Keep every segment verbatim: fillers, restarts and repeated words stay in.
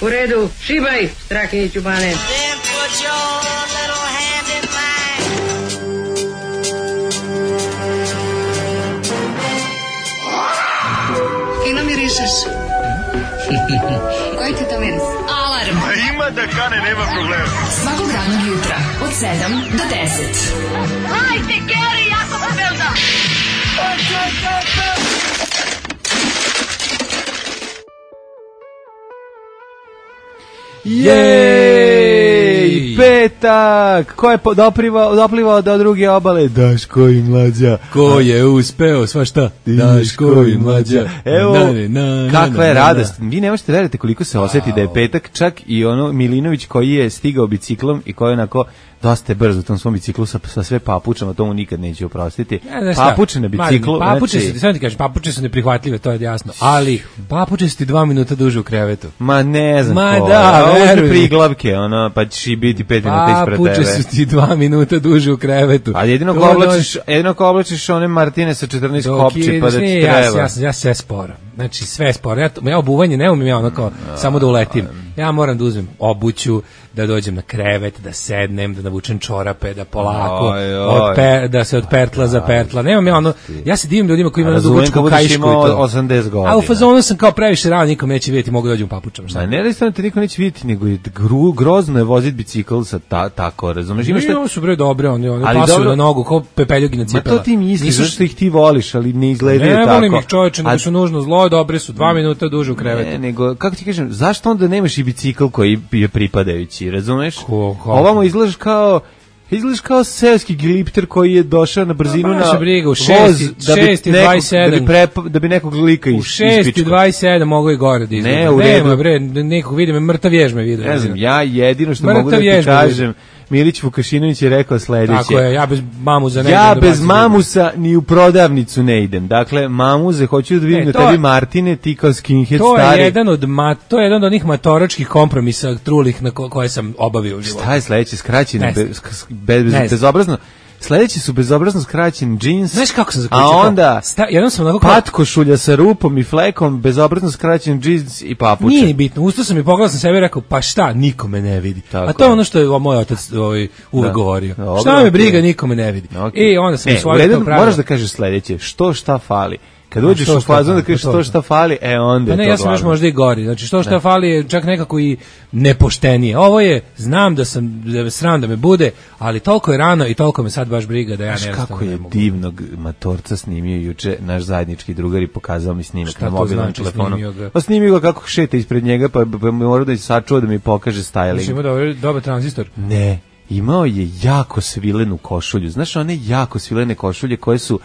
U redu, šibaj, Strahinjiću Bane. Fino mirišeš. Koji ti to miris? Alarm. A ima da kane, nema problema. Svakog radnog jutra, od sedam do deset. Hajde, Geri, jako se velda. Jej, petak! Ko je doplivao, doplivao do druge obale? Daško i Mlađa. Ko je uspeo, sva šta? Daško i Mlađa. Evo, na, na, na, kakva je na, na, radost. Vi ne možete veriti koliko se osjeti da je petak, čak i ono Milinović koji je stigao biciklom i koji je onako dosta je brzo u tom svom biciklu sa, sa sve papučama, tomu nikad neću oprostiti. Ja, papuče na biciklu. Papuče znači, su, samo ti kažem, papuče su neprihvatljive, to je jasno. Ali papuče su ti dva minuta duže u krevetu. Ma ne znam Ma ko. da, veruj. Priglavke, ono, pa ćeš i biti pet minuta ispred tebe. Papuče su ti dva minuta duže u krevetu. A jedino ko oblačiš, jedino ko oblačiš one Martine sa četrnaest kopči, pa da ti treba. Ja, ja, ja sve sporo. Znači sve sporo. Ja, ja obuvanje ne umim ja ono kao samo da uletim. Ja moram da uzmem obuću, da dođem na krevet, da sednem, da navučem čorape, da polako, oj, oj. Odpe, da se od pertla za pertla. Nemam ja ono, ja se divim ljudima koji imaju dugačku kaišku i to. osamdeset godina. A u fazonu sam kao previše rano, nikom neće vidjeti, mogu dođem u papučama. Ma ne da isto te niko neće vidjeti, nego je gru, grozno je voziti bicikl sa ta, tako, razumeš? Imaš šta... su bre dobre, oni, oni pasuju na nogu, kao pepeljugi na cipela. Ma to ti misliš, zašto ih ti voliš, ali ne izgledaju tako. Ne volim ih čoveče, nego su nužno zlo, dobre su, dva minuta duže u krevetu. Ne, nego, kako ti kažem, zašto onda nemaš i bicikl koji je pripadajući, razumeš? Ovamo izgledaš kao izgledaš kao seoski glipter koji je došao na brzinu na briga, u voz šest i dvadeset sedam da bi, prepa, da bi nekog lika ispičkao. U šest i dvadeset sedam mogu i gore da izgleda. Ne, u redu. Nema, bre, nekog vidim, mrtav jež me vidio. Ne znam, ja jedino što mrtav mogu da ti kažem, Milić Vukašinović je rekao sledeće. Tako je, ja bez mamuza ne ja idem. Ja bez mamusa ni u prodavnicu ne idem. Dakle, mamuze, hoću da vidim e, da tebi Martine, ti kao skinhead to stari. Je jedan od ma, to je jedan od onih matoračkih kompromisa trulih na ko, koje sam obavio u životu. Šta je sledeće? Skraćeno, bez, bez, bez, bezobrazno. Sledeći su bezobrazno skraćen džins. Znaš kako sam zaključio? A onda sta, jednom sam onako pat košulja sa rupom i flekom, bezobrazno skraćen džins i papuče. Nije bitno. Ustao sam i pogledao sam sebe i rekao, pa šta, niko me ne vidi. Tako. A to je ono što je moj otac ovaj, uvek da. govorio. Dobro, šta me briga, niko me ne vidi. Okay. I onda sam e, svojio to pravilo. Moraš da kažeš sledeće, što šta fali. Kad uđeš u fazon da kažeš što šta fali, e onda je pa ne, to ja sam glavno. još možda i gori. Znači što šta ne. fali je čak nekako i nepoštenije. Ovo je, znam da sam da sram da me bude, ali toliko je rano i toliko me sad baš briga da ja ne kako je divnog matorca snimio juče naš zajednički drugar i pokazao mi snimak na mobilnom znači telefonu. Pa snimio ga kako šeta ispred njega, pa bi morao da se sačuva da mi pokaže styling. Znači ima dobar, dobar tranzistor. Ne, imao je jako svilenu košulju. Znaš, one jako svilene košulje koje su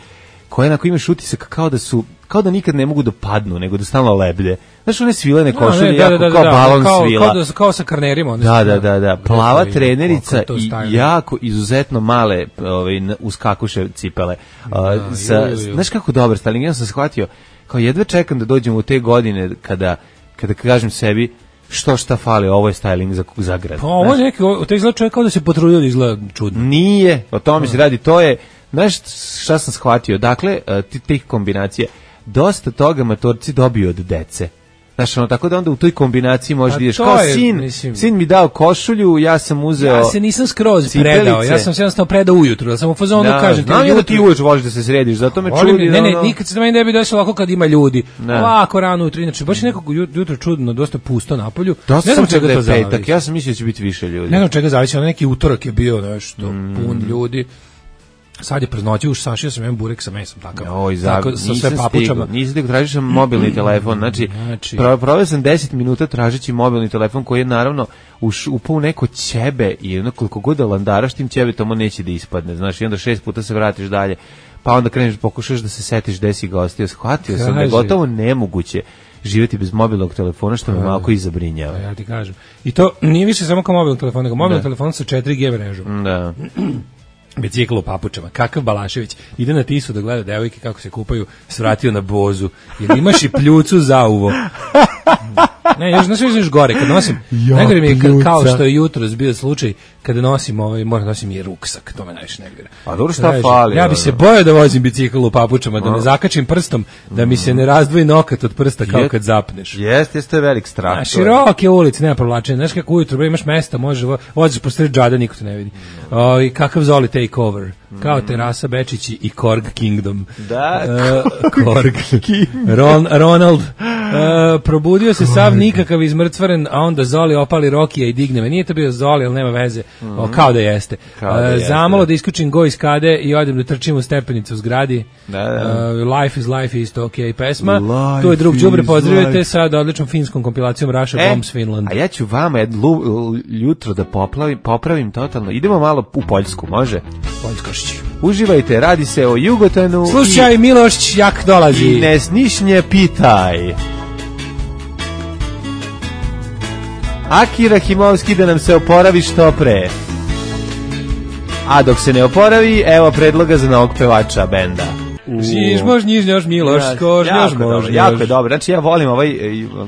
koje onako imaš utisak kao da su kao da nikad ne mogu da padnu, nego da stalno leblje. Znaš, one svilene košulje, no, ne, jako da, da, da, kao da, balon kao, svila. Kao, da, kao sa karnerima. Da, da, da, da. Plava trenerica i jako izuzetno male ovaj, uskakuše cipele. Da, uh, sa, ju, ju, ju. Znaš kako dobar styling, ja sam shvatio, kao jedva čekam da dođem u te godine kada, kada kažem sebi, što šta fali, ovo je styling za, za grad. Pa ovo je neki, to izgleda čovjek kao da se potrudio da izgleda čudno. Nije, o tome se radi, to je, znaš šta sam shvatio, dakle, tih kombinacija, dosta toga matorci dobiju od dece. Znaš, ono, tako da onda u toj kombinaciji možeš da ideš kao je, sin, mislim, sin mi dao košulju, ja sam uzeo... Ja se nisam skroz cipelice. predao, ja sam se jednostavno predao ujutru, da sam u fazonu da, kažem... Znam ja da ti ujutru voliš da se središ, zato me volim, čudi... Ne, ne, ono... nikad se da meni ne bi desilo ovako kad ima ljudi. Ne. Ovako rano ujutru, inače, baš je nekako jutro čudno, dosta pusto napolju. Dosta ne znam sam čega da je petak, ja sam mislio da će biti više ljudi. Ne znam čega zavisi, ono neki utorak je bio nešto, mm. pun ljudi. Sad je preznoći, už sašio sam jedan burek sa mesom, takav. Oj, tako, sa sve papučama. Nisam stigao, tražio sam mobilni telefon, znači, znači proveo sam deset minuta tražeći mobilni telefon koji je naravno upao u neko ćebe i ono koliko god da landaraš tim ćebetom on neće da ispadne, znaš, i onda šest puta se vratiš dalje, pa onda kreneš, pokušaš da se setiš gde si gostio, shvatio sam da je gotovo nemoguće živjeti bez mobilnog telefona, što me malo i zabrinjava. Ja ti kažem. I to nije više samo kao mobilni telefon, nego mobilni telefon sa četiri G mrežom. Da. Bicikl u papučama, kakav Balašević ide na Tisu da gleda devojke kako se kupaju, svratio na bozu, jer imaš i pljucu za uvo. Ne, još znaš još gore, kad nosim, najgore mi je ka- kao što je jutros bio slučaj, kada nosim ovaj, moram nosim i ruksak, to me najviše negore. A dobro šta fali? Ja bi se bojao da vozim bicikl u papučama, da ne zakačim prstom, da mi se ne razdvoji nokat od prsta kao kad zapneš. Jeste, jeste je velik strah. Na široke ulice, nema provlačenja, znaš kako ujutro, bre, imaš mesta, možeš, voziš po sred džada, niko te ne vidi. O, i kakav Zoli takeover, kao Terasa Bečići i Korg Kingdom. Da, uh, Korg Ron, Ronald. Uh, probudio se sav nikakav izmrcvaren, a onda Zoli opali Rokija i digne me. Nije to bio Zoli, ali nema veze. Mm-hmm. O, kao da jeste. Kao da jeste. Uh, zamalo da isključim go iz kade i odem da trčim u stepenicu u zgradi. Da, da. Uh, life is life is to okay pesma. Life tu je drug đubre, pozdravite sa odličnom finskom kompilacijom Russia e, Bombs Finland. A ja ću vama jedno jutro da poplavim, popravim totalno. Idemo malo u Poljsku, može? Poljskošći. Uživajte, radi se o Jugotanu. Slušaj, i Miloš jak dolazi. I ne snišnje pitaj. Aki Rahimovski da nam se oporavi što pre. A dok se ne oporavi, evo predloga za novog pevača benda. Žiž mož, njiž, njož, Miloš, kož, njož, mož, jako je dobro. Znači ja volim ovaj,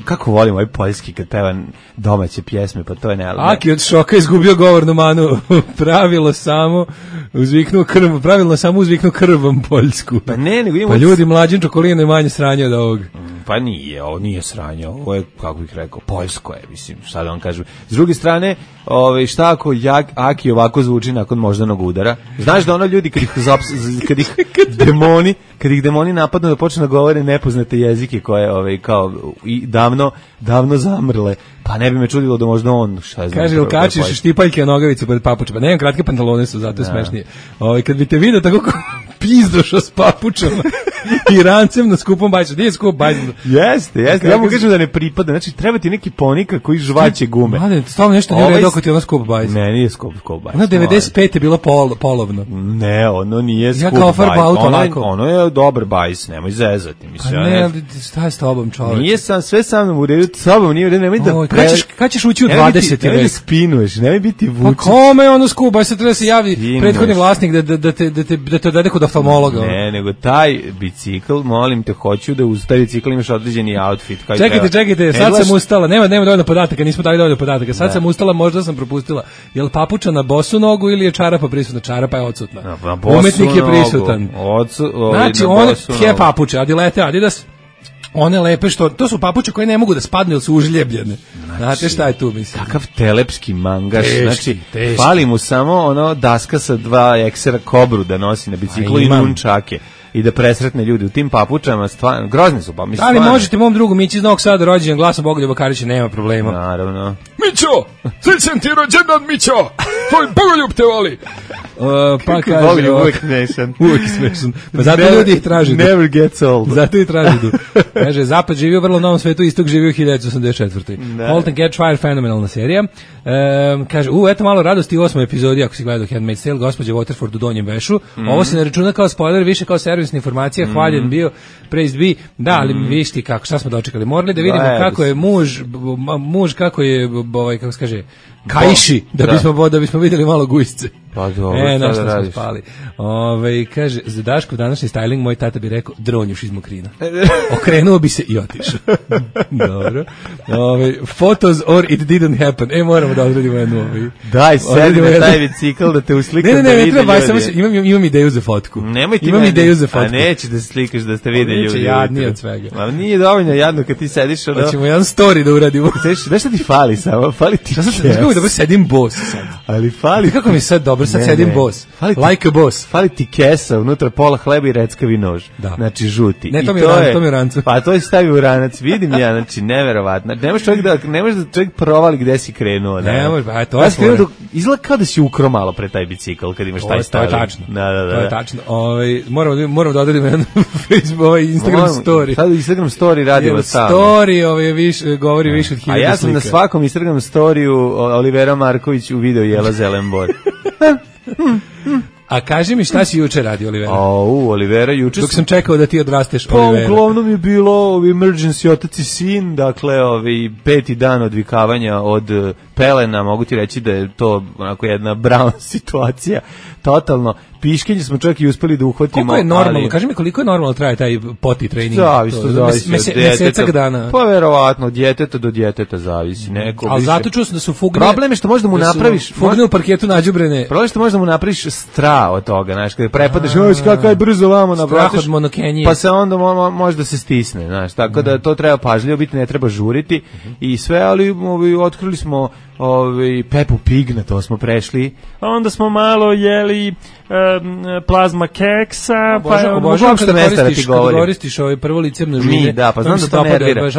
kako volim ovaj poljski kad peva domaće pjesme, pa to je ne. Aki od šoka izgubio govornu manu, pravilo samo uzviknuo krv, pravilno samo uzviknuo krvom poljsku. Pa ne, nego imamo... Pa ljudi, mlađin čokolino je manje sranje od ovog. Pa nije, ovo nije sranje, ovo je, kako bih rekao, poljsko je, mislim, šta da vam kažem. S druge strane, ove, šta ako jak, Aki ovako zvuči nakon moždanog udara? Znaš da ono ljudi, kad ih, zaps, kad ih demoni, kad ih demoni napadnu da počne da govore nepoznate jezike koje, ove, kao, i davno, davno zamrle, pa ne bi me čudilo da možda on, šta znam. Kaže, kačiš štipaljke nogavicu pred papučama, nemam kratke pantalone su, zato je smešnije. Ove, kad bi te vidio tako pizdošao s papučama i rancem na skupom bajsu. Nije skup bajs. Jeste, jeste. Ja mu kažem da ne pripada. Znači, treba ti neki ponika koji žvaće gume. Mladen, stavno nešto nije redo ako ti je ono skup bajs. Ne, nije skup, skup bajs. Ono devedeset pete je bilo pol, polovno. Ne, ono nije skup bajs. Ja kao farba auto ono, lako. Ono je dobar bajs, nemoj zezati. Mislim, a ne, ali šta je s tobom, čoveče? Nije sam, sve sa mnom u redu, s tobom nije u redu, nemoj da... Oj, kad, ćeš, kad ćeš ući u dvadeseti vek? Nemoj da spinuješ, nemoj biti vučen. Pa kome je ono skup bajs, treba da se javi prethodni vlasnik da, da, da, te, da, te, da te odvede kod oftalmologa. Ne, nego taj bicikl, molim te, hoću da uz taj bicikl imaš određeni outfit. Kao čekajte, čekajte, sad glaš... sam ustala, nema, nema dovoljno podataka, nismo dali dovoljno podataka, sad da. sam ustala, možda sam propustila, je li papuča na bosu nogu ili je čarapa prisutna? Čarapa je odsutna. Na, na bosu umetnik je nogu. prisutan. Odsu, ovaj, znači, one tje papuče, Adilete, Adidas, one lepe što, to su papuče koje ne mogu da spadnu jer su užljebljene. Znači, znate šta je tu, mislim? Kakav telepski mangaš, teški, znači, teški. fali mu samo ono daska sa dva eksera kobru da nosi na biciklu i nunčake. I da presretne ljudi u tim papučama, stvarno, grozni su pa, mislim. Ali možete mom drugu Mići iz Novog Sada, rođendan glasom Bogoljuba Karića, nema problema. Naravno. Mićo, srećan ti rođendan, Mićo, tvoj Bogoljub te voli. Uh, pa kaže, Bogoljub uvijek smešan. Uvijek smešan. Pa zato never, ljudi ih traži. Never gets old. Zato ih traži. Kaže, Zapad živio u vrlo novom svetu, istok živio u hiljadu osamdeset četvrtoj. Halt and Catch Fire, fenomenalna serija. Um, kaže, u, eto malo radosti u osmoj epizodi, ako si gledao Handmaid's Tale, gospođa Waterford u donjem vešu. Mm. Ovo se ne računa kao spoiler, više kao servisna informacija, mm. hvaljen bio, praised be. Da, ali mm. viš ti kako, šta smo dočekali. Morali da vidimo da, kako je muž, muž kako je, ovaj, kako se kaže, kajši, da, da bismo da bismo vidjeli malo gujsce. Pa dobro, e, na što smo spali. Ove, kaže, za Daškov današnji styling, moj tata bi rekao, dronjuš iz Mokrina. Okrenuo bi se i otišao. Dobro. Ove, photos or it didn't happen. E, moramo da odredimo jednu. Ove. Daj, sedi na taj bicikl da te uslikam ne, ne, ne, da vidi treba, ljudi. Samo se, imam, imam ideju za fotku. Nemoj ti imam meni, ideju za fotku. A neće da se slikaš da ste vide ljudi. Neće jadnije od svega. Ma nije dovoljno jadno kad ti sediš. Ono... Hoćemo jedan story da uradimo. Znaš šta ti fali samo? Fali ti kes. Kako da sedim boss sad. Ali fali. Kako mi sad dobro, sad ne, sedim ne. boss. Fali ti, like a boss. Fali ti kesa, unutra pola hleba i reckavi nož. Da. Znači žuti. Ne, to I mi to je, je, to mi je rancu. Pa to je stavi u ranac. Vidim ja, znači neverovatno. Ne možeš čovjek da ne možeš da čovjek provali gde si krenuo, da. Ne može, pa to je fora. Izgleda kao da si ukro malo pre taj bicikl kad imaš taj styling. To je tačno. Da, da, da. To je tačno. Ovaj moramo moramo da odredimo jedan Facebook, ovaj Instagram Moram, story. Sad Instagram story radimo sam. Story, ovaj više govori više od hiljadu slika. A ja sam slika. Na svakom Instagram storiju Olivera Marković u video jela zelen bor. A kaži mi šta si juče radio, Olivera? Au, Olivera, juče dok sam čekao da ti odrasteš, pa, Olivera. Pa uglavnom je bilo emergency otac i sin, dakle, ovi peti dan odvikavanja od pelena, mogu ti reći da je to onako jedna brown situacija, totalno. piškenje smo čak i uspeli da uhvatimo. Koliko je normalno, ali... kaži mi koliko je normalno traje taj poti trening? Zavisi, to zavisi mese, od djeteta. Mesecak dana. Pa verovatno, od djeteta do djeteta zavisi. Neko ali više... zato čuo sam da su fugne... Problem je što možda mu napraviš... Fugne u parketu nađubrene. Problem je što možda mu napraviš stra od toga, znaš, kada prepadeš, oj, kako je brzo vamo navratiš. Strah od monokenije. Pa se onda mo, može da se stisne, znaš, tako da to treba pažljivo biti, ne treba žuriti i sve, ali ovi, otkrili smo ovi, Peppu Pig, na to smo prešli, a onda smo malo jeli um, plazma keksa, pa je obožavam kada koristiš, kada koristiš ovaj prvo licem žine. Mi, da, pa znam da to nervira.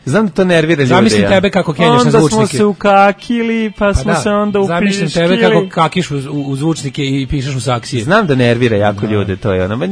Znam da to nervira ljude. Zamislim tebe kako kenjaš na zvučnike. Onda smo se ukakili, pa smo se onda upiškili. Zamislim tebe kako kakiš u, u zvučnike i pišeš u saksije. Znam da nervira jako ljude, to je ono.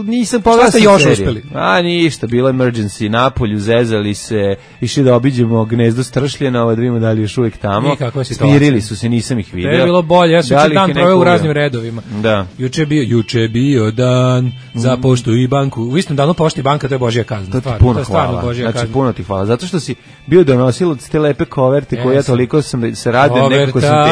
Nisam pogledao seriju. Šta ste još uspeli? A ništa, bilo emergency, napolju, zezali se, išli da obiđemo gnezdo stršljenova, da vidimo da li još uvijek tamo. Smirili su se, nisam ih vidio. To je bilo bolje, ja sam juče dan proveo u raznim redovima. Da. Juče je bio, juče je bio dan za poštu i banku. U istom danu pošta i banka, to je božja kazna. To ti puno to je hvala. Božja znači, kazna. Puno ti hvala. Zato što si bio donosilac te lepe koverte koje ja toliko sam se radio, nekako sam ti,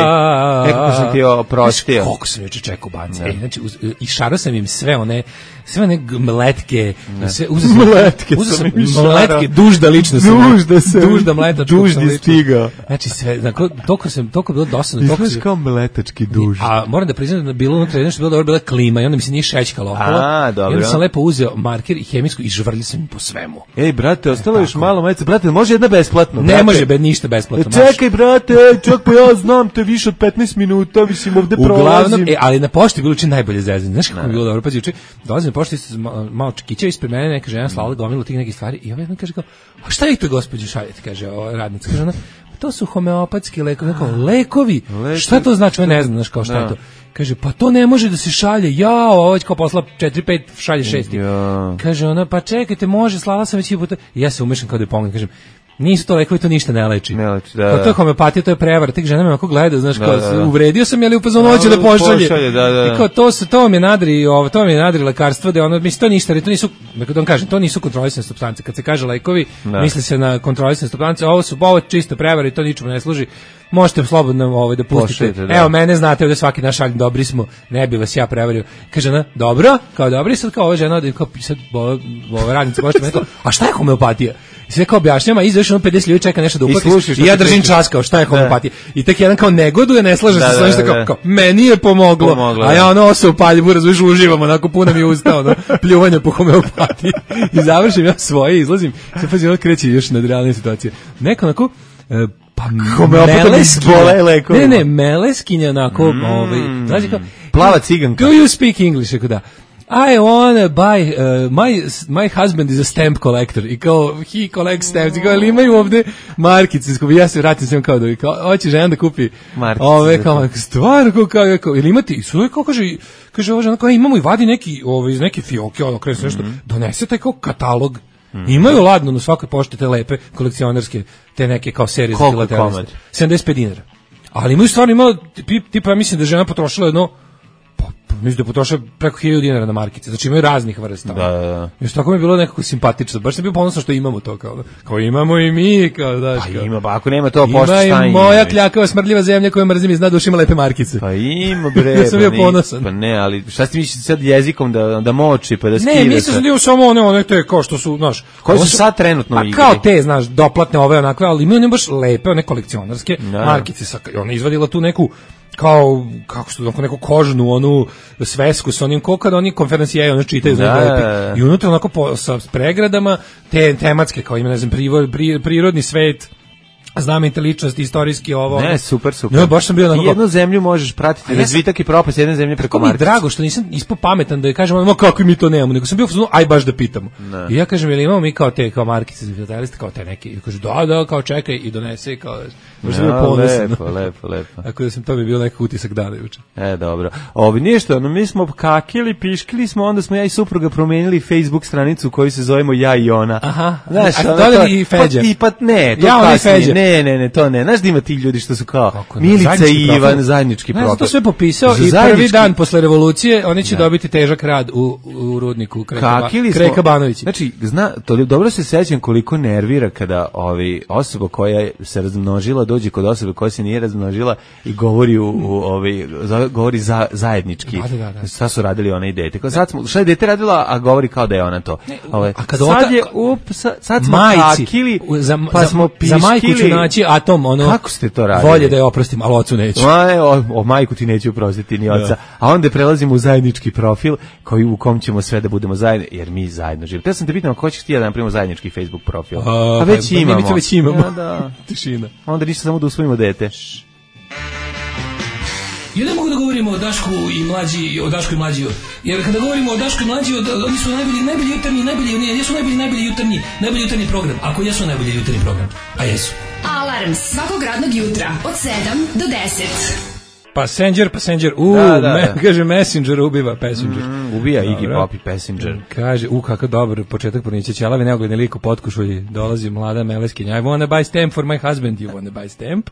nekako sam ti oprostio. Koliko sam juče čekao bance. E, znači, uz, i šarao sam im sve one, sve one mletke. Sve, uzeo sam, mletke uzeo sam mletke, dužda lično sam. Dužda se. Dužda mletačka. Duždi stigao. Znači, sve, znači, toliko sam, toliko bilo dosadno. Izgledaš kao mletački duž. A moram da priznam da je bilo unutra jedno što je bilo dobro, bila klima i onda mi se nije šećkalo okolo. A, dobro. I onda sam lepo uzeo marker i hemijsku i žvrljio sam im po svemu. Ej, brate, ostalo još malo majice. Brate, može jedna besplatno? Ne brate? može be, ništa besplatno. E, čekaj, brate, ej, čak pa ja znam te više od petnaest minuta, mislim, ovde prolazim. Uglavnom, e, ali na pošti bilo učin najbolje zezanje. Znaš kako mi bilo dobro? Pazi, juče dolazim na pošti, malo čekića ispred mene, neka žena slala gomilu tih nekih stvari i ovaj jedan kaže kao, a šta vi to gospođo šaljete, kaže ova radnica, kaže ona, to su homeopatski lekovi, kao lekovi, lekovi. Šta to znači, ne znam, znaš kao šta je to. Kaže, pa to ne može da se šalje, jao, ovo već kao posla četiri pet, šalje šest. Ja. Kaže ona, pa čekajte, može, slala sam već i puta. I ja se umešam kao da je pomognem, kažem, nisu to lekovi, to ništa ne leči. Ne leči, da, kao da. To je homeopatija, to je prevara. Tek žena me ovako gleda, znaš, da, kao, da, da. uvredio sam, ali u fazonu hoće da pošalje. pošalje da, da. I kao, to, se, to mi je nadri, ovo, to mi je nadri lekarstvo, da ono, mislim, to ništa, ali to nisu, kako da vam kažem, to nisu kontrolisane supstance. Kad se kaže lekovi, da. Misli se na kontrolisane supstance, ovo su, ovo je čista prevara i to ničemu ne služi. Možete slobodno ovaj da pustite. Pošljete, da. Evo mene znate ovde svaki naš šalj, dobri smo, ne bi vas ja prevario. Kaže ona, dobro, kao dobri, sad kao ova žena, kao sad ova, ova radnica možete me kao, a šta je homeopatija? I sve kao objašnjava, izaš ono pedeset ljudi čeka nešto da uplatiš i, i ja držim čas kao šta je homeopatija. I tek jedan kao negoduje, ne slaže se sa ovim što kao, kao meni je pomoglo, pomoglo a ja ono osa u paljivu, razumiješ, uživam, onako puno mi je usta, ono, pljuvanje po homeopatiji. I završim ja svoje, izlazim, sve pazi, ono kreće još nadrealne situacije. Neko onako, e, pa meleskinja, ne, ne, meleskinja onako, mm. ovaj, znači kao, plava ciganka. Do you speak English? Ako da. I wanna buy, uh, my, my husband is a stamp collector. I kao, he collects stamps. I kao, ali imaju ovde markice. Ja se vratim s njom kao da, i kao, hoće žena da kupi markice. Ove, kao, stvarno, kao, kao, kao, ili imate, i sve, kao, kaže, kaže, ova žena, kao, imamo i vadi neki, ove, iz neke fioke, ono, krenu se nešto, mm-hmm. donese taj kao katalog. Mm-hmm. Imaju ladno na svakoj pošti te lepe kolekcionarske, te neke kao serije za filateliste. sedamdeset pet dinara. Ali imaju stvarno imalo, tipa, ja mislim da žena potrošila jedno, mislim da potroša preko hiljadu dinara na markice. Znači imaju raznih vrsta. Da, da, da. Još tako mi je bilo nekako simpatično. Baš sam bio ponosan što imamo to. Kao, kao imamo i mi. Kao, daš, pa kao. ima, pa ako nema to pošta šta ima. Ima i moja kljakava smrdljiva zemlja koju mrzim i zna da uš ima lepe markice. Pa ima bre. Ja sam bio ponosan. Pa ne, ali šta ti misliš sad jezikom da, da moči pa da skida? Ne, mislim da je samo one, one te kao što su, znaš. Koji su sad trenutno pa, igri? Kao te, znaš, doplatne ove onakve, ali imaju ne baš lepe, one kolekcionarske da. Markice. Sa, ona izvadila tu neku kao kako što neku kožnu onu svesku sa onim kokad oni konferencije oni čitaju da, lepi i unutra onako po, sa pregradama te tematske kao ima ne znam privod, pri, prirodni svet znamenite ličnosti, istorijski ovo. Ne, super, super. Ne, baš sam bio onako. I jednu zemlju možeš pratiti, razvitak i propast jedne zemlje preko markice. Kako mi drago što nisam ispao pametan da je kažem, ma kako mi to nemamo, nego sam bio fuzonu, aj baš da pitamo. Ne. I ja kažem, jel imamo mi kao te kao markice za filateliste, kao te neke. I kaže, da, da, kao čekaj i donese kao. Baš sam bio ponosan. Lepo, lepo, lepo. Tako da sam to bi bio neki utisak dana juče. E, dobro. Ovi ništa, no mi smo kakili, piškili smo, onda smo ja i supruga promenili Facebook stranicu koju se zovemo Ja i ona. Aha. Znaš, a dodali i Feđa. Pa, i pa ne, to ja kasnije. Ne, ne, ne, to ne. Znaš da ima ti ljudi što su kao Milica i Ivan, zajednički profil. Ne, to sve popisao i prvi dan posle revolucije oni će dobiti težak rad u, u rudniku Kreka Banovići. Znači, zna, to dobro se sećam koliko nervira kada ovi osoba koja se razmnožila dođe kod osobe koja se nije razmnožila i govori u, u ovi govori za, zajednički. Da, da, da. Šta su radili ona i dete? Kao sad smo, šta je dete radila, a govori kao da je ona to. Ne, ove, a kad sad ota, je up, sad, sad smo majci, kakili, za, pa smo za majku ću naći atom, ono. Kako ste to radili? Volje da je oprostim, ali ocu neću. Ma, o, o majku ti neću oprostiti ni oca. Da. A onda prelazimo u zajednički profil koji u kom ćemo sve da budemo zajedno, jer mi zajedno živimo. Te sam te pitam, ko ćeš ti da napravimo zajednički Facebook profil? A, pa već pa, imamo. Mi već imamo. Ja, da. Tišina. Onda ništa, samo da usvojimo dete. Ja ne mogu da govorimo o Dašku i mlađi, o Dašku i mlađi, jer kada govorimo o Dašku i mlađi, oni su najbolji, najbolji jutarnji, najbolji, ne, jesu najbolji, najbolji jutarnji, najbolji jutarnji program, ako jesu najbolji jutarnji program, a jesu. Alarm svakog radnog jutra od sedam do deset. Passenger, Passenger, u, da, da, me, da. Kaže Messenger ubiva Passenger. Mm, ubija Iggy Pop i Passenger. Kaže, u, kakav dobar početak porniče ćelavi, neogledni lik u potkušulji, dolazi mlada meleskinja. I wanna buy stamp for my husband, you wanna buy stamp?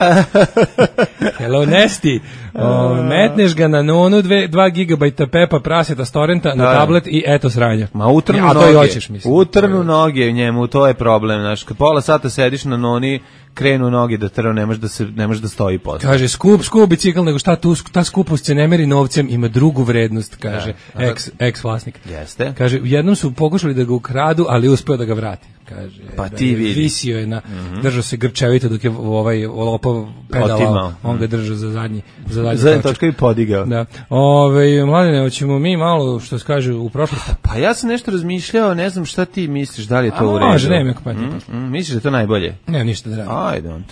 Hello, Nesty. O, metneš ga na nonu, dve, dva gigabajta pepa praseta s torrenta na tablet i eto sranja. Ma utrnu ja, noge, hoćeš, mislim. utrnu noge njemu, to je problem. Znaš, kad pola sata sediš na noni, krenu noge da trnu, ne može da se ne može da stoji posle. Kaže skup, skup bicikl, nego šta tu, ta skupost se ne meri novcem, ima drugu vrednost, kaže ja, ex ex vlasnik. Jeste. Kaže jednom su pokušali da ga ukradu, ali uspeo da ga vrati. Kaže, pa ti vidi. Visio je na, mm-hmm. držao se grčevito dok je ovaj lopov pedalao, on ga držao za zadnji, za zadnji zadnji točka i podigao. Da. Ove, mladine, hoćemo mi malo, što se kaže, u prošlosti. Pa ja sam nešto razmišljao, ne znam šta ti misliš, da li je to a, u redu. Može, nema kako mm, mm, misliš da je to najbolje? Nema ništa da radim. I don't.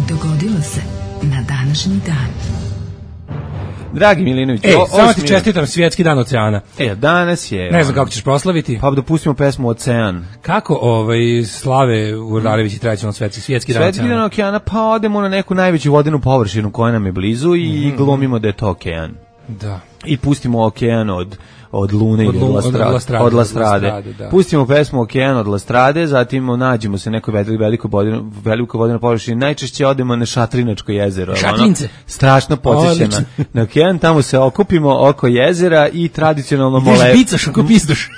Dogodilo se na današnji dan. Dragi Milinović, e, samo ti čestitam svjetski dan oceana. E, danas je... Ne znam kako ćeš proslaviti. Pa dopustimo pesmu Ocean. Kako ovaj, slave Urdarević i tradicionalno svetski, svjetski dan svjetski oceana? Svjetski dan okeana, pa odemo na neku najveću vodenu površinu koja nam je blizu i mm. glumimo da je to okean. Da. I pustimo okean od... od Lune od, ili od Lastrade. Od Lastrade, od Lastrade. Od Lastrade da. Pustimo pesmu Okean od Lastrade, zatim nađemo se nekoj veliko vodeno, veliko vodeno površini. Najčešće odemo na Šatrinačko jezero. Šatrince. Ono, strašno podsjeća na, na okean. Tamo se okupimo oko jezera i tradicionalno mole... Ideš bicaš oko pizdoš.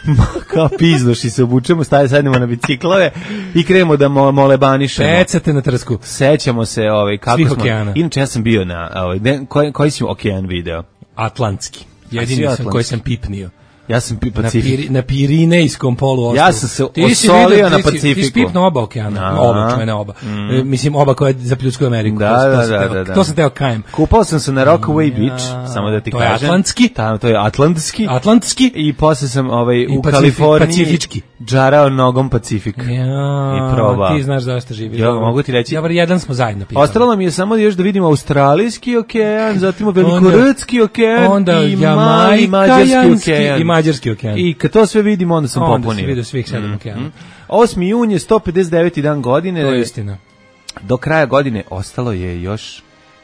Kao pizdoš i se obučemo, staje, sadnemo na biciklove i krenemo da mo, molebanišemo. Pecate na trsku. Sećamo se ovaj, kako svih smo... okeana. Inače ja sam bio na... Ovaj, koji, koji si okean video? Atlantski. Jedini sam koji sam pipnio. Ja sam pi na, Piri, na Pirinejskom poluostrvu. Ja sam se osolio na Pacifiku. Ti si pipno oba okeana, oba, čuvene oba. Mm. E, mislim, oba koja je za Pljutsku Ameriku. Da, to, da, to, da, teo, da, da. To sam teo kajem. Kupao sam se na Rockaway ja, Beach, samo da ti to kažem. To je atlantski. Tamo, to je atlantski. Atlantski. I posle sam ovaj, u Pacifik, Kaliforniji pacifički. Džarao nogom Pacifik. Ja, i probao. Ti znaš zašto živi. Ja, mogu ti reći. Ja, bar jedan smo zajedno pitali. Ostalo mi je samo još da vidimo Australijski okean, zatim Velikorodski okean onda i mali mađarski okean. I mađarski okean. I kad to sve vidimo, onda sam onda popunio. Onda si vidio svih sedam mm, okeana. Mm. osmi jun je sto pedeset deveti dan godine. To je istina. Do kraja godine ostalo je još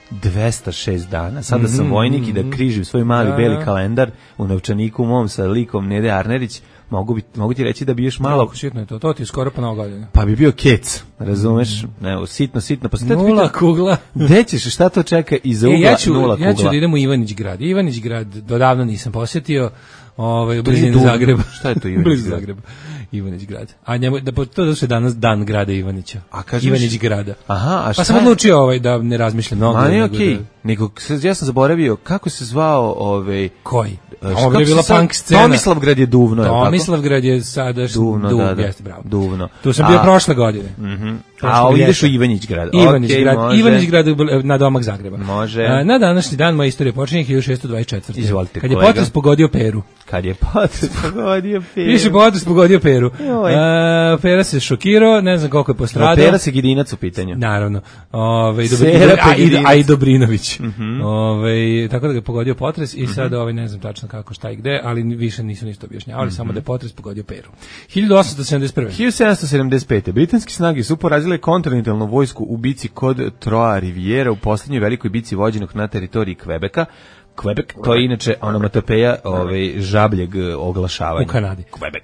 dvesta šest dana. Sada sam mm, vojnik mm, i da križim svoj mali da. beli kalendar u novčaniku mom sa likom Nede Arnerić. Mogu, bi, mogu ti reći da bi još malo... Jako sitno je to, to ti je skoro pa nova godina. Pa bi bio kec, razumeš? Evo, sitno, sitno. Pa nula pitan, kugla. Gde ćeš, šta to čeka iza ugla, e, ja ću, nula kugla? Ja ću da idem u Ivanić grad. Ivanić grad dodavno nisam posjetio, ovaj, u blizini Zagreba. Šta je to Ivanić grad? Zagreba. Ivanić grad. A njemu, da, to da se danas dan grada Ivanića. A kažeš? Ivanić grada. Aha, a šta? Pa sam odlučio ovaj, da ne razmišljam mnogo. Ma nije okej. Nego, ja sam zaboravio, kako se zvao ovaj... Koji? Ovo je bila punk scena. Tomislavgrad je Duvno, je li tako? Tomislavgrad je sada Duvno, Duv, da, da. Jeste, bravo. Duvno. Tu sam bio a, prošle godine. Mhm. A ovdje ideš u Ivanić grad. Ivanić okay, grad, može. Ivanić grad na domak Zagreba. Može. A, na današnji dan moja istorija počinje hiljadu šessto dvadeset četvrte. Izvolite, kad je kolega. potres pogodio Peru. Kad je potres pogodio Peru. Više potres pogodio Peru. A, Pera se šokirao, ne znam koliko je postradao. Pera se Gidinac u pitanju. Naravno. Ove, Dobri, a, i, a i Dobrinović. Mm -hmm. Ove, tako da ga je pogodio potres i sad ovaj, ne znam tačno kako, šta i gde, ali više nisu ništa objašnjavali, mm -hmm. samo da je potres pogodio Peru. hiljadu osamsto sedamdeset prve. hiljadu sedamsto sedamdeset pete. Britanske snage su porazile kontinentalnu vojsku u bici kod Trois Riviera u poslednjoj velikoj bici vođenog na teritoriji Kvebeka. Quebec, to je inače onomatopeja ovaj, žabljeg oglašavanja. U Kanadi. Quebec,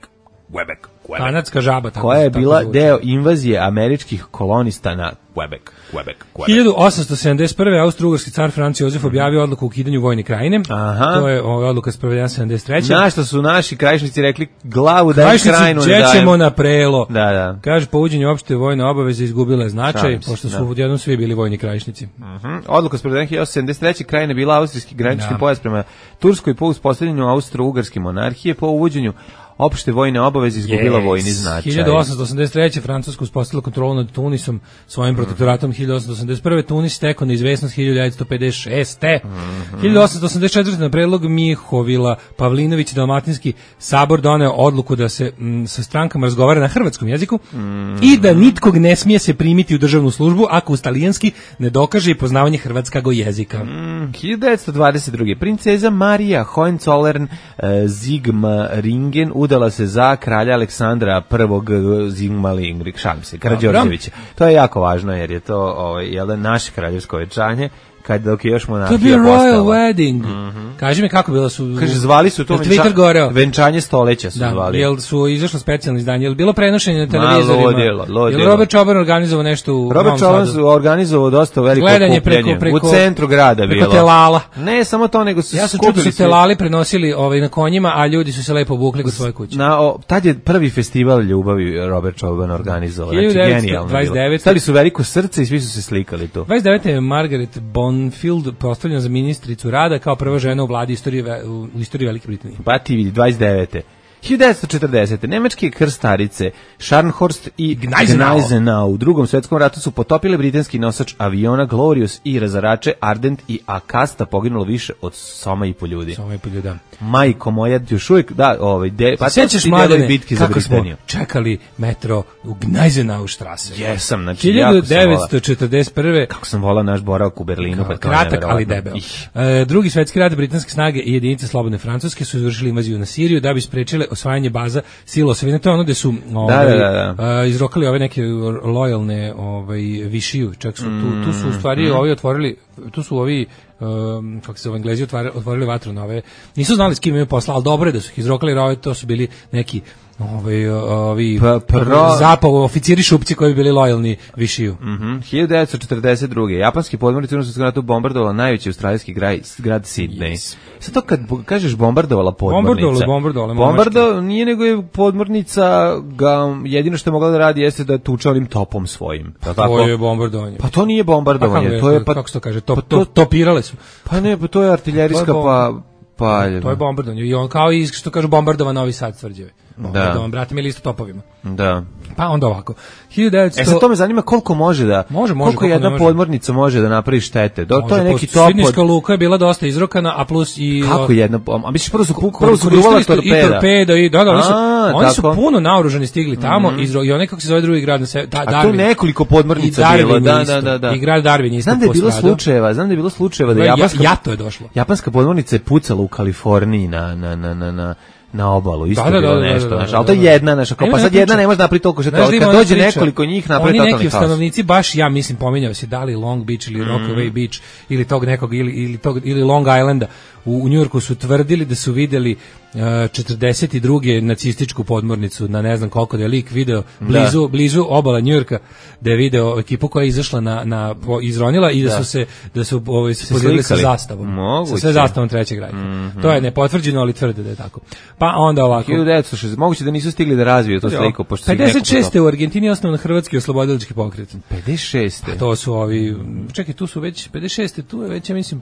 Quebec, Quebec. Kanadska žaba. Tako, koja je bila tako deo invazije američkih kolonista na Quebec. Quebec, Quebec. hiljadu osamsto sedamdeset prve. Austro-ugarski car Franc Jozef objavio odluku o ukidanju vojne krajine. Aha. To je ova odluka sprovedena sedamdeset treće. Na što su naši krajišnici rekli glavu da je krajinu ne dajem. Krajišnici ćemo na prelo. Da, da. Kaže, po uvođenju opšte vojne obaveze izgubila je značaj, Šalim se, pošto su da. odjednom svi bili vojni krajišnici. Uh-huh. Odluka sprovedena hiljadu osamsto sedamdeset treće. krajina bila austrijski granični Da. pojas prema Turskoj po uspostavljanju austro-ugarske monarhije, po uvođenju opšte vojne obaveze izgubila yes. vojni značaj. hiljadu osamsto osamdeset treće. Francuska uspostavila kontrolu nad Tunisom svojim mm. protektoratom. hiljadu osamsto osamdeset prve. Tunis stekao neizvesnost hiljadu devetsto pedeset šeste. Mm-hmm. hiljadu osamsto osamdeset četvrte. na predlog Mihovila Pavlinović Dalmatinski sabor doneo odluku da se m, sa strankama razgovara na hrvatskom jeziku mm-hmm. i da nitkog ne smije se primiti u državnu službu ako uz talijanski ne dokaže i poznavanje hrvatskog jezika. Mm, hiljadu devetsto dvadeset druge. princeza Marija Hohenzollern e, Zigmaringen udala se za kralja Aleksandra prvog Zigmaringen, šalim se, Karađorđevića. To je jako važno jer je to ovaj, jedan naše kraljevsko venčanje, kad dok je još monarhija postala. To je bio royal postala. wedding. Mm-hmm. Kaži mi kako bilo su... Kaže, zvali su to venča, venčanje stoleća su da, zvali. Jel su izašlo specijalno izdanje, jel bilo prenošenje na televizorima? Ma, lodilo, lodilo. Jel Robert Čoban organizovao nešto u Robert Čoban su organizovao dosta veliko gledanje okupljanje. Preko, preko, u centru grada preko bilo. telala. Ne, samo to, nego su ja sam čuo da su telali prenosili ovaj, na konjima, a ljudi su se lepo obukli kod svoje kuće. Na, o, tad je prvi festival ljubavi Robert Čoban organizovao. Znači, genijalno dvadeset devete. Stali su veliko srce i svi su se slikali tu. dvadeset devete. je Margaret Bonfield postavljena za ministricu rada kao prva žena u vladi istorije, u istoriji Velike Britanije. Pa ti vidi, dvadeset devete. hiljadu devetsto četrdesete. Nemačke krstarice Scharnhorst i Gneisenau. Gneisenau u drugom svetskom ratu su potopile britanski nosač aviona Glorious i razarače Ardent i Akasta, poginulo više od soma i po ljudi. Soma i po ljudi, da. Majko moja, još uvijek, da, ovaj, de, pa sjećaš mladene kako smo čekali metro u Gneisenau štrase? Jesam, znači hiljadu devetsto četrdeset prve. Kako sam volao naš boravak u Berlinu. Kao, kratak, ali debel. E, drugi svetski rat, britanske snage i jedinice slobodne Francuske su izvršili invaziju na Siriju da bi sprečile osvajanje baza sila osovine. To je ono gde su ovaj, da, da, da. Uh, izrokali ove neke lojalne ovaj, višiju. Čak su, tu, tu su u stvari mm. ovi otvorili, tu su ovi Um, kako se zove, Englezi otvarili, otvorili vatru na ove, nisu znali s kim imaju posla, ali dobro je da su ih izrokali, jer ove, to su bili neki ovi, ovi pa, pro... zapav, oficiri šupci koji bi bili lojalni višiju. Mm-hmm. hiljadu devetsto četrdeset druge. Japanski podmornici u Drugom ratu bombardovala najveći australijski grad, grad Sidney. Yes. Sad to kad kažeš bombardovala podmornica. Bombardovala, bombardovala. Bombardo nije nego je podmornica ga, jedino što je mogla da radi jeste da tuče onim topom svojim. Pa to je bombardovanje. Pa to nije bombardovanje. Pa to je, pa, kako se to kaže? Top, pa to, topirale su. Pa ne, pa to je artiljerijska to je pa... Pa, to je bombardovanje. I on kao i što kažu bombardovan Novi Sad tvrđave. Da. Brate mi listo topovima. Da. Pa onda ovako. hiljadu devetsto. E sad to me zanima koliko može da može, može, koliko, koliko jedna može. podmornica može da napravi štete. Do, to je neki top. Sidnijska luka je bila dosta izrokana, a plus i kako jedna, a misliš prvo su prvo su gruvali torpeda. I torpeda i da, da, oni su a, oni su puno naoružani stigli tamo mm. i oni kako se zove drugi grad na se da, a to nekoliko podmornica bilo, da, da, da, da. I grad Darwin isto. Znam da je bilo slučajeva, znam da je bilo slučajeva da japanska jato je došlo. Japanska podmornica je pucala u Kaliforniji na na na na na na obalu, isto da, da, bilo da, nešto, da, da, znaš, da, ali to je jedna, znaš, ako pa sad jedna ne može napraviti toliko što to, kad dođe nekoliko njih napravi totalni haos. Oni neki stanovnici, baš ja mislim, pominjao se da li Long Beach ili Rockaway Beach ili tog nekog, ili, ili, tog, ili Long Islanda u, u Njujorku su tvrdili da su videli uh, četrdeset druge nacističku podmornicu na ne znam koliko da je lik video blizu, da. blizu obala Njujorka da je video ekipu koja je izašla na, na izronila i da, da. su se da su ovaj, se podelili sa zastavom. Moguće. Sa sve zastavom trećeg rajka. Mm-hmm. To je nepotvrđeno, ali tvrde da je tako. Pa onda ovako. hiljadu devetsto šezdeset moguće da nisu stigli da razviju to sliku. Pošto pedeset šeste. u Argentini je osnovan Hrvatski oslobodilački pokret. pedeset šeste. A to su ovi, čekaj, tu su već, pedeset šeste. tu je već, ja mislim,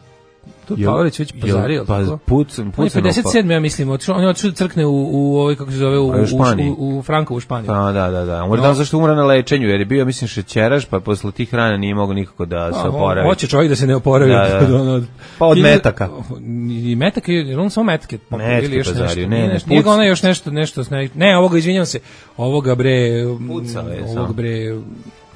tu je Pavelić već pozario. Pa, pucam, pucam. pedeset sedme. ja mislim, on je otišao da crkne u, u ovoj, kako se zove, u, u, u, u Frankovu Španiju. A, da, da, da. Umre no. zašto umre na lečenju, jer je bio, mislim, šećeraš, pa posle tih rana nije mogao nikako da se oporavi. Hoće čovjek da se ne oporavi. Da, da. Pa od metaka. I metaka, jer on samo metake. Metake pozario, ne, ne. Nije ga ona još nešto, nešto, ne, ovoga, izvinjam se, ovoga bre, pucale, ovog bre,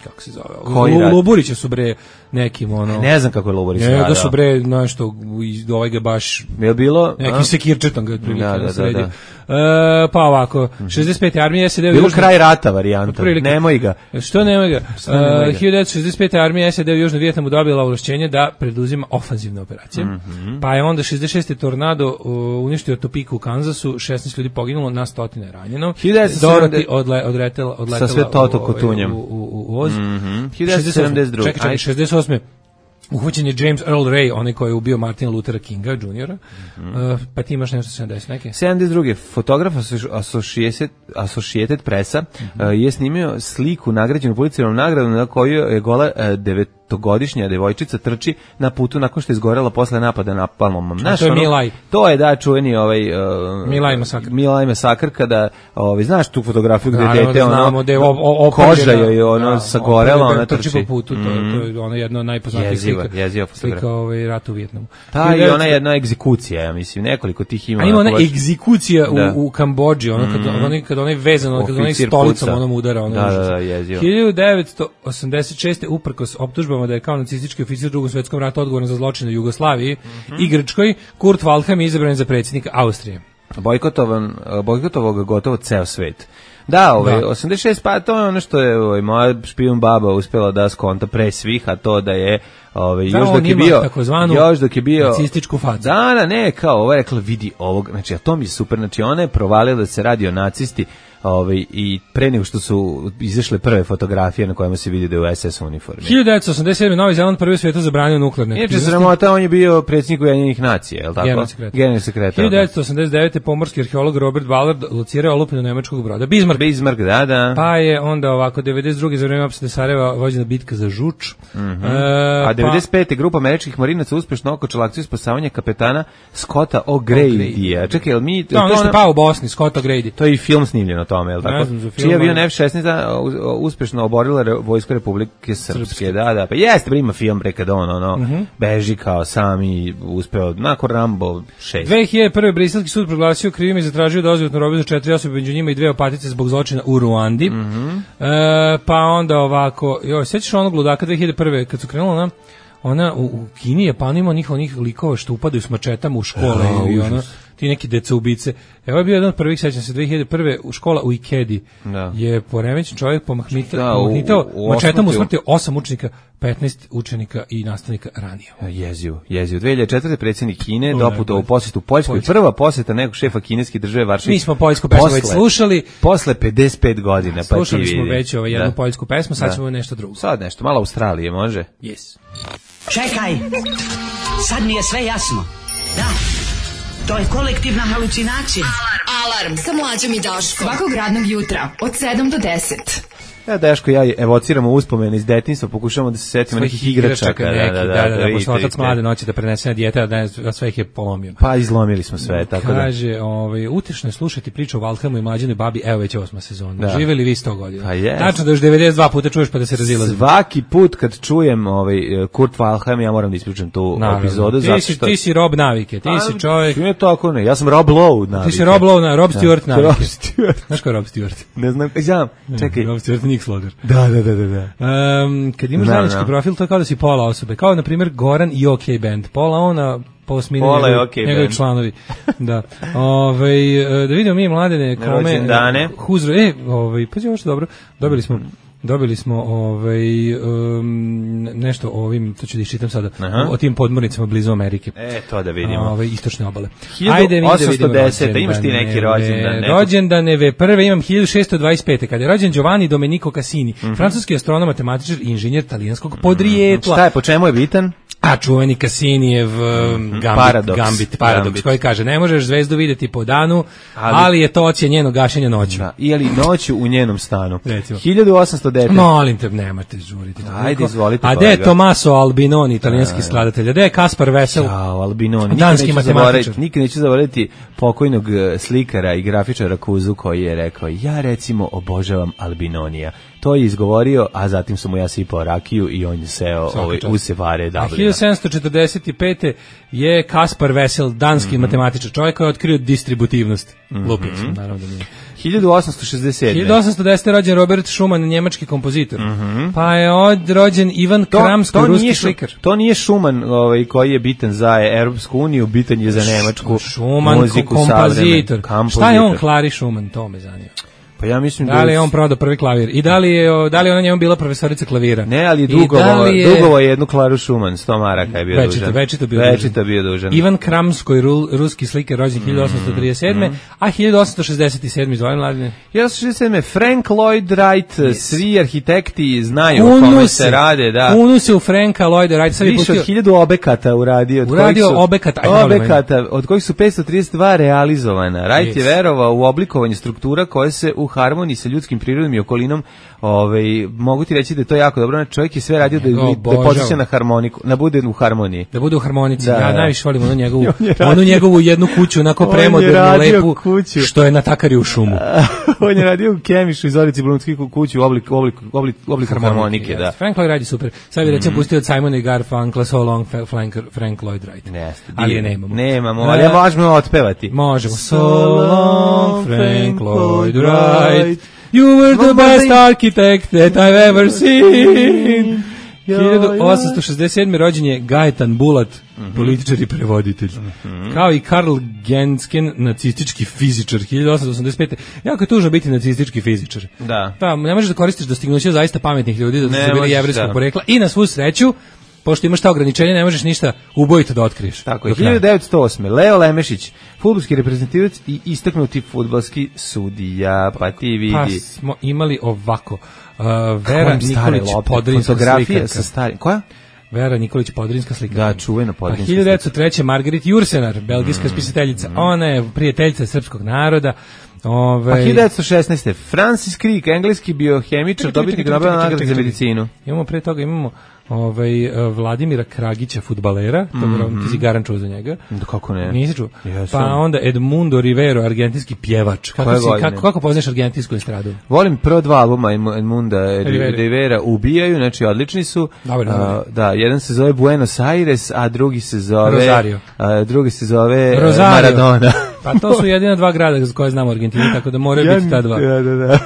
kako se zove? Koji Lu, rad? Luburića su bre nekim ono. Ne znam kako je Luburić Ne, radio. da su bre nešto iz ovaj ga baš je bilo neki sekirčetom ga otprilike da, da, da, sredio. da. E, pa ovako, šezdeset pete armija S A D bilo Južno... kraj rata varijanta. Otprilike. Nemoj ga. Što nemoj ga? nemoj ga? hiljadu devetsto šezdeset pete armija S A D u Južnom Vijetnamu dobila ovlašćenje da preduzima ofanzivne operacije. Mm-hmm. Pa je onda šezdeset šeste tornado uh, uništio Topiku u Kanzasu, šesnaest ljudi poginulo, na stotine ranjeno. hiljadu devetsto sedamdeset Dorothy odle, odletela, odletela sa sve toto u, kotunjem. u, u, u Oz. Mm-hmm. hiljadu devetsto sedamdeset druge. Čekaj, čekaj, šezdeset osme Uhoćen je James Earl Ray, onaj koji je ubio Martina Luthera Kinga juniora. Mm-hmm. Uh, pa ti imaš nešto sedamdeset neke? sedamdeset druge fotograf Associated, Associated Pressa mm-hmm. uh, je snimio sliku nagrađenu Pulitzerovom nagradom na koju je gola uh, devetogodišnja devojčica trči na putu nakon što je izgorela posle napada napalmom. Znaš, to je ono, Milaj. To je da čuveni ovaj uh, Milaj masakr. Milaj masakr kada ovaj znaš tu fotografiju gde Naravno, dete da ono znamo, da je o, o, koža joj je ono da, sagorela, ona trči trči po putu, to, mm. to je ona jedna od najpoznatijih slika. Jeziva slika ovaj rat u Vijetnamu. Ta i ona jedna egzekucija, ja mislim, nekoliko tih ima. A ima ona egzekucija u, u Kambodži, ono kad mm. onaj kad onaj vezano, kad onaj stolicom onom udara, ono. Da, da, da, jezivo. hiljadu devetsto osamdeset šeste uprkos optužbama da je kao nacistički oficir u Drugom svetskom ratu odgovoran za zločine u Jugoslaviji mm-hmm. i Grčkoj, Kurt Waldheim je izabran za predsjednika Austrije. Bojkotovan, bojkotovao ga gotovo ceo svet. Da, ovaj, da. osamdeset šest, pa to je ono što je ovaj, moja špijun baba uspjela da skonta pre svih, a to da je ovaj, da, još dok je bio još dok je bio nacističku facu. Da, da, ne, kao ovo je rekla, vidi ovog, znači, a to mi je super, znači, ona je provalila da se radi o nacisti, ovaj, i pre nego što su izašle prve fotografije na kojima se vidi da je u S S uniformi. hiljadu devetsto osamdeset sedme Novi Zeland prvi u svijetu zabranio nuklearne aktivnosti. Inače, sramota, on je bio predsjednik Ujedinjenih nacija, je li tako? Generalni sekretar. hiljadu devetsto osamdeset devete pomorski arheolog Robert Ballard locirao olupinu nemačkog broda Bismarck. Bismarck, da, da. Pa je onda ovako, devedeset druge za vreme opsade Sarajeva vođena bitka za Žuč. Mm-hmm. e, A devedeset pete pa... grupa američkih marinaca uspešno okočila akciju spasavanja kapetana Scotta O'Grady. Čekaj, jel mi... To ono što je pao u Bosni, Scott O'Grady. To je i film snimljen o tome, je li tako? Čiji avion F šesnaest uspešno oborila Vojska Republike Srpske. Srpske. Da, da, pa jeste, ima film pre kada on, ono, mm-hmm. beži kao sam i uspeo, nakon Rambo šest. dve hiljade prve briselski sud proglasio krivim i zatražio dozvotnu robiju za četiri osobe, među njima i dve opatice zbog zločina u Ruandi. Mm-hmm. E, pa onda ovako, joj, sećaš onog ludaka dve hiljade prve kad su krenula na ona u, u Kini je pa ima onih onih likova što upadaju s mačetama u škole oh, i ono ti neki deca ubice. Evo je bio jedan od prvih, sećam se, dve hiljade prve u škola u Ikedi. Da. Je poremećen čovjek pomahmitao mačetom usmrtio osam učenika, petnaest učenika i nastavnika ranio. Jezivo, jezivo. dve hiljade četvrte predsjednik Kine doputovao u posjetu Poljskoj. Prva posjeta nekog šefa kineske države Varšavi. Mi smo poljsku pesmu već slušali. Posle pedeset pet godina. Pa slušali smo već ovaj jednu da. poljsku pesmu, sad da. ćemo nešto drugo. Sad nešto, malo Australije može? Yes. Čekaj, sad mi je sve jasno. Da, to je kolektivna halucinacija. Alarm, Alarm sa Mlađom i Daškom. Svakog radnog jutra od sedam do deset. Ja, Daško, ja evociramo uspomene iz detinjstva, pokušamo da se setimo nekih igračaka. Da, da, da, da, da, da, pošto otac mlade noći da prenese na dijete, a sve ih je polomio. Pa izlomili smo sve, tako da. Kaže, ovaj, utešno je slušati priču o Waldheimu i mlađenoj babi, evo već osma sezona. Da. Živeli vi sto godina. Pa yes. Tačno da još devedeset dva puta čuješ pa da se razilazi. Svaki put kad čujem ovaj, Kurt Waldheim, ja moram da ispričam tu Naravno. epizodu. Ti, zato što... ti si Rob navike, ti a, si čovjek... Ne tako ne, ja sam Rob Lowe navike. Ti si Rob Lowe, Rob Stewart navike. Rob Stewart. Znaš ko je Rob Stewart? Ne znam, znam, čekaj. Rob Stewart Nick Slogar. Da, da, da, da, da. Um, kad imaš zajednički profil, to je kao da si pola osobe. Kao, na primjer, Goran i OK Band. Pola ona, posmine njegovi, okay njegovi članovi. Da. Ove, da vidimo mi mladene kome... Rođendane. Huzro, e, ovaj, pa je ovo što dobro. Dobili smo... Dobili smo ovaj um, nešto o ovim, to ću da iščitam sada, o, o tim podmornicama blizu Amerike. E, to da vidimo. Ove istočne obale. Ajde, osamsto deset, imaš ti neki rođendan. Rođendaneve, prve imam hiljadu šesto dvadeset pete, kada je rođen Giovanni Domenico Cassini, mm-hmm. francuski astronom, matematičar i inženjer talijanskog podrijetla. Šta je, po čemu je bitan? A čuveni Cassinijev um, gambit, paradoks. gambit, paradoks, gambit. Koji kaže, ne možeš zvezdu vidjeti po danu, ali, ali je to ocija njeno gašenje noću. Da, ili noću u njenom stanu. Recimo. hiljadu osamsto devet. Molim te, nemate žuriti. Ajde, izvolite. A gde je Tommaso Albinoni, italijanski skladatelj? A gde je Kaspar Vesel? Ćao, Albinoni. Danski matematičar. Nikad neću zaboraviti pokojnog slikara i grafičara Kuzu koji je rekao, ja recimo obožavam Albinonija. To je izgovorio, a zatim sam mu ja sipao rakiju i on je seo ovaj, u Sevare A Dublina. hiljadu sedamsto četrdeset pete je Kaspar Vesel, danski mm-hmm. matematičar, čovjek koji je otkrio distributivnost. Mm-hmm. Lupio sam, naravno da nije. hiljadu osamsto šezdeset sedme. hiljadu osamsto desete. rođen Robert Schumann, njemački kompozitor. Mm-hmm. Pa je od rođen Ivan to, Kramsko, to ruski slikar. To nije Schumann ovaj, koji je bitan za Europsku uniju, bitan je za nemačku Schumann, muziku. Kompozitor. Kompozitor. Šta je on Klari Schumann, to me zanima. Pa ja mislim da li je on prodao prvi klavir i da li je da li je ona njemu bila profesorica klavira? Ne, ali je dugovo, je... dugovo je jednu Klaru Schumann, sto maraka je bio večito, dužan. Večito bio večito dužan. bio dužan. Ivan Kramskoj, ruski slikar, rođen hiljadu osamsto trideset sedme. Mm. a hiljadu osamsto šezdeset sedme. izvojen mladine. hiljadu osamsto šezdeset sedme. Frank Lloyd Wright, yes. Svi arhitekti znaju o kome se rade, da. Unu se u Franka Lloyda Wright, sad je više pustio od hiljadu objekata uradio, od uradio kojih su objekata, objekata, od kojih su petsto trideset dva realizovana. Wright yes. je verovao u oblikovanje struktura koje se u harmoniji sa ljudskim prirodom i okolinom, ovaj, mogu ti reći da je to jako dobro, čovjek je sve radio da, da podsjeća na harmoniku, da bude u harmoniji. Da bude u harmonici, da, ja da. najviše volim onu njegovu, onu njegovu jednu kuću, onako premodernu, lepu, kuću. Što je na takari u šumu. On je radio u Kemišu iz Zorici Blumskih kuću u obliku oblik, oblik, oblik harmonike. Da. Frank Lloyd Wright je super. Sad bi recimo mm-hmm. pustio od Simona i Garfunkla So Long Frank, Frank Lloyd Wright. Neste, ali je nemamo. Nemamo, ali ja možemo otpevati. Možemo. So Long Frank Lloyd Wright. You were the best architect that I've ever seen. hiljadu osamsto šezdeset sedme. rođen je Gajetan Bulat, mm-hmm. političar i prevoditelj. Mm-hmm. Kao i Karl Gensken, nacistički fizičar, hiljadu osamsto osamdeset pete. Jako je tužno biti nacistički fizičar. Da. Pa, ne možeš da koristiš dostignuće zaista pametnih ljudi, da su bili jevrejskog porekla. I na svu sreću, pošto imaš ta ograničenja, ne možeš ništa ubojito da otkriješ. Tako je. hiljadu devetsto osme. Leo Lemešić, fudbalski reprezentativac i istaknuti fudbalski sudija. Pa ti vidi. Pa smo imali ovako. Uh, Vera Nikolić, Podrinska slikarka. Sa starim. Koja? Vera Nikolić, Podrinska slikarka. Da, čuvena Podrinska slikarka. hiljadu devetsto treće. Margaret Jursenar, belgijska mm. spisateljica. Mm. Ona je prijateljica srpskog naroda. Ove... Pa hiljadu devetsto šesnaeste. Francis Crick, engleski biohemičar, dobitnik Nobelove nagrade za medicinu. Imamo pre toga, imamo ovaj, Vladimira Kragića, fudbalera, mm-hmm. ti si garan čuo za njega. Da, kako ne? Nisi čuo? Yes, pa onda Edmundo Rivero, argentinski pjevač. Kako, si, kako, kako poznaš argentinsku estradu? Volim prvo dva albuma Edmunda Rivera. Rivera ubijaju, znači odlični su. Dobre, uh, da, jedan se zove Buenos Aires, a drugi se zove Rosario. A drugi se zove Rosario. Maradona. Pa to su jedina dva grada za koje znamo u Argentini, tako da moraju biti ta dva. Da, da, da.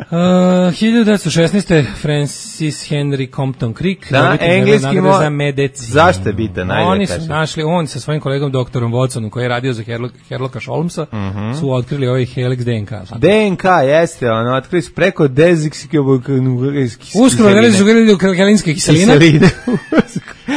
Uh, hiljadu devetsto šesnaeste. Francis Henry Compton Crick, da, engleski mo... za medicinu. Zašto je bitan? Oni su našli, on sa svojim kolegom doktorom Watsonom, koji je radio za Herlo, Herloka Sholmesa, uh-huh. su otkrili ovaj Helix D N K. D N K, jeste, ono, otkrili su preko deziksikobukanugarske kiseline. Uskoro gledali su gledali ukalinske kiseline. Kiseline.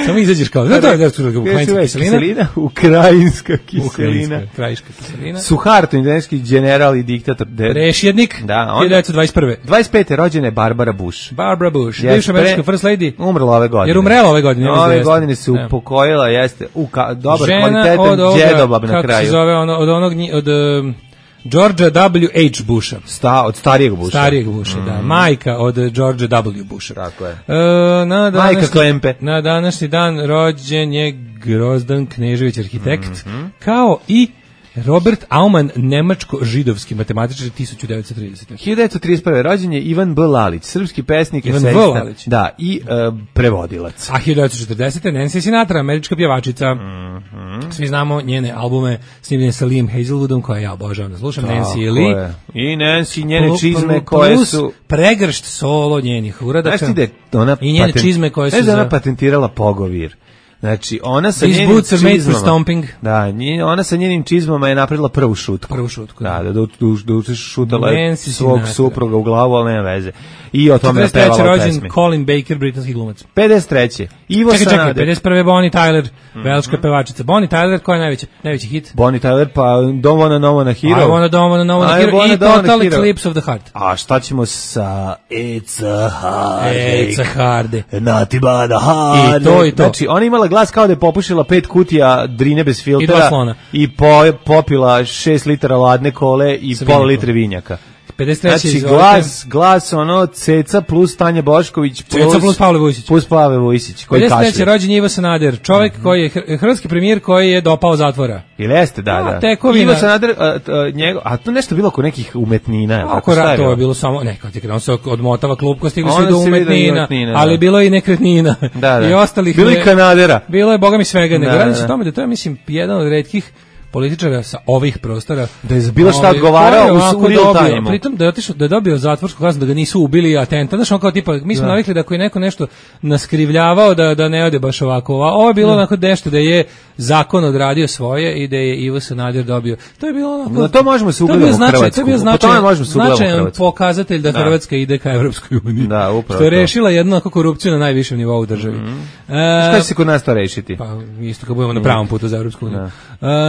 Samo izađeš kao, da, da, da, ukrajinska kiselina. Ukrajinska kiselina. Ukrajinska kiselina. Suharto, indonezijski general i diktator. Prešjednik, hiljadu devetsto dvadeset prve. dvadeset pete. rođena je Barbara Bush. Barbara Bush, yes, bivša američka first lady. Umrla ove godine. Jer umrela ove godine. Ove godine se upokojila, jeste, u ka, dobar kvalitetan džedoblab na kraju. Kako se zove, ono, od onog, od... Um, Georgia W H Busha. Sta, od starijeg Busha. Starijeg Busha, mm. da. Majka od Georgia W Busha. Tako je. E, na današnji, Majka Klempe. Na današnji dan rođen je Grozdan Knežević, arhitekt, mm-hmm. kao i Robert Aumann, nemačko-židovski matematičar, tisuću devetsto tridesete. hiljadu devetsto trideset prve. rođen je Ivan B. Lalić, srpski pesnik, Ivan B. Lalić. Da, i uh, prevodilac. A hiljadu devetsto četrdesete. Nancy Sinatra, američka pjevačica. Mm-hmm. Svi znamo njene albume snimljene sa Liam Hazelwoodom, koje ja obožavam da slušam. Tako Nancy i Lee. I Nancy, njene pl- čizme pl- koje su... pregršt solo njenih uradaka. Znaš ti da ona... I njene patent... čizme koje su... Znaš da ona patentirala pogovir. Znači, ona sa These njenim čizmama, da, nje, ona sa njenim čizmama je napravila prvu šutku. Prvu šutku. Da, da, da, da, da šutala svog supruga u glavu, ali nema veze. I o tome je pevala pesmi. četrdeset treće. rođen Colin Baker, britanski glumac. pedeset treće. Ivo čekaj, Sanader. Čekaj, pedeset prve. Bonnie Tyler, mm-hmm. velška pevačica. Bonnie Tyler, koja je najveći, najveći hit? Bonnie Tyler, pa Don't Wanna Know Wanna Hero. I Wanna Don't Wanna Know Wanna Hero i Total Eclipse of the Heart. A šta ćemo sa It's a Hard It's a Hard Not But a Hard. I to, i to. Znači, ona imala glas kao da je popušila pet kutija drine bez filtera i, i po, popila šest litara ladne kole i pola litre vinjaka. pedeset treće Znači, glas, glas, ono, Ceca plus Tanja Bošković plus... Ceca plus Pavle Vujsić. Plus Pavle Vujsić, koji pedeset treće kašlje. rođen Ivo Sanader, čovjek mm-hmm. koji je hr- hrvatski premijer koji je dopao zatvora. Ili jeste, da, da. A, tekovina. Ivo Sanader, a, a, njego, a to nešto bilo oko nekih umetnina. Ako rat, to je bilo samo, neko ti kada on se odmotava klupko, stigli Onda se do se vidi umetnina, umetnina, da. ali bilo je i nekretnina. Da, da. I ostalih. Bilo i Kanadera. Bilo je, boga mi svega, nego Da, radi se da. o tome da to je, mislim, jedan od retkih političara sa ovih prostora da je bilo šta ovaj, odgovarao koji je u ovako real dobio, time-u. pritom da je otišao, da je dobio zatvorsku kaznu, da ga nisu ubili atentat, znaš, on kao tipa, mi smo Da. navikli da ako je neko nešto naskrivljavao da da ne ode baš ovako. Ova- Ovo je bilo Da. onako nešto da je zakon odradio svoje i da je Ivo Sanader dobio. To je bilo onako. Na to možemo se to je bio ugledamo u značaj- Hrvatsku. To je bio Po značajan, tome možemo se ugledamo u značajan Hrvatsku. pokazatelj da Da. Hrvatska ide ka Evropskoj uniji. Da, upravo Što je to. rešila jednu onako korupciju na najvišem nivou u državi. E, Šta će se kod nas to rešiti? Pa isto kad budemo na pravom putu za Evropsku uniju. Uh,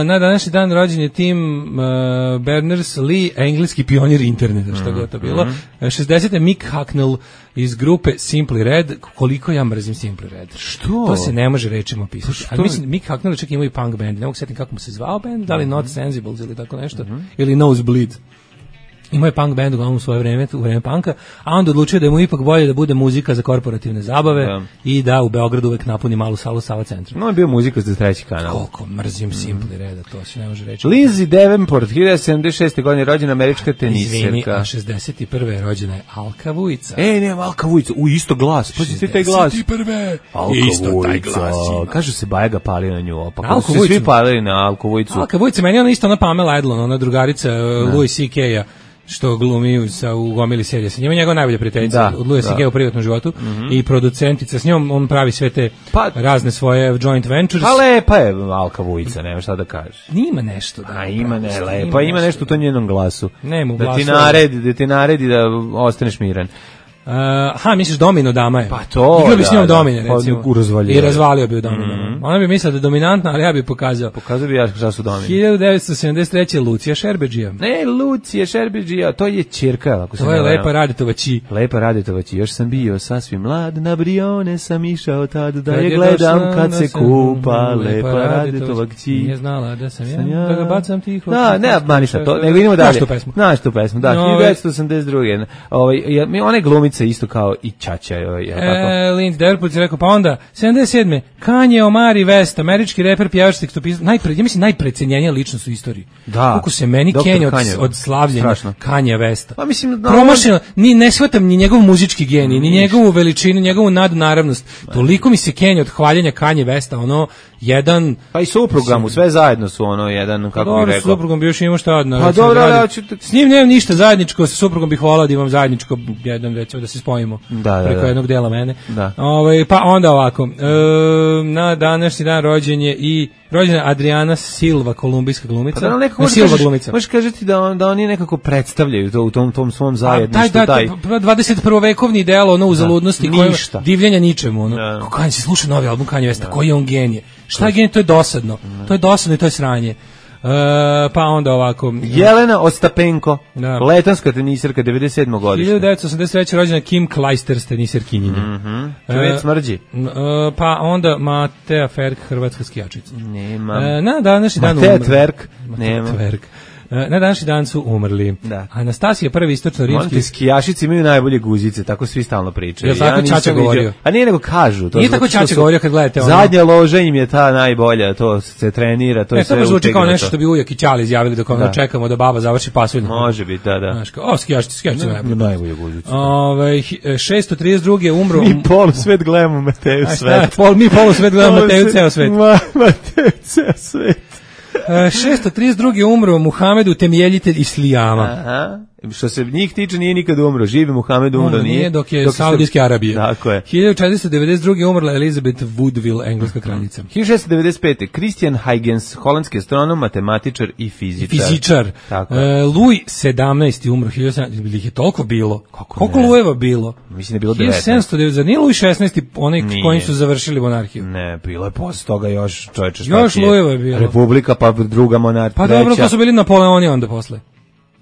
na današnji dan rođen je Tim uh, Berners-Lee, engleski pionir interneta, što god to bilo. Uh, šezdesete Mick Hucknall iz grupe Simply Red. Koliko ja mrzim Simply Red. Što? To se ne može rečima opisati. što? Ali mislim, Mick Hucknall čak ima i punk band. Ne mogu setim kako mu se zvao band, da li Not Sensibles ili tako nešto. Ili Nosebleed. Imao je punk band uglavnom u svoje vreme, u vreme punka, a onda odlučio da je mu ipak bolje da bude muzika za korporativne zabave Da. i da u Beogradu uvek napuni malu salu Sava centra. No, je bio muzika za treći kanal. Koliko mrzim Simply Reda, to se ne može reći. Lindsay Davenport, hiljadu devetsto sedamdeset šeste. godine rođena američka Izvini, teniserka. a šezdeset prve je rođena je Alka Vujica. E, ne, Alka Vujica, u isto glas, pa ti taj glas. šezdeset prve Alka Isto taj Vujica. glas ima. Kažu se Baja ga palio na nju, pa Alku kako se Vujicu. svi palili na Alku Vujicu. Alka Vujica, meni je ona isto ona Pamela Adlon, ona drugarica uh, Louis C K-a, što glumi sa u gomili serija sa njima, njegova najbolja prijateljica Da, od Louis C K da. u privatnom životu i producentica, s njom on pravi sve te Pa- razne svoje joint ventures. Pa lepa je Alka Vujica, nema šta da kažeš. Nima nešto da. A ima ne, pravi, lepa, ima nešto u tom njenom glasu. Nema u Da ti glasu. naredi, da ti naredi da ostaneš miran. Uh, aha, misliš Domino dama je? Pa to, Igrao bi s da, njom da. Domine, Pa recimo. u razvalio I je. razvalio bi u Domino. Ona bi mislila da je dominantna, ali ja bi pokazao. Pokazao bi ja šta su domini. hiljadu devetsto sedamdeset treće Lucija Šerbeđija. Ne, Lucija Šerbeđija, to je ćerka, ako se To ne je varam. lepa Radetova Či. Lepa Radetovac, još sam bio sasvim mlad, na Brione sam išao tad da Kad je je gledam došla, kad da se sam- kupa, Lepa lepa Radetovac Nije ći. znala da sam ja, Sam ja. da ga bacam tiho. Da, ne, mani sad to, nego idemo Znaš dalje. tu pesmu? Znaš tu pesmu, da, No, hiljadu devetsto osamdeset druge. Ovaj, ja, mi- ona je glumica isto kao i Ćaća, ovaj, je li tako? E, Lindy Derput je rekao, pa onda, sedamdeset sedme Kanye Omari West, američki reper, pjevač, tekstopisac, najpre, ja mislim najprecenjenija ličnost u istoriji. Da. Koliko se meni doktor Kenja od, Kanye. od slavljenja Strašno. Kanye Westa. Pa mislim, da- Promašeno, ni ne shvatam ni njegov muzički genij, ni njegovu veličinu, njegovu nadnaravnost. Toliko mi se Kenja od hvaljenja Kanye Westa, ono, jedan... Pa i supruga mu, sve zajedno su ono, jedan, kako Dobro, bih sa rekao. suprugom bi još imao šta odno. Pa dobro, ali ja ću te- S njim nemam ništa zajedničko, sa suprugom bih volao da imam zajedničko, jedan, recimo, da se spojimo Da, da, preko da. jednog dela mene. Da. Ovaj, pa onda ovako, e, na današnji dan rođen je i rođena Adriana Silva, kolumbijska glumica. Pa da, nekako Ne, možeš Silva kažeš- glumica. možeš kažeti da, on, da oni nekako predstavljaju to u tom, tom svom A, zajedništvu. taj, da, taj, dvadeset prvovekovni ideal, ono, uzaludnosti, Da, koje- ništa. divljenja ničemu, ono. Da. Kako Kanye se sluša novi album Kanye Westa, koji je on genije. Šta je genije, to je dosadno. To je dosadno i to je sranje. E, pa onda ovako... Jelena Ostapenko, Da. letanska teniserka, devedeset sedmog godište. hiljadu devetsto osamdeset treće rođena Kim Clijsters, teniserkinjenja. Mhm. Čovjek smrđi. N- e, pa onda Matea Ferk, hrvatska skijačica. Nema. E, na današnji dan Matea umrli. Tverk. Matea Nema. Tverk. E, na današnji dan su umrli. Da. Anastasija prvi istočno Molim rimski. te, skijašice imaju najbolje guzice, tako svi stalno pričaju. Jel tako nisam Ćaća vidio- govorio? A nije nego kažu. To Nije zato tako što Ćaća su- govorio kad gledate ono. Zadnja loža im je ta najbolja, to se trenira, to je E, to sve baš zvuči kao utegnuto. nešto što bi ujak i Ćali izjavili dok ono Da. čekamo da baba završi pasulj. Može biti, da, da. Znaš, kao, o, skijašice, skijašice najbolje. Najbolje guzice. Ove, šesto trideset druge umro... Mi polu svet gledamo Mateju A šta, svet. pol, mi polu svet gledamo Mateju ceo svet. Ma, Mateju ceo svet. E, šesto trideset druge umro Muhamedu, temeljitelj Islijama. Aha. Što se njih tiče, nije nikad umro. Živi Muhamed umro, Umro nije. nije dok je dok se- Saudijske Arabije. Tako je. hiljadu četiristo devedeset druge umrla Elizabeth Woodville, engleska kraljica. hiljadu šessto devedeset pete. Christian Huygens, holandski astronom, matematičar i fizičar. Fizičar. Tako je. E, Louis sedamnaesti umro hiljadu sedamsto, ili ih je toliko bilo? Kako Koliko ne? Louiseva bilo? Mislim da je bilo hiljadu devetnaest. sedamsto devedeset, zar nije Louis šesnaesti onaj Nije. kojim su završili monarhiju? Ne, bilo je posle toga još, čoveče, šta Još ti je? Louisova je bilo. Republika, pa druga monarhija. Pa dobro, to su bili Napoleoni onda posle.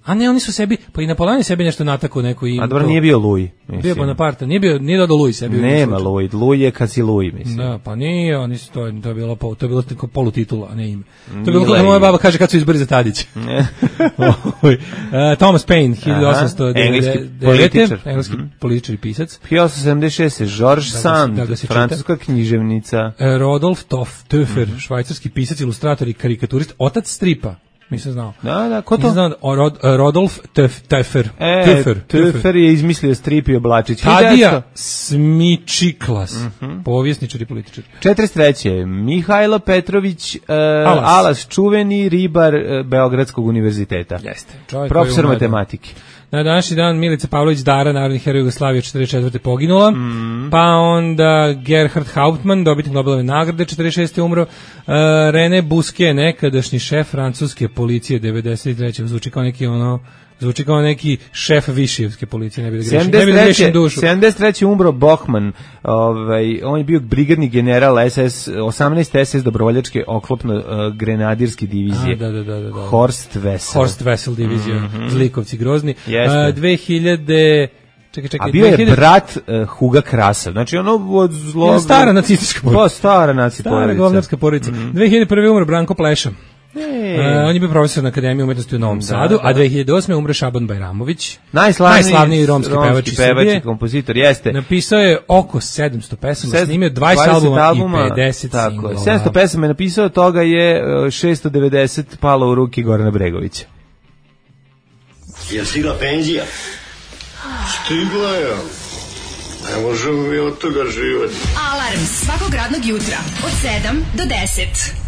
A ne, oni su sebi, pa i Napoleon je sebi nešto natakao neko im. A dobro, nije bio Louis, mislim. Bio Bonaparte, nije bio, nije dodao Louis sebi. Nema Louis, Louis je kad si Louis, mislim. Da, pa nije, oni su to, to je bilo, to je bilo tako polutitula, a ne ime. To je bilo kako moja baba kaže kad su izbori za Tadić. uh, Thomas Paine, hiljadu osamsto devedeset. Engleski političar i pisac. hiljadu osamsto sedamdeset šeste. George Sand, francuska književnica. Rodolf Töffer, švajcarski pisac, ilustrator i karikaturist, otac stripa. Nisam znao. Da, da, ko to? Nisam znao, Rod, Rodolf Töffer. E, Töffer, Töffer je izmislio strip i oblačić. Tadija Smičiklas, uh -huh. povjesničar i političar. četrdeset treće. Mihajlo Petrović, uh, Alas. Alas, čuveni ribar uh, Beogradskog univerziteta. Jeste. Profesor matematike. Na današnji dan Milica Pavlović Dara, narodni heroj Jugoslavije, četrdeset četvrte poginula, mm. pa onda Gerhard Hauptmann, dobitnik Nobelove nagrade, četrdeset šeste umro, uh, René Busquet, nekadašnji šef francuske policije, devedeset treće zvuči kao neki ono, zvuči kao neki šef višijevske policije, ne bi da grešim, ne bi da grešim dušu. sedamdeset treće umro Bohman, ovaj, on je bio brigadni general S S, osamnaeste S S dobrovoljačke oklopno uh, grenadirske divizije. A, da, da, da, da. Horst Wessel. Horst Wessel divizija, mm -hmm. Zlikovci grozni. Uh, dve hiljade Čekaj, čekaj, a bio je brat uh, Huga Krasa, znači ono od zlog... Stara nacistička porodica. Pa, stara nacistička porodica. Stara govnarska porodica. Mm -hmm. dve hiljade prve umro Branko Pleša. E. Uh, on je bio profesor na Akademiji umetnosti u Novom da, Sadu, da. A dve hiljade osme umre Šaban Bajramović, najslavniji, najslavniji romski, romski pevač iz Srbije, kompozitor, jeste. Napisao je oko sedamsto pesama, snimio dvadeset albuma, albuma i pedeset singlova. sedamsto pesama je napisao, toga je šesto devedeset palo u ruke Gorana Bregovića. Je stigla penzija? Stigla je. Ne možemo mi od toga živati. Alarm svakog radnog jutra od sedam do deset.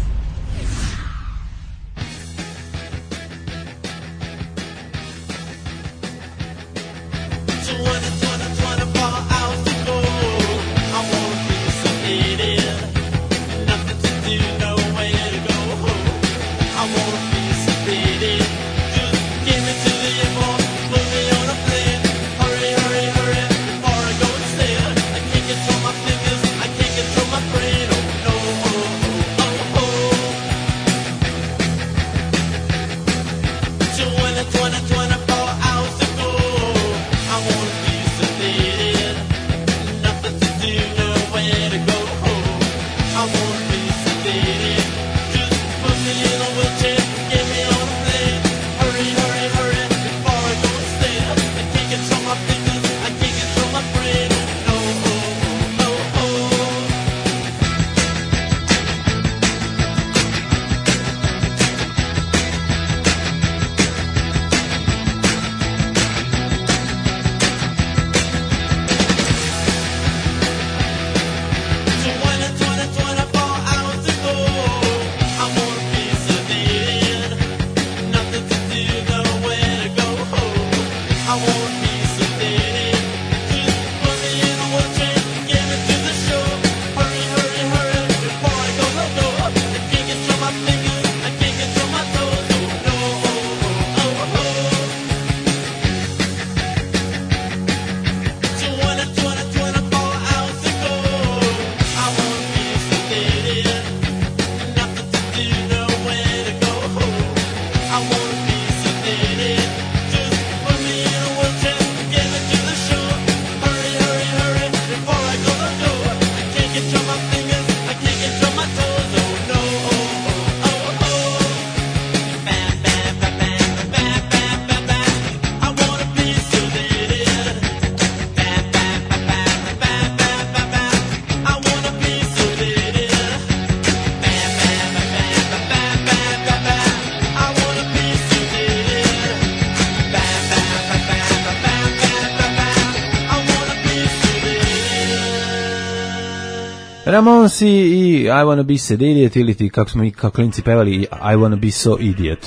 Ramonsi i I wanna be so idiot, ili ti, kako smo mi kao klinci pevali, I wanna be so idiot.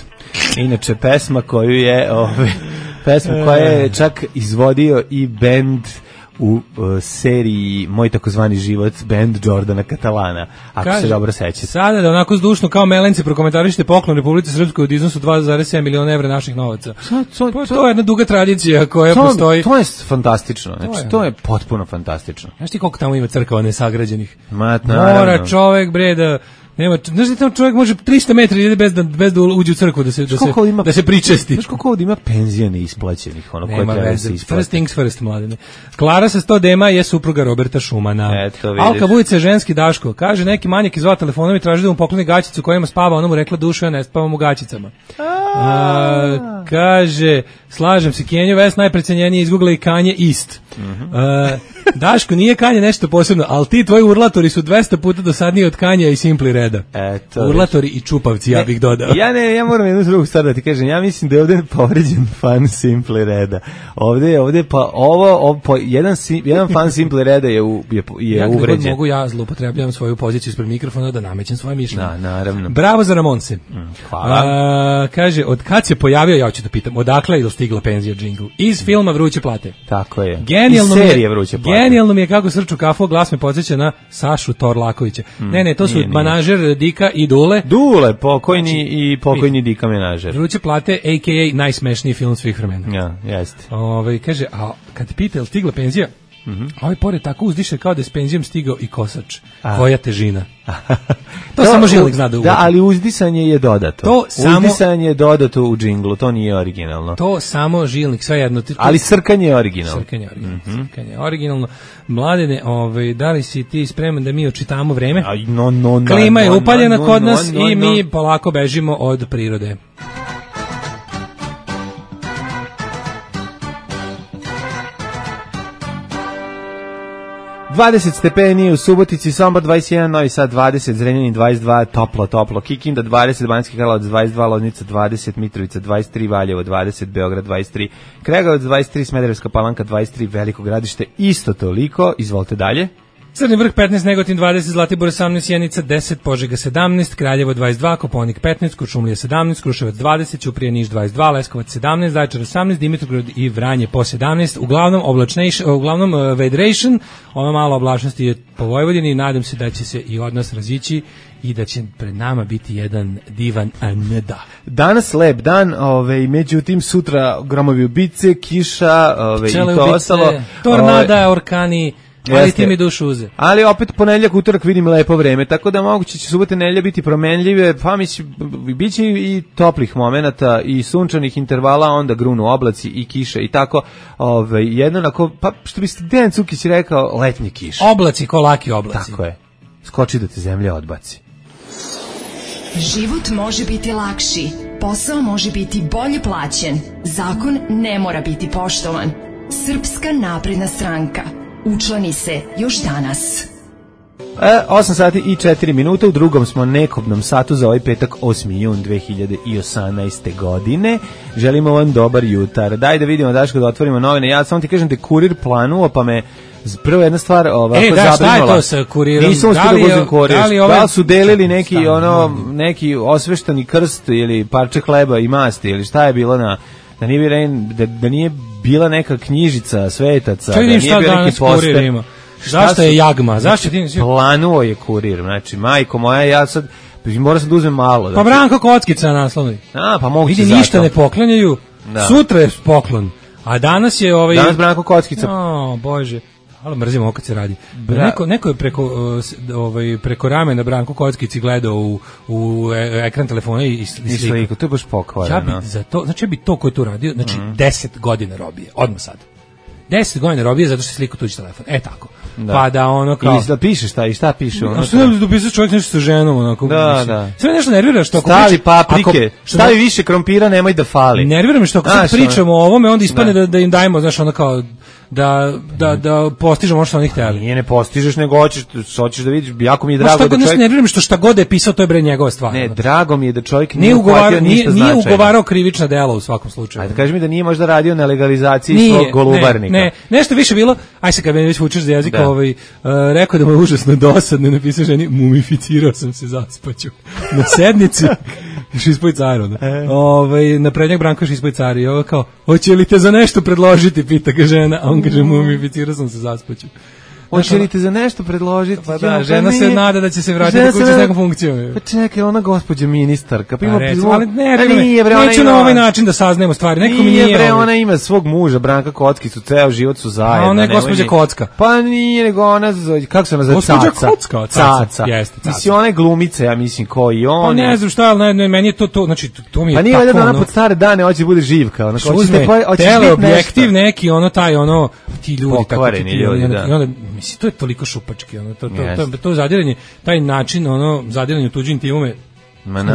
Inače, pesma koju je, ove, pesma koja je čak izvodio i bend u uh, seriji Moj takozvani život, bend Jordana Katalana, ako Kaže, se dobro sećate. Sada da onako zdušno kao melenci prokomentarište poklon Republici Srpskoj od iznosu dva zarez sedam miliona evra naših novaca. To, to, to, to je jedna duga tradicija koja to, postoji. To je fantastično, znači to je, to je potpuno fantastično. Znaš ti koliko tamo ima crkava nesagrađenih? Ma, Mora čovek bre da Nema, znaš da tamo čovjek može tristo metara ide bez da bez da uđe u crkvu da se da se ima, da se pričesti. Znaš koliko ovdje ima penzija neisplaćenih, ono koje treba se isplati. First things first, mladine. Klara sa sto dema je supruga Roberta Šumana. Eto, vidiš. Alka Vujica je ženski Daško. Kaže neki manjak izvao telefonom i traži da mu pokloni gaćicu kojima spava, ona mu rekla dušo, ja ne spavam u gaćicama. A, kaže, slažem se, Kenjo West najprecenjeniji izgugla i Kanje East. A, Daško, nije Kanje nešto posebno, ali ti tvoji urlatori su dvesta puta dosadniji od Kanja i Simpli Reda. Eto, urlatori i čupavci, ja bih dodao. Ja ne, ja moram jednu drugu stvar da ti kažem. Ja mislim da je ovdje povređen fan Simpli Reda. Ovdje je ovdje pa ovo, ovo po, jedan jedan fan Simpli Reda je u, je, je ja uvređen. Ja mogu ja zloupotrebljavam svoju poziciju ispred mikrofona da namećem svoje mišljenje. Da, naravno. Bravo za Ramonse. Mm, hvala. A, kaže, od kad se pojavio, ja ću da pitam, odakle je dostigla penzija džingl? Iz filma Vruće plate. Tako je. Genijalno iz serije Vruće plate. Genijalno mi je kako srču kafu, glas me podsjeća na Sašu Torlakovića. Mm, ne, ne, to su nije, manažer nije. Dika i Dule. Dule, pokojni znači, i pokojni Dika menažer. Vruće plate, a k a najsmešniji film svih vremena. Ja, jeste. Ove, kaže, a kad te pita, je li stigla penzija? Mm -hmm. A ovaj pored tako uzdiše kao da je s penzijom stigao i kosač. A. Koja težina. To, to samo Žilnik zna da uvodi. Da, ali uzdisanje je dodato. To samo, uzdisanje je dodato u džinglu, to nije originalno. To samo Žilnik, sve jedno. To, ali srkanje je originalno. Srkanje je originalno. Mm -hmm. Srkanje je originalno. Mladene, ovaj, da li si ti spreman da mi očitamo vreme? Aj, no, no, no, Klima je upaljena no, no, kod nas no, no, i mi no. polako bežimo od prirode. dvadeset stepeni u Subotici, Sombor dvadeset jedan, Novi Sad dvadeset, Zrenjanin dvadeset dva, toplo, toplo, Kikinda dvadeset, Banjski Karlovac dvadeset dva, Loznica dvadeset, Mitrovica dvadeset tri, Valjevo dvadeset, Beograd dvadeset tri, Kregovac dvadeset tri, Smederevska Palanka dvadeset tri, Veliko Gradište isto toliko. Izvolite dalje. Crni vrh petnaest, Negotin dvadeset, Zlatibor osamnaest, Sjenica deset, Požega sedamnaest, Kraljevo dvadeset dva, Kopaonik petnaest, Kuršumlija sedamnaest, Kruševac dvadeset, Ćuprija Niš dvadeset dva, Leskovac sedamnaest, Zaječar osamnaest, Dimitrovgrad i Vranje po sedamnaest. Uglavnom oblačnation, uglavnom uh, vedration, ono malo oblačnosti je po Vojvodini i nadam se da će se i od nas razići i da će pred nama biti jedan divan aneda. Danas lep dan, ovaj, međutim sutra gromovi ubice, kiša, ovaj, i to ubice, ostalo. Tornada, ovaj, orkani, ali jeste. Ti mi dušu uze. Ali opet ponedeljak, utorak vidim lepo vreme, tako da moguće će subote, nedelja biti promenljive, pa mislim, bit će i toplih momenata i sunčanih intervala, onda grunu oblaci i kiše i tako, ovaj, jednako, pa što bi Dejan Cukić rekao, letnje kiše. Oblaci ko laki oblaci. Tako je. Skoči da te zemlja odbaci. Život može biti lakši, posao može biti bolje plaćen, zakon ne mora biti poštovan. Srpska napredna stranka. Učlani se još danas. E, osam sati i četiri minuta, u drugom smo nekobnom satu za ovaj petak osmi jun dve hiljade osamnaeste. godine. Želimo vam dobar jutar. Daj da vidimo, Daško, da otvorimo novine. Ja samo ti kažem da je kurir planuo, pa me prva jedna stvar ovako e, da, zabrinula. Šta je to sa kurirom? Nisam uspio da uzem kurir. Da li, ove... da li su delili neki, šta, ono, neki osveštani krst ili parče hleba i masti ili šta je bilo na... Da nije, da, da nije bila neka knjižica svetaca, da nije bio neki poster. Zašto je jagma? Zašto ti nisi... Planuo je kurir, znači, majko moja, ja sad, moram sad da uzmem malo. Pa Branko Kockica naslovni. A, pa mogu vidi, ništa ne poklanjaju, da. Sutra je poklon, a danas je ovaj... Danas Branko Kockica. O, Bože. Ali mrzimo ovo kad se radi. Bra... Neko, neko je preko, ovaj, preko ramena Branko Kockici gledao u, u ekran telefona i, i sliku. To je baš pokvareno. Ja bi za to, znači ja bi to ko je tu radio, znači mm. deset godina robije, odmah sad. deset godina robije zato što je sliku tuđi telefon. E tako. Da. Pa da ono kao... Ili da piše šta i šta piše. A što da dopisao čovjek nešto sa ženom? Onako, da, mislim. Da. Sve nešto nervira što... Stavi priča, paprike, ako, stavi ne... više krompira, nemoj da fali. Nervira me što ako sad pričamo o ovome, onda ispane da. Da, da im dajemo, znaš, ono kao... da da da postižemo što oni hteli. Nije ne postižeš, nego hoćeš hoćeš da vidiš, jako mi je drago da čovjek. Ne nerviram što šta god je pisao, to je bre njegova stvar. Ne, drago mi je da čovjek nije ugovarao ništa značajno. Nije ugovarao krivična dela u svakom slučaju. Ajde kaži mi da nije možda radio na legalizaciji nije, svog golubarnika. Ne, ne, nešto više bilo. Aj se kad me već vučeš za jezik, da. ovaj uh, rekao da mu je užasno dosadno, napisao ženi, mumificirao sam se, zaspaću. Na sednici Šispoj car, onda. E. Ovaj, na prednjeg Branko Šispoj car i ovo kao, hoće li te za nešto predložiti, pita ga žena, a on kaže, mumificirao sam se, zaspaću. Hoće li te za nešto predložiti? Pa da, žena se nada da će se vratiti kući s nekom funkcijom. Pa čekaj, ona gospođa ministarka. Pa ima recimo, ali ne, pa ne, nije, bre, neću ima, na ovaj način da saznajemo stvari. Neko mi nije. Bre, ona ima svog muža, Branka Kockicu, ceo život su zajedno. A ona je gospođa Kocka. Pa nije, nego ona, kako se ona zove, Caca. Gospođa Kocka, Caca. Jeste, Caca. Mislim, ona je glumica, ja mislim, ko i on. Pa ne znam šta, ali ne, meni je to, to, znači, to mi je tako. Pa nije valjda da ona pod stare dane hoće bude živka. Ona uzme teleobjektiv neki, ono, taj, ono, ti ljudi, tako ti ljudi, da. I onda, mislim, to je toliko šupački, ono, to, to, to, to zadiranje, taj način, ono, zadiranje u tuđu intimu me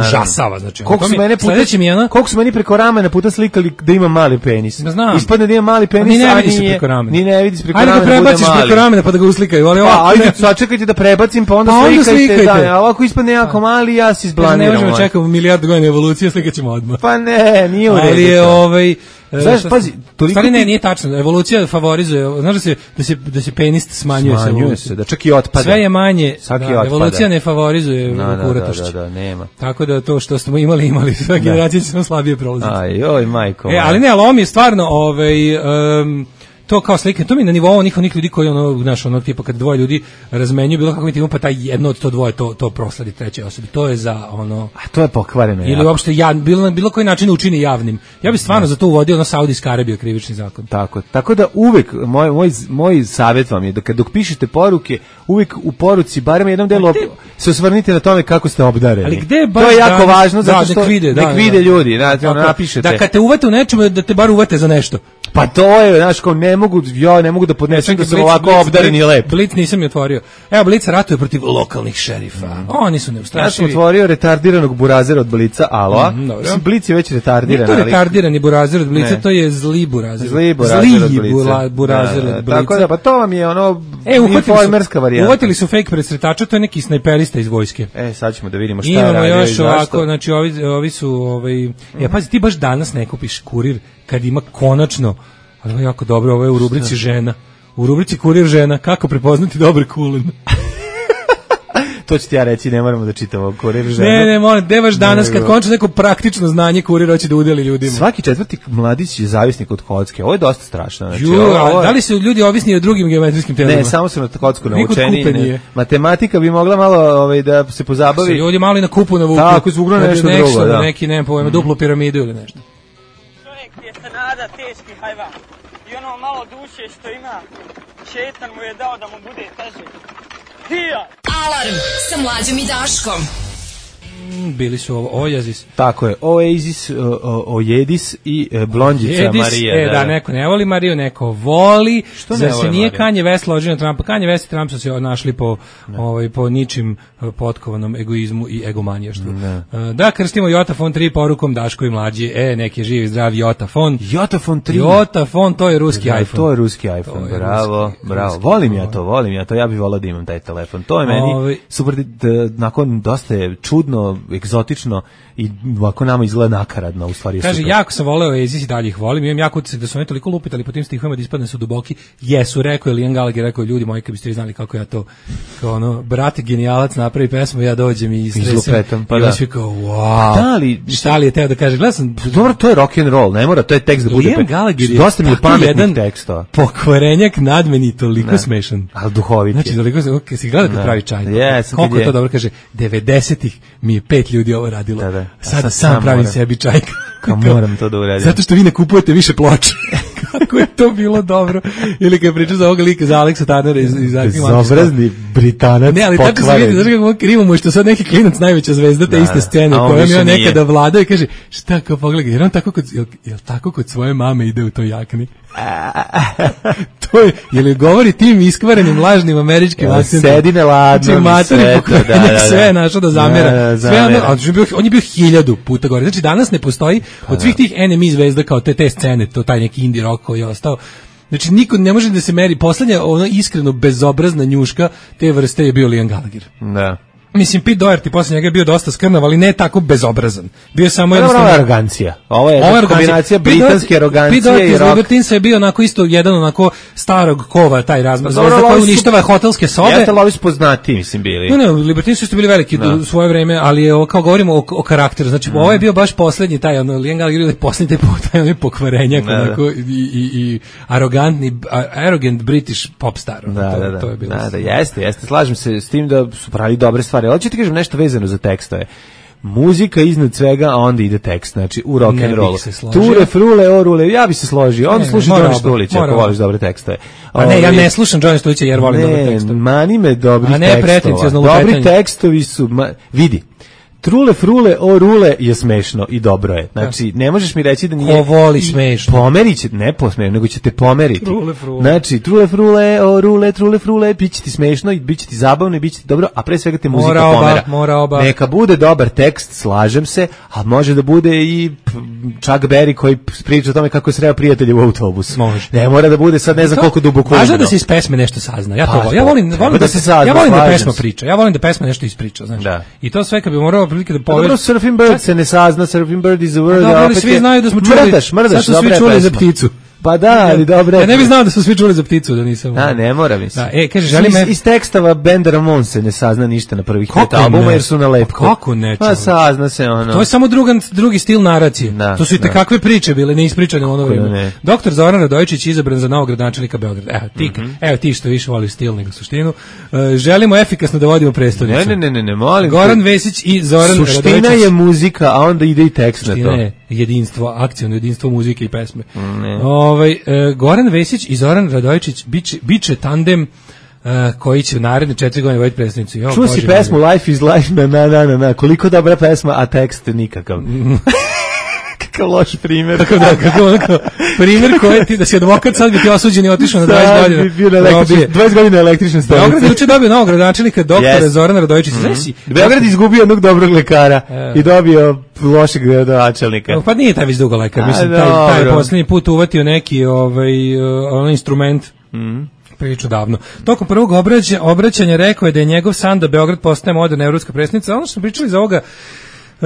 užasava, znači. Koliko su mene puta, mi ono, koliko su meni preko ramena puta slikali da ima mali penis. Znam. Ispadne da ima mali penis, ni ne a vidi se nije, preko ramena. Ni ne vidi se preko ajde ramena, da prebaciš preko ramena pa da ga uslikaju, ali ovako. Pa, ajde, sačekajte da prebacim, pa onda, pa onda slikajte, slikajte. Da, ovako ispadne jako mali, ja se izblaniram. Ne možemo čekati milijardu godina evolucije, slikaćemo odmah. Pa ne, nije u redu. Ali je ovaj znaš, pazi, toliko stvari ne, nije tačno. Evolucija favorizuje, znaš da se da se da se penis smanjuje, smanjuje se, da čak i otpada. Sve je manje, da, evolucija ne favorizuje no, kuratošće. Da, da, da, nema. Tako da to što smo imali, imali sve generacije će smo slabije prolaziti. Aj, oj, majko. E, ali ne, ali ovo mi je stvarno ovaj um, to kao slike, to mi na nivou onih onih ljudi koji ono, znaš, ono tipa kad dvoje ljudi razmenjuju bilo kako intimu, pa taj jedno od to dvoje to to prosledi trećoj osobi. To je za ono, a to je pokvareno. Ili jako. Uopšte ja bilo na bilo koji način učini javnim. Ja bih stvarno ne. za to uvodio ono Saudijska Arabija krivični zakon. Tako, tako da uvek moj moj moj savjet vam je da kad dok pišete poruke, uvek u poruci barem jednom delu te... se osvrnite na tome kako ste obdareni. Ali gde baš to je jako da, važno da, zato što nek vide, nek da, vide da, ljudi, da, da, napišete. Da kad te uvate u nečemu da te bar uvate za nešto. Pa to je, znaš, kao ne mogu, ja ne mogu da podnesem da sam ovako obdaren i lep. Blic nisam je otvorio. Evo, Blic ratuje protiv lokalnih šerifa. Mm. Oni su neustrašivi. Ja sam otvorio retardiranog burazera od Blica, aloa. Mm, Mislim, Blic je već retardiran. Nije to retardirani burazer od Blica, ne. To je zli burazer. Zli burazer zli od Blica. burazer da, da, od Blica. Tako da, pa to vam je ono e, informerska varijanta. Uvatili su fake presretača, to je neki snajperista iz vojske. E, sad ćemo da vidimo šta imamo radi. Imamo još ovako, znači ovi, ovi su, ovaj, ja pazi, ti baš danas ne kupiš kurir kad ima konačno. Ali ovo je jako dobro, ovo je u rubrici šta? Žena. U rubrici Kurir žena, kako prepoznati dobar kulen. To ću ti ja reći, ne moramo da čitamo Kurir žena. Ne, ne, moram, gde baš danas, kad končno neko praktično znanje Kurir hoće da udeli ljudima. Svaki četvrti mladić je zavisnik od kocke, ovo je dosta strašno. Znači, Ju, ovo, da li su ljudi ovisni od drugim geometrijskim telima? Ne, samo su na kocku naučeni. Matematika bi mogla malo ovaj, da se pozabavi. Se ljudi malo i na kupu navuku. Tako, izvugno nešto nešto drugo. Da. Neki, ne pojma, mm. duplu piramidu ili nešto. Je se nada teški hajvan i ono malo duše što ima šetan mu je dao da mu bude teže. Hija! Alarm sa Mlađom i Daškom. Bili su ovo Oasis. Tako je, Oasis, Ojedis i Blondjica Jedis, Marija. E, da, da, neko ne voli Mariju, neko voli. Što ne se nije Kanye West ložio na Trumpa. Kanye West i Trump su se našli po, ovaj, po ničim potkovanom egoizmu i egomanijaštvu. Da, krstimo Jotafon tri porukom Daško i Mlađi. E, neki je živi, zdrav Jotafon. Jotafon tri? Jotafon, to je ruski da, iPhone. To je ruski iPhone, je bravo, ruski, bravo. Ruski, volim ja to, volim ja to. Ja bih volao da imam taj telefon. To je meni Ovi... super, da, nakon dosta je čudno, egzotično i ovako nama izgleda nakaradno, u stvari je kaže, super. jako sam voleo Oasis i dalje ih volim, imam jako utisak da su oni toliko lupitali po tim stihovima da ispadne su duboki. Jesu, rekao je Liam Gallagher, rekao je ljudi moji, kad biste vi znali kako ja to, kao ono, brate genijalac napravi pesmu, ja dođem i stresem. Pa i da. on svi kao, wow. Da li, šta li je teo da kaže, gledam sam. Dobro, to je rock and roll, ne mora, to je tekst da bude. Liam Gallagher je dosta mi je pametnih tekstova. Pokvarenjak nadmeni, toliko ne. Smešan. Ali duhovit je. Znači, toliko, okay, si gleda kad pravi čaj. Yes, koliko to dobro kaže, devedesetih mi je pet ljudi ovo radilo. Da, da. Sad, sad sam pravim moram. Sebi čaj. Kao moram to da uradim. Zato što vi ne kupujete više ploča. Kako je to bilo dobro. Ili kad priča za ovoga lika, za Aleksa Tanera iz, iz Bezobrazni Britanac. Ne, ali tako se vidi, znaš kako krivo mu je što sad neki klinac najveća zvezda te iste scene u kojoj je on nekada vladao i kaže, šta kao pogledaj, jer on tako kod, jel, jel tako kod svoje mame ide u toj jakni? To je, jel govori tim iskvarenim lažnim američkim akcentom. Sedine ladno, znači, sve to, da, da, da. Sve je našao da zamera. Da, da, sve ono, on, je bio, on je bio hiljadu puta gore. Znači, danas ne postoji od svih tih N M E zvezda kao te, te scene, to taj neki indie rock koji je ostao. Znači, niko ne može da se meri. Poslednja, ono iskreno bezobrazna njuška te vrste je bio Liam Gallagher. Da. Mislim, Pete Doherty posle njega je bio dosta skrnav, ali ne tako bezobrazan. Bio samo jednostavno... Ovo je arogancija. Ovo je Ovo kombinacija britanske arogancije Pete Doherty i iz rock. Libertinsa je bio onako isto jedan onako starog kova, taj razmaz. Zvezda koja uništava hotelske sobe. Jeste, ali ovi su poznati, mislim, bili. Ne, ne, Libertinsi su bili veliki u svoje vreme, ali je, kao govorimo o, o karakteru. Znači, mm. ovo je bio baš poslednji taj, ono, Liam Gallagher je poslednji taj onaj pokvarenjak, onako, i, i, i arogantni, arrogant British pop star. Da, to, da, da. To je bilo. Da, da, jeste, jeste. Slažem se s tim da su pravili dobre stvari. Ali ću ti kažem nešto vezano za tekstove. Muzika iznad svega, a onda ide tekst, znači u rock and rollu. Ture, frule, orule, ja bi se složio. On sluša Đorđe Štulića ako voliš dobre tekstove. A ne, ja ne slušam Đorđe Štulića jer volim dobre tekstove. Ne, mani me dobri tekstova. Dobri tekstovi su, ma, vidi, Trule, frule, o rule je smešno i dobro je. Znači, ne možeš mi reći da nije... Ko voli smešno? Pomerit će, ne posmešno, nego će te pomeriti. Trule, frule. Znači, trule, frule, o rule, trule, frule, bit će ti smešno i bit će ti zabavno i bit će ti dobro, a pre svega te muzika mora pomera. Oba, mora oba. Neka bude dobar tekst, slažem se, a može da bude i Chuck Berry koji priča o tome kako je sreo prijatelje u autobusu. Može. Ne mora da bude sad ne znam koliko duboko. Važno da se iz pesme nešto sazna. Ja to volim. Ja volim, volim da se sazna. Ja volim da pesma priča. Ja volim da pesma nešto ispriča, znači. I to sve kad bi morao prilike da poveš. Surfing Bird se ne sazna, Surfing Bird is a word. Da, ali svi znaju da smo čuli. Mrdaš, mrdaš, sad su svi čuli pesma. za pticu. Pa da, ali dobro. Ja ne bih znao da su svi čuli za pticu, da nisam. A, ne mora mislim. Da, e, kaže, želim iz, iz tekstova benda Ramones se ne sazna ništa na prvih pet albuma jer su na lepku. Kako ne? Pa sazna se ono. To je samo drugan, drugi stil naracije. Da, to su i te kakve priče bile, ne ispričane u ono vrijeme. Doktor Zoran Radojičić izabran za novog gradonačelnika Beograda. Evo ti, mm -hmm. evo ti što više voli stil nego suštinu. Uh, želimo efikasno da vodimo prestonicu. Ne, ne, ne, ne, molim. Goran Vesić i Zoran Radojičić. Suština je muzika, a onda ide i tekst na to. Ne, jedinstvo, akcijno jedinstvo muzike i pesme. Ovaj uh, Goran Vesić i Zoran Radojičić biće, biće tandem uh, koji će u naredne četiri godine voditi predstavnicu. Čuo si pesmu moj. Life is Life, na, na, na, na, na, koliko dobra pesma, a tekst nikakav. Kakav loš primjer. Kako da, kako onako, primjer koji ti, da si advokat, sad bi ti osuđen i otišao na dvadeset godina. Bi bio na električni, dvadeset godina električne stanice. Beograd je uče dobio novog gradonačelnika, doktora yes. Zorana Radojičića. Mm -hmm. Beograd izgubio jednog dobrog lekara e. i dobio lošeg gradonačelnika. Pa nije taj već dugo lekar, mislim, taj, taj posljednji put uvatio neki ovaj, uh, instrument. Mhm. Priču davno. Tokom prvog obraća, obraćanja rekao je da je njegov san da Beograd postane moderna evropska prestolnica. Ono što smo pričali za ovoga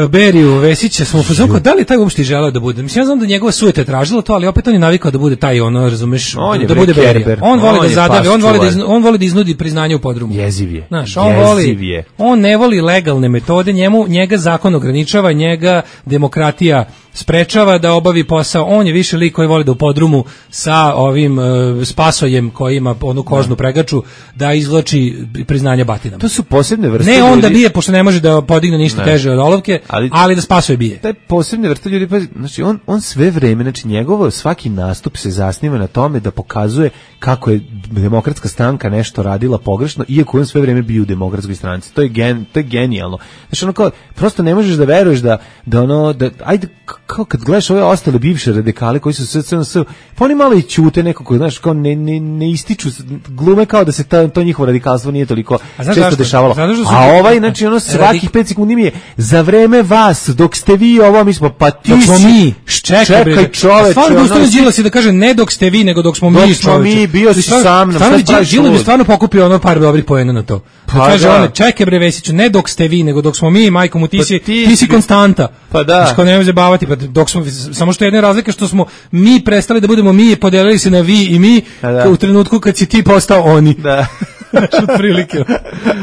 Beriju Vesića, smo pozvali, da li taj uopšte želeo da bude? Mislim, ja znam da njegova sujeta je tražila to, ali opet on je navikao da bude taj, ono, razumeš, on da bude Berija. On voli on da zadavi, on voli da, iznu, on voli da iznudi priznanje u podrumu. Jeziv je. Znaš, on voli, on ne voli legalne metode, njemu, njega zakon ograničava, njega demokratija sprečava da obavi posao. On je više lik koji voli da u podrumu sa ovim uh, spasojem koji ima onu kožnu pregaču da izvlači priznanje batinama. To su posebne vrste. Ne onda ljudi... bije, pošto ne može da podigne ništa ne. teže od olovke, ali, ali da spasuje bije. Taj posebne vrste ljudi, pa, znači on, on sve vreme, znači njegovo svaki nastup se zasniva na tome da pokazuje kako je demokratska stranka nešto radila pogrešno, iako on sve vreme bio u demokratskoj stranci. To je, gen, to je genijalno. Znači ono kao, prosto ne možeš da veruješ da, da ono, da, ajde, kao kad gledaš ove ostale bivše radikale koji su sve sve sve, pa oni malo i ćute nekako, znaš, kao ne, ne, ne ističu, glume kao da se ta, to njihovo radikalstvo nije toliko često zašto? dešavalo. A ovaj, znači ono svakih pet sekundi mi je za vreme vas, dok ste vi ovo, mi smo, pa ti si, mi, čekaj, čekaj čoveče. Stvarno da ustavno Đilas i da kaže ne dok ste vi, nego dok smo dok mi, smo mi, bio si sa mnom, šta praviš? Đilas bi stvarno pokupio ono par dobrih poena na to. Pa kaže on, čekaj bre Vesiću, ne dok ste vi, nego dok smo mi, majko mu, ti si, ti si konstanta. Pa da. Znači, kao nemoj zabavati, pa dok smo, samo što je jedna razlika što smo mi prestali da budemo mi, podelili se na vi i mi, da. u trenutku kad si ti postao oni. Da. Znači, otprilike.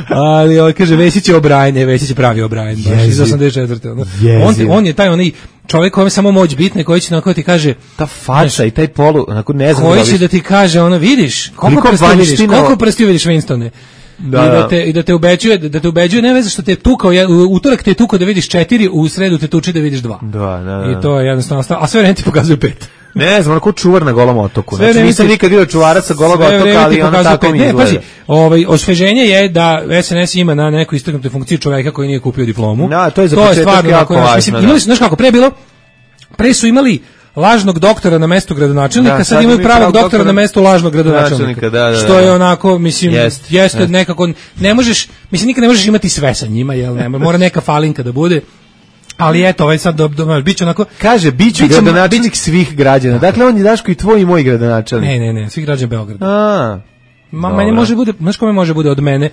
Ali, on kaže, Vesić je O'Brien, Vesić je pravi O'Brien, baš iz osamdeset četvrte On, on je taj onaj čovjek kojem samo moć bitne, koji će onako ti kaže... Ta fača znaš, i taj polu, onako ne znam... Koji će da ti kaže, ono, vidiš, koliko prstiju vidiš, koliko prstiju vidiš Winstone. Da, I da te i da te ubeđuje da te ubeđuje ne veze što te tukao u utorak te tukao da vidiš četiri, u sredu te tuči da vidiš dva. Da, da, da. I to je jednostavno, a sve vreme ti pokazuje pet. Ne znam, onako čuvar na Golom otoku. Znači nisam nikad vidio čuvara sa Golog otoka, ali on tako mi izgleda. Ne, pazi, ovaj osveženje je da S N S ima na neku istaknutu funkciju čoveka koji nije kupio diplomu. Da, to je za početak jako važno. Mislim, imali, znaš kako pre bilo? Pre su imali lažnog doktora na mestu gradonačelnika, da, sad, sad imaju pravog doktora, doktora na mestu lažnog gradonačelnika. Da, da, da. Što je onako, mislim, jest, jeste jest. nekako, ne možeš, mislim, nikad ne možeš imati sve sa njima, jel ne, mora neka falinka da bude. Ali eto, ovaj sad do, do, biće onako... Kaže, biću biće gradonačelnik bić... svih građana. Dakle, on je Daško i tvoj i moj gradonačelnik. Ne, ne, ne, svih građana Beograda. A, Ma, meni može bude, znaš kome može bude od mene?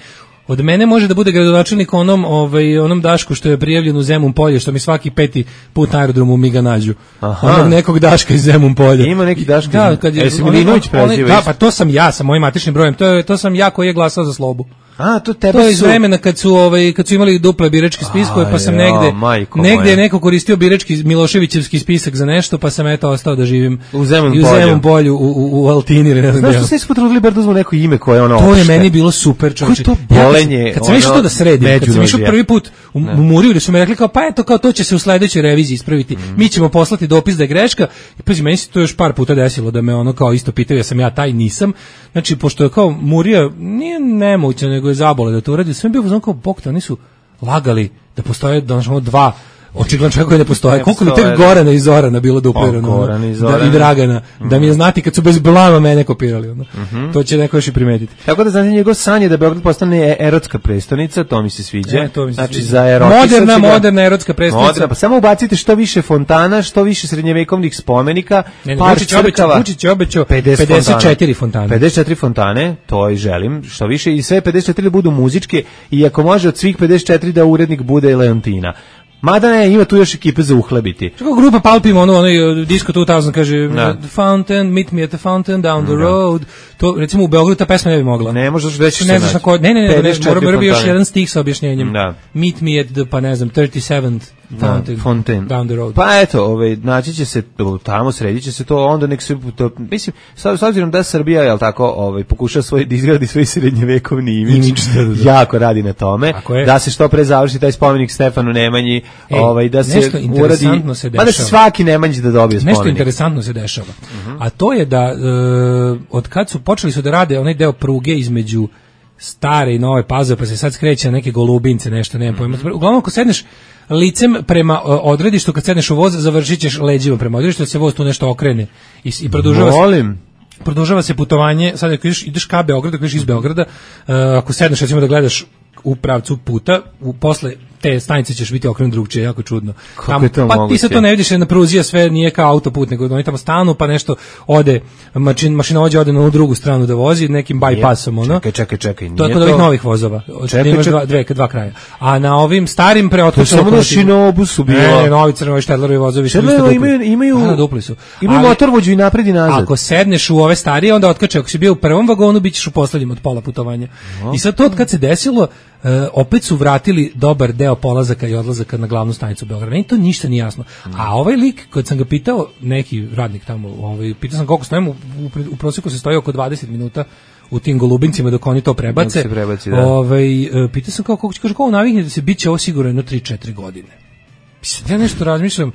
Od mene može da bude gradonačelnik onom, ovaj, onom Dašku što je prijavljen u Zemun polje, što mi svaki peti put na aerodromu mi ga nađu. Aha. Onog nekog Daška iz Zemun polja. Ima neki Daška. Da, kad je, e, Milinović preziva. Da, pa to sam ja sa mojim matičnim brojem. To je to sam ja koji je glasao za Slobu. A, to tebe to je iz su... vremena kad su ovaj kad su imali duple biračke spiskove, pa sam ja, negde negde je moja. neko koristio birački Miloševićevski spisak za nešto, pa sam eto ostao da živim u Zemun i u Zemun polju u, u, u Altini. Ne znam što se potrudili bar da uzmu neko ime koje ono. To je meni bilo super, čoveče. To bolenje. Ja, kad sam išao to da sredim, kad sam išao prvi put u, u Muriju, da su mi rekli kao pa eto kao to će se u sledećoj reviziji ispraviti. Mm. Mi ćemo poslati dopis da je greška. I pazi, meni se to još par puta desilo da me ono kao isto pitaju, ja sam ja taj, nisam. Znači pošto je kao Murija nije nemoguće, nego je zabole da to uradi, sve bio znam kao bok, oni su lagali da postoje da našamo dva očigledno čovjek koji ne postoje. Ne koliko bi tek Gorana i Zorana bilo duplirano da, i Dragana, mm. da mi je znati kad su bez blama mene kopirali. Ono. Mm-hmm. To će neko još i primetiti. Tako da znači njegov san je da Beograd postane erotska prestonica, to mi se sviđa. E, to mi se znači sviđa. Za erotičnost. Moderna, moderna erotska prestonica. Moderna, pa samo ubacite što više fontana, što više srednjevekovnih spomenika, ne, ne, par crkava. Vučić je obećao pedeset četiri fontane. pedeset četiri fontane, to i želim, što više i sve pedeset četiri budu muzičke i ako može od svih pedeset četiri da urednik bude Leontina. Mada ne, ima tu još ekipe za uhlebiti. Kako grupa Palpim, ono, ono, Disco two thousand kaže, the fountain, meet me at the fountain, down the road. To, recimo, u Beogradu ta pesma ne bi mogla. Ne, možda reći ne, znaš ko, ne, ne, ne, ne, mora, mora bi još jedan stih sa objašnjenjem. Da. Meet me at the, pa ne znam, thirty-seventh fountain, fountain, down the road. Pa eto, ovaj, naći će se tamo, sredit će se to, onda nek se, to, mislim, s obzirom da Srbija, jel tako, ovaj, pokuša svoj, da izgradi svoj srednjevekovni imidž, jako radi na tome, da se što pre završi taj spomenik Stefanu Nemanji, Ej, ovaj, da se uradi, se pa da se svaki Nemanjić da dobije spomenik. Nešto interesantno se dešava, uh-huh. a to je da uh, od kad su počeli su da rade onaj deo pruge između stare i nove Pazove, pa se sad skreće na neke Golubince, nešto, nemam pojma. Uglavnom, ako sedneš licem prema odredištu, kad sedneš u voz, završit ćeš leđima prema odredištu, da se voz tu nešto okrene i, i produžava Volim. se produžava se putovanje. Sad ako ideš, ideš ka Beogradu, ako ideš iz Beograda, uh, ako sedneš recimo da gledaš u pravcu puta, u posle te stanice ćeš biti okrenut drugčije, jako čudno. Tamo, pa moguće? Ti se to ne vidiš na pruzi, sve nije kao autoput, nego oni tamo stanu, pa nešto ode, mašin, mašinovođa ode na onu drugu stranu da vozi, nekim bypassom, ono. Čekaj, čekaj, čekaj. To je kod ovih novih vozova. Čekaj, čekaj. Dva, dve, dva kraja. A na ovim starim preotvočenim... To samo na Šinobusu bilo. Ne, ne, novi crnovi Štedlerovi vozovi su isto dupli. Imaju, imaju, da, dupli su. Imaju motorvođu i napred i nazad. Ako sedneš u ove starije, onda otkače. Ako si bio u prvom vagonu, bit ćeš u poslednjem od pola putovanja. No. I sad to od kad se desilo, Uh, opet su vratili dobar deo polazaka i odlazaka na glavnu stanicu Beograda. Meni to ništa nije jasno. A ovaj lik, kad sam ga pitao, neki radnik tamo, ovaj, pitao sam koliko stojimo, u, u, u prosjeku se stoji oko dvadeset minuta u tim Golubincima dok oni to prebace. Se prebaci, da. Ovaj, uh, pitao sam kao, kako će, kaže, kako navikne da se bit će ovo sigurno jedno tri četiri godine. Mislim, ja nešto razmišljam,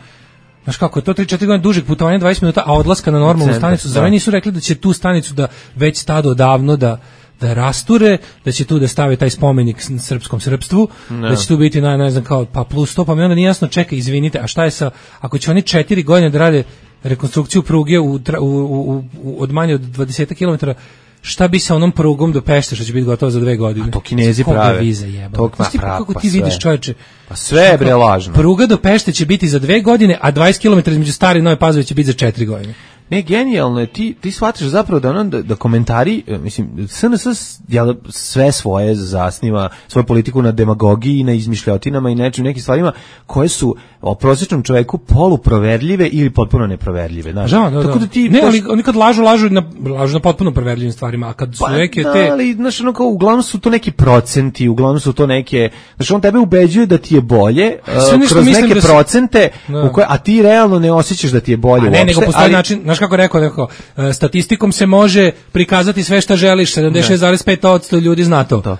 znaš kako je to tri četiri godine dužeg putovanja, dvadeset minuta, a odlaska na normalnu Centar, stanicu, zar nisu rekli da će tu stanicu da već stado odavno da da rasture, da će tu da stave taj spomenik srpskom srpstvu, ne. Da će tu biti na, ne znam, kao, pa plus sto, pa mi onda nije jasno, čekaj, izvinite, a šta je sa, ako će oni četiri godine da rade rekonstrukciju pruge u, u, u, u, od manje od dvadeset kilometara, šta bi sa onom prugom do Pešte, što će biti gotovo za dve godine? A to Kinezi prave. Viza jeba. To pa, kako ti vidiš, sve. Čoveče? Pa sve je bre lažno. Pruga do Pešte će biti za dve godine, a dvadeset kilometara između Stare i Nove Pazove će biti za četiri godine. Ne, genijalno je, ti, ti shvataš zapravo da, ono, da, da komentari, mislim, S N S jel, sve svoje zasniva, svoju politiku na demagogiji, na izmišljotinama i nečim, nekim stvarima koje su o prosječnom čoveku poluproverljive ili potpuno neproverljive. Znaš. Da, da, tako da ti ne, ali oni kad lažu, lažu na, lažu na potpuno proverljivim stvarima, a kad su pa, neke da, te... ali, znaš, ono kao, uglavnom su to neki procenti, uglavnom su to neke, znaš, on tebe ubeđuje da ti je bolje, uh, kroz neke da procente, da. U koje, a ti realno ne osjećaš da ti je bolje a ne, uopšte, nego postoji ali, način, znaš kako rekao, rekao, statistikom se može prikazati sve šta želiš, sedamdeset šest zarez pet posto ljudi zna to. To.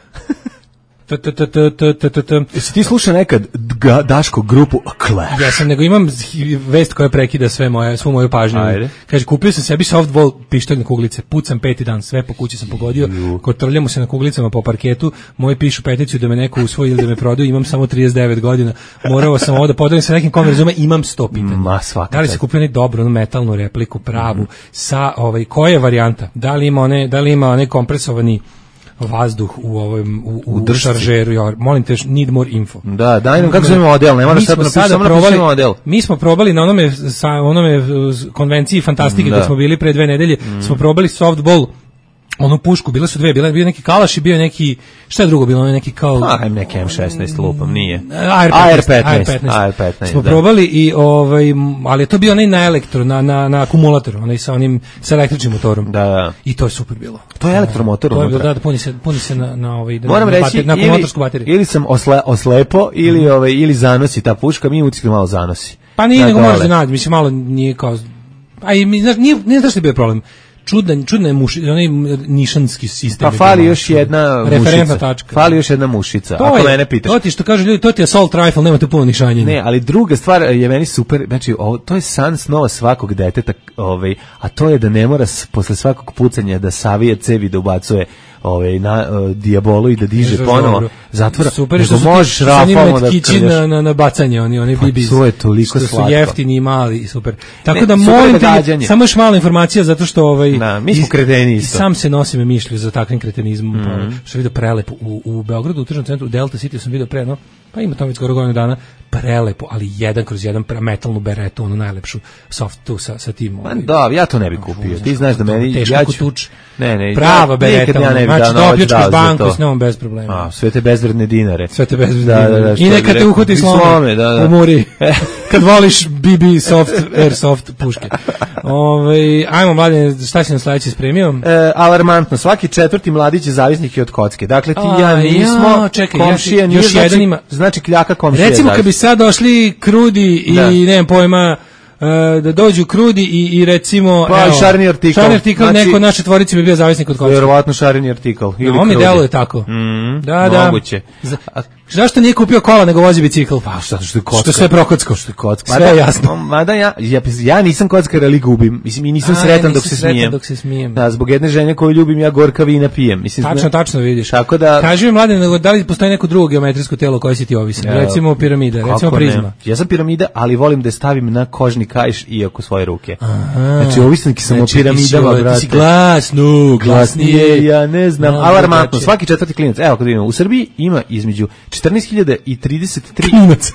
Jesi ti slušao nekad Daško grupu Clash? Ja sam, nego imam vest koja prekida sve moje, svu moju pažnju. Ajde. Kaže, kupio sam sebi softball pištolj na kuglice, pucam peti dan, sve po kući sam pogodio, kotrljamo se na kuglicama po parketu, moji pišu peticiju da me neko usvoji ili da me prodaju, imam samo trideset devet godina, morao sam ovo da podelim sa nekim kom razume, imam sto pitanja. Ma, svaka. Da li se kupio neki dobro, onu metalnu repliku, pravu, mm. sa, ovaj, koja je varijanta? Da li ima one, da li ima one kompresovani vazduh u ovom u, u, u šaržeru, ja molim te, need more info. Da, daj nam kako se zove model, ne moraš sad napisati, samo napiši model. Mi smo probali na onome sa onome konvenciji fantastike, da smo bili pre dve nedelje, mm. smo probali softball onu pušku, bile su dve, bile bio neki kalaš i bio neki, šta je drugo bilo, neki kao a neki em šesnaest lupam, nije. A R petnaest. A R petnaest. Smo da. probali i ovaj, ali je to bio onaj na elektro, na na na akumulator, onaj sa onim sa električnim motorom. Da, da. I to je super bilo. To je elektromotor. To je bilo, da, da puni se, puni se na na ovaj moram na, reći, bater, na akumulatorsku bateriju. Ili sam osle, oslepo ili mm. ovaj ili zanosi ta puška, mi uticamo malo zanosi. Pa nije, nego moraš da nađi, mislim malo nije kao, a i mi znaš, nije, nije znaš što je bio problem. Čudan, čudna je muši, onaj nišanski sistem. Pa fali još jedna mušica. Tačka. Fali još jedna mušica, to ako je, mene pitaš. To ti što kažu ljudi, to ti je assault rifle, nema tu puno nišanjenja. Ne, ali druga stvar je meni super, znači ovo, to je san snova svakog deteta, ovaj, a to je da ne mora s, posle svakog pucanja da savije cevi, da ubacuje ovaj na uh, dijabolu i da diže ne, ponovo dobro. zatvora. Super što možeš rafalno da kići na, na na bacanje, oni oni bibis. To je toliko slatko. Su jeftini i mali, super. Tako ne, da molim te, samo još mala informacija zato što ovaj da, mi smo kreteni isto. Sam se nosim mišlju za takvim kretenizmom, mm -hmm. što vidio prelepo u u Beogradu, u tržnom centru Delta City sam video pre, no, pa ima tamo već skoro godinu dana, prelepo, ali jedan kroz jedan metalnu beretu, onu najlepšu soft tu sa sa tim. Ma da, ja to ne bih kupio. Ti znaš da meni ja ću ne, ne, prava bereta, ja ne bih znači dopljačkaš banku s njom bez problema. A, sve te bezvredne dinare. Sve te bezvredne da, dinare. Da, da, i neka te uhvati slome, da, da. u muri. Kad voliš B B soft, airsoft puške. Ove, ajmo mladine, šta si nam sledeći spremio? E, alarmantno, svaki četvrti mladić je zavisnik od kocke. Dakle, ti i ja nismo, ja, čekaj, komšija ja, nije, još znači, jedan ima, znači kljaka komšija. Recimo, kad bi sad došli Krudi i, da. nemam pojma, Uh, da dođu Krudi i, i recimo pa evo, šarni artikl, šarni artikl znači, neko od naše tvorice bi bio zavisnik od kocke. Vjerovatno šarni artikl ili no, on mi deluje tako. Mm, da, da. Moguće. Zašto nije kupio kola nego vozi bicikl? Pa što što je kocka. Što sve prokocko. Što je kocka. Sve je jasno. Mada ja, ja ja nisam kockar, ali gubim. Mislim i nisam A, sretan, ja dok, se sretan dok se smijem. Da, zbog jedne žene koju ljubim ja gorka vina pijem. Mislim tačno, ne, tačno vidiš. Tako da kaži mi mladen, da li postoji neko drugo geometrijsko telo koje si ti ovisan? Ja, recimo piramida, recimo prizma. Ne? Ja sam piramida, ali volim da je stavim na kožni kaiš i oko svoje ruke. Aha. Znači ovisan ki sam znači, o piramidama, brate. Glasno, glasnije, ja ne znam. No, alarmantno, svaki četvrti klinac. Evo kad vidimo, u Srbiji ima između četrnaest hiljada i trideset tri klinac.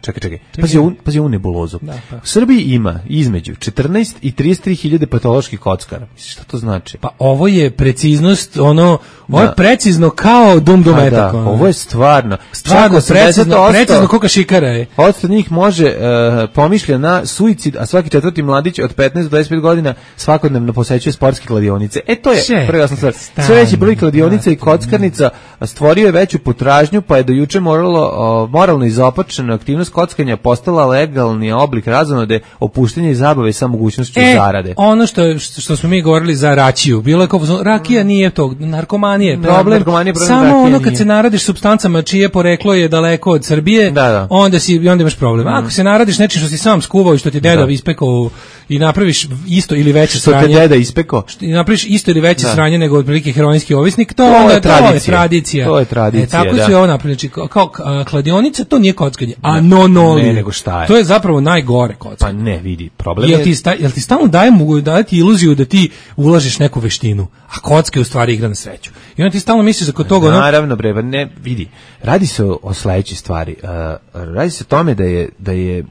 Čekaj, čekaj. Pazi ovu, pazi ovu nebulozu. Da, pa. U Srbiji ima između četrnaest i trideset tri hiljade patoloških kockara. Misliš šta to znači? Pa ovo je preciznost, ono, ovo je precizno kao dum dum etak. Da, ovo je stvarno. Stvarno, precizno, precizno koliko šikara je. Od njih može uh, pomišlja na suicid, a svaki četvrti mladić od petnaest do dvadeset pet godina svakodnevno posećuje sportske kladionice. E to je prva stvar. Sve veći broj kladionica i kockarnica stvorio je veću potražnju, pa je do juče moralo, uh, moralno izopačena aktivnost kockanja postala legalni oblik razonode, opuštenja i zabave sa mogućnošću e, zarade. Ono što što smo mi govorili za račiju, bilo je kao rakija nije to, narkomanije, problem. Narkomanije, problem samo ono kad nije. Se naradiš supstancama čije poreklo je daleko od Srbije, da, da. onda si onda imaš problem. Mm. Ako se naradiš nečim što si sam skuvao i što ti deda da. ispekao i napraviš isto ili veće što sranje. Što te deda ispekao? I napraviš isto ili veće da. sranje nego otprilike heroinski ovisnik, to, to onda je tradicija. To je tradicija. To je tradicija. E, tako da. se ovo napravi, znači kao a, kladionica to nije kockanje, a no no ne, nego šta je? To je zapravo najgore kockanje. Pa ne, vidi, problem jel ti sta, jel ti stalno daje mogu dati iluziju da ti ulažeš neku veštinu, a kocka je u stvari igra na sreću. I onda ti stalno misliš da kod toga ono... Naravno bre, ne, vidi. Radi se o, o sledećoj stvari. Uh, radi se o tome da je da je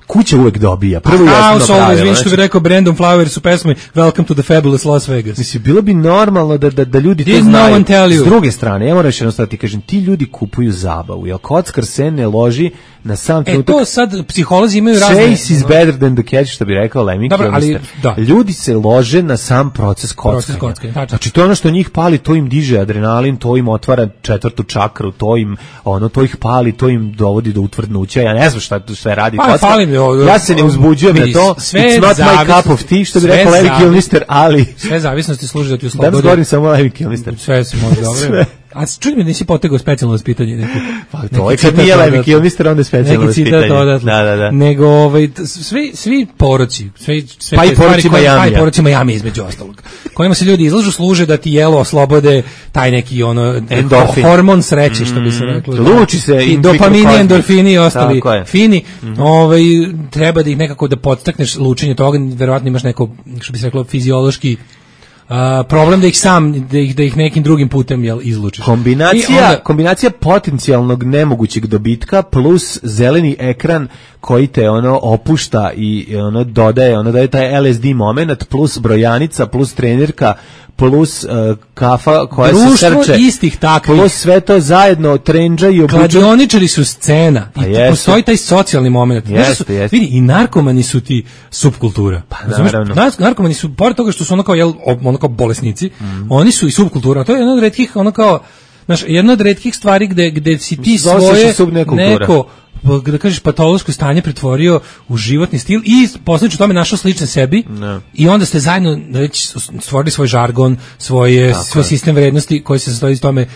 kuća uvek dobija. Prvo jasno pravilo. Izvini što bi rekao Brandon Flowers u pesmi Welcome to the Fabulous Las Vegas. Mislim, bilo bi normalno da, da, da ljudi Did to znaju. No S druge strane, ja moram još jedno stati, kažem, ti ljudi kupuju zabavu, jer kockar se ne loži na sam trenutak. E to sad psiholozi imaju razne... Chase is better than the catch, što bi rekao Lemmy Kilmister. Da. Ljudi se lože na sam proces kockanja. Proces kockanja. Znači, to je ono što njih pali, to im diže adrenalin, to im otvara četvrtu čakru, to im, ono, to ih pali, to im dovodi do utvrdnuća. Ja ne znam šta sve radi pa, kockar. Ja se ne uzbuđujem na to. It's not my cup of tea, što bi rekao Lemmy Kilmister, ali... Sve zavisnosti služi da ti oslobode. Da govorim samo Lemmy Kilmister. Sve se može dobro. A čuj mi, nisi potegao specijalno vaspitanje neki. Pa to je kad nije Lemmy Kilmister, onda je specijalno vaspitanje. Da, da, da. Nego, ovaj, svi, svi poroci, svi, sve pa i poroci Majamija. Pa i poroci Majamija između ostalog. Kojima se ljudi izlažu, služe da ti jelo oslobode taj neki ono, endorfin. Hormon sreće, što bi se reklo. Mm, luči se. I dopamini, endorfini i ostali fini. Mm. Ovaj, treba da ih nekako da podstakneš lučenje toga, verovatno imaš neko, što bi se reklo, fiziološki Uh, problem da ih sam da ih da ih nekim drugim putem jel izlučiš. Kombinacija onda, kombinacija potencijalnog nemogućeg dobitka plus zeleni ekran koji te ono opušta i ono dodaje, ono daje taj L S D moment plus brojanica plus trenerka plus uh, kafa koja društvo se srče. Istih takvih. Plus sve to zajedno trendža i obuča. Kladioničari su scena. Pa I jeste. postoji taj socijalni moment. Jeste, su, jeste. vidi, i narkomani su ti subkultura. Pa Znaš, naravno. narkomani su, pored toga što su ono kao, jel, ono kao bolesnici, mm. oni su i subkultura. To je jedna od retkih, ono kao, znaš, jedna od retkih stvari gde, gde si ti svoje neko, da kažeš, patološko stanje pretvorio u životni stil i posljedično tome našao slične sebi ne. I onda ste zajedno već stvorili svoj žargon, svoje, svoj sistem vrednosti koji se sastoji iz tome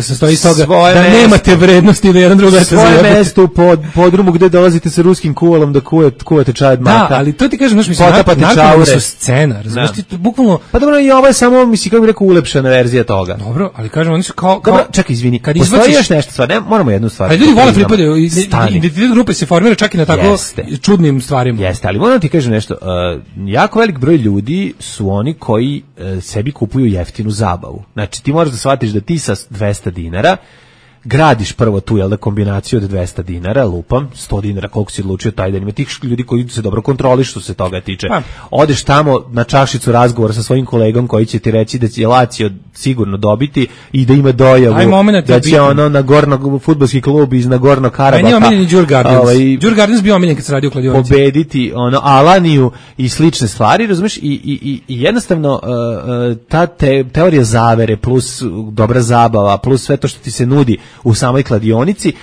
se stoji iz toga svoje da mesto. Nemate vrednosti da jedan druga svoje mesto u pod, podrumu gde dolazite sa ruskim kuvalom da kuvate, kuvate čaj od maka. Da, ali to ti kažem, znaš, mislim, narkomani su scena, razumiješ ti, bukvalno... Pa dobro, i ovo je samo, mislim, kako bih rekao, ulepšana verzija toga. Dobro, ali kažem, oni su kao... kao dobro, čekaj, izvini, kad postoji izbaciš... još nešto stvar, ne, moramo jednu stvar. Ali ljudi vole flipadaju, identitet grupe se formira čak i na tako Jeste. čudnim stvarima. Jeste, ali moram ti kažem nešto, uh, jako velik broj ljudi su oni koji uh, sebi kupuju jeftinu zabavu. Znači, ti moraš da shvatiš da ti sa dvesta dinara gradiš prvo tu, jel da, kombinaciju od dvesta dinara, lupam, sto dinara, koliko si odlučio taj dan, ima tih ljudi koji se dobro kontroliš što se toga tiče. Pa. Odeš tamo na čašicu razgovora sa svojim kolegom koji će ti reći da će Lazio sigurno dobiti i da ima dojavu, da će bitan. ono na gorno fudbalski klub iz Nagorno Karabaka. Aj, nije omiljeni Đur Gardens. Ovaj, Đur Gardens bio omiljen kad se radi u kladionici. Pobediti ono, Alaniju i slične stvari, razumiješ, i, i, i, i jednostavno uh, ta te, teorija zavere plus dobra zabava plus sve to što ti se nudi u samoj kladionici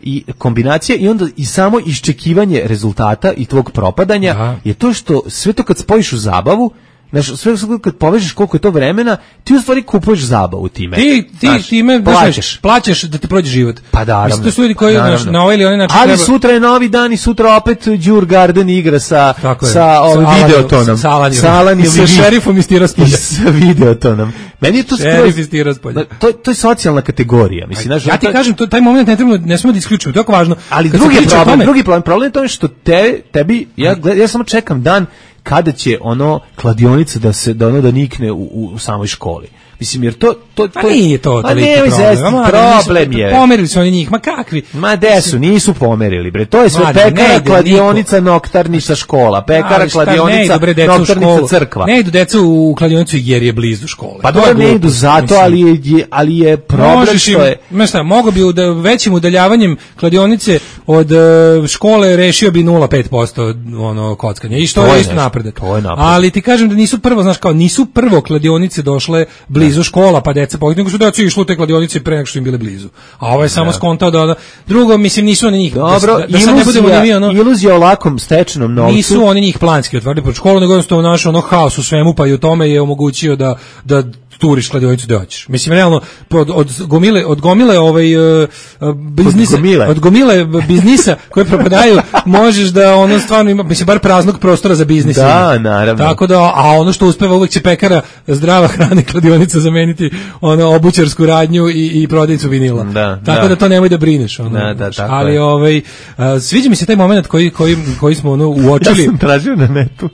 i kombinacija i onda i samo iščekivanje rezultata i tvog propadanja Aha. je to što sve to kad spojiš u zabavu, znaš, sve kad povežeš koliko je to vremena, ti u stvari kupuješ zabavu time. Ti, ti znaš, time plaćaš. plaćaš da ti prođe život. Pa da, mislim, to su ljudi koji znaš, na ovaj ili onaj način ali treba... sutra je novi dan i sutra opet Đur Garden igra sa, sa ovim videotonom. Sa Alanijom. Sa šerifom iz Tiraspolja. Sa videotonom. Meni je to šerif iz Tiraspolja. To, to je socijalna kategorija. Mislim, znaš, ja ti to... kažem, to, taj moment ne treba, ne smemo da isključimo, to je jako važno. Ali drugi problem, tome... drugi problem, problem je to što te, tebi, ja, ja samo čekam dan kada će ono kladionica da se da ono da nikne u, u samoj školi. Mislim, jer to... to, to pa nije to toliki problem. Problem je. Pomerili su oni njih, ma kakvi? Ma desu, nisu pomerili, bre. To je sve Mada, pekara, ide, kladionica, niko. Noktarnica škola. Pekara, šta, kladionica, ide, noktarnica, crkva. Ne idu deca u kladionicu jer je blizu škole. Pa dobro, ne idu zato, ali je, ali je problem Možeš što je... Im, šta, mogo bi da većim udaljavanjem kladionice od uh, škole rešio bi nula zarez pet posto ono kockanje. I što to je isto napredak. Ali ti kažem da nisu prvo, znaš kao, nisu prvo kladionice došle blizu škola, pa deca pogledaju, nego su deca išli u te kladionice pre nego što im bile blizu. A ovo je samo skontao da, da drugo, mislim, nisu oni njih. Dobro, da, da iluzija, ne budemo ni mi, ono, iluzija o lakom stečenom novcu. Nisu oni njih planski otvorili pod školu, nego jednostavno naš ono haos u svemu, pa i u tome je omogućio da, da turiš kladionicu da hoćeš. Mislim, realno, od, od gomile, od gomile ovaj, uh, biznisa, od gomile. od gomile biznisa koje propadaju, možeš da ono stvarno ima, mislim, bar praznog prostora za biznis. Da, naravno. Tako da, a ono što uspeva uvek će pekara zdrava hrana i kladionica zameniti ono obućarsku radnju i, i prodavnicu vinila. Da, tako da. da to nemoj da brineš. Ono, da, da, tako ali je. ovaj, uh, sviđa mi se taj moment koji, koji, koji smo ono uočili. Ja sam tražio na netu,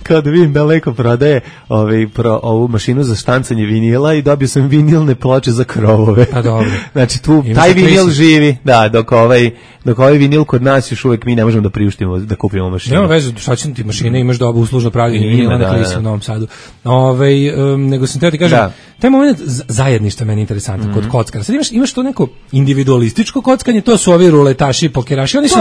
kao da vidim da leko prodaje ovaj, pro, ovu mašinu za štancanje vinila i dobio sam vinilne ploče za krovove. Pa dobro. Znači tu Ima taj vinil živi, da, dok ovaj dok ovaj vinil kod nas još uvek mi ne možemo da priuštimo da kupimo mašinu. Nema veze, šta će ti mašine, imaš dobu uslužno pravljenje vinila na Klisi u Novom Sadu. Ovaj um, nego sam teo ti kažem, da. Taj moment zajedništva meni je interesantan mm-hmm. kod kockara. Sad imaš imaš to neko individualističko kockanje, to su ovi ruletaši, pokeraši, oni su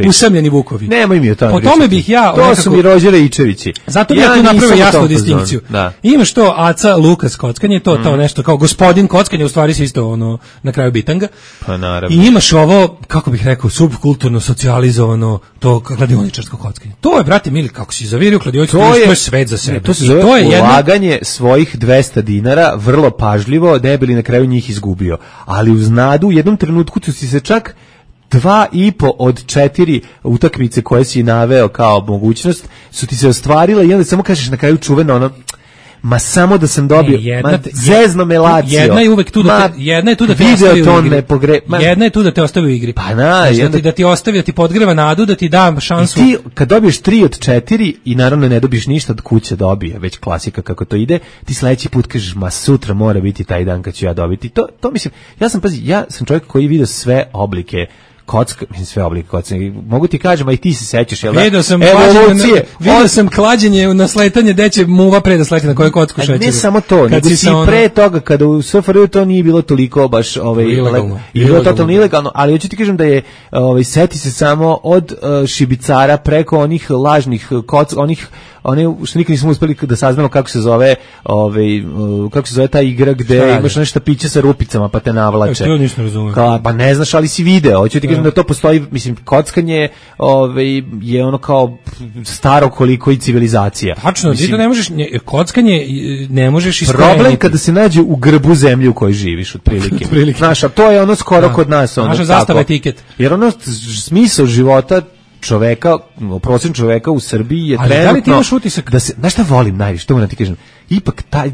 usamljeni vukovi. Nemoj mi o tome. Po tome bih ja to nekako, su mi Rođere Ičevići. Zato bih ja, ja tu napravio jasnu distinkciju. Imaš to Aca Lukas kockanje, to to nešto kao gospodin kockanje, u stvari se isto ono na kraju bitanga. Pa naravno. I imaš ovo, kako bih rekao, subkulturno socijalizovano to kladioničarsko kockanje. To je, brate mili, kako si zavirio kladionicu, to je svet za sebe. Ne, to se zove to je ulaganje jedna... svojih dvesta dinara vrlo pažljivo, da bi na kraju njih izgubio. Ali uz nadu u jednom trenutku tu si se čak dva i po od četiri utakmice koje si naveo kao mogućnost su ti se ostvarile i onda samo kažeš na kraju čuveno ono ma samo da sam dobio, ne, jedna, ma zezno me Lazio. Jedna je uvek tu da te, jedna je tu da te ostavi u igri. Pogre, ma, jedna je tu da te ostavi u igri. Pa na, znači, da, ti, da ti ostavi, da ti podgreva nadu, da ti da šansu. I ti kad dobiješ tri od četiri i naravno ne dobiješ ništa, od kuće dobije, već klasika kako to ide, ti sledeći put kažeš, ma sutra mora biti taj dan kad ću ja dobiti. To, to mislim, ja sam, pazi, ja sam čovjek koji vidi sve oblike kocka, mislim sve oblike kockanja. Mogu ti kažem, a i ti se sećaš, jel da? Vidio sam klađenje, vidio sam klađenje na sletanje gde će muva pre da sleti na koju kocku šećeru. Ne samo to, nego si ono... pre toga kada u S F R J to nije bilo toliko baš ovaj ilegalno. I bilo totalno ilegalno, ali hoću ti kažem da je ovaj seti se samo od uh, šibicara preko onih lažnih koc, onih one što nikad nismo uspeli da saznamo kako se zove, ovaj uh, kako se zove ta igra gde imaš nešto piće sa rupicama pa te navlače. Ja nisam razumeo. Ka, pa ne znaš, ali si video. Hoću ti kažem da to postoji, mislim, kockanje ovaj je ono kao staro koliko i civilizacija. Tačno, ti to ne možeš, ne, kockanje ne možeš iskoreniti. Problem kada se nađe u grbu zemlje u kojoj živiš, otprilike. Znaš, a to je ono skoro da. Kod nas. Ono, naša zastava etiket. Jer ono smisao života čoveka, prosječnog čoveka u Srbiji je ali trenutno... Da li ti imaš utisak? Da se, znaš šta volim najviše, to moram ti kažem, ipak taj,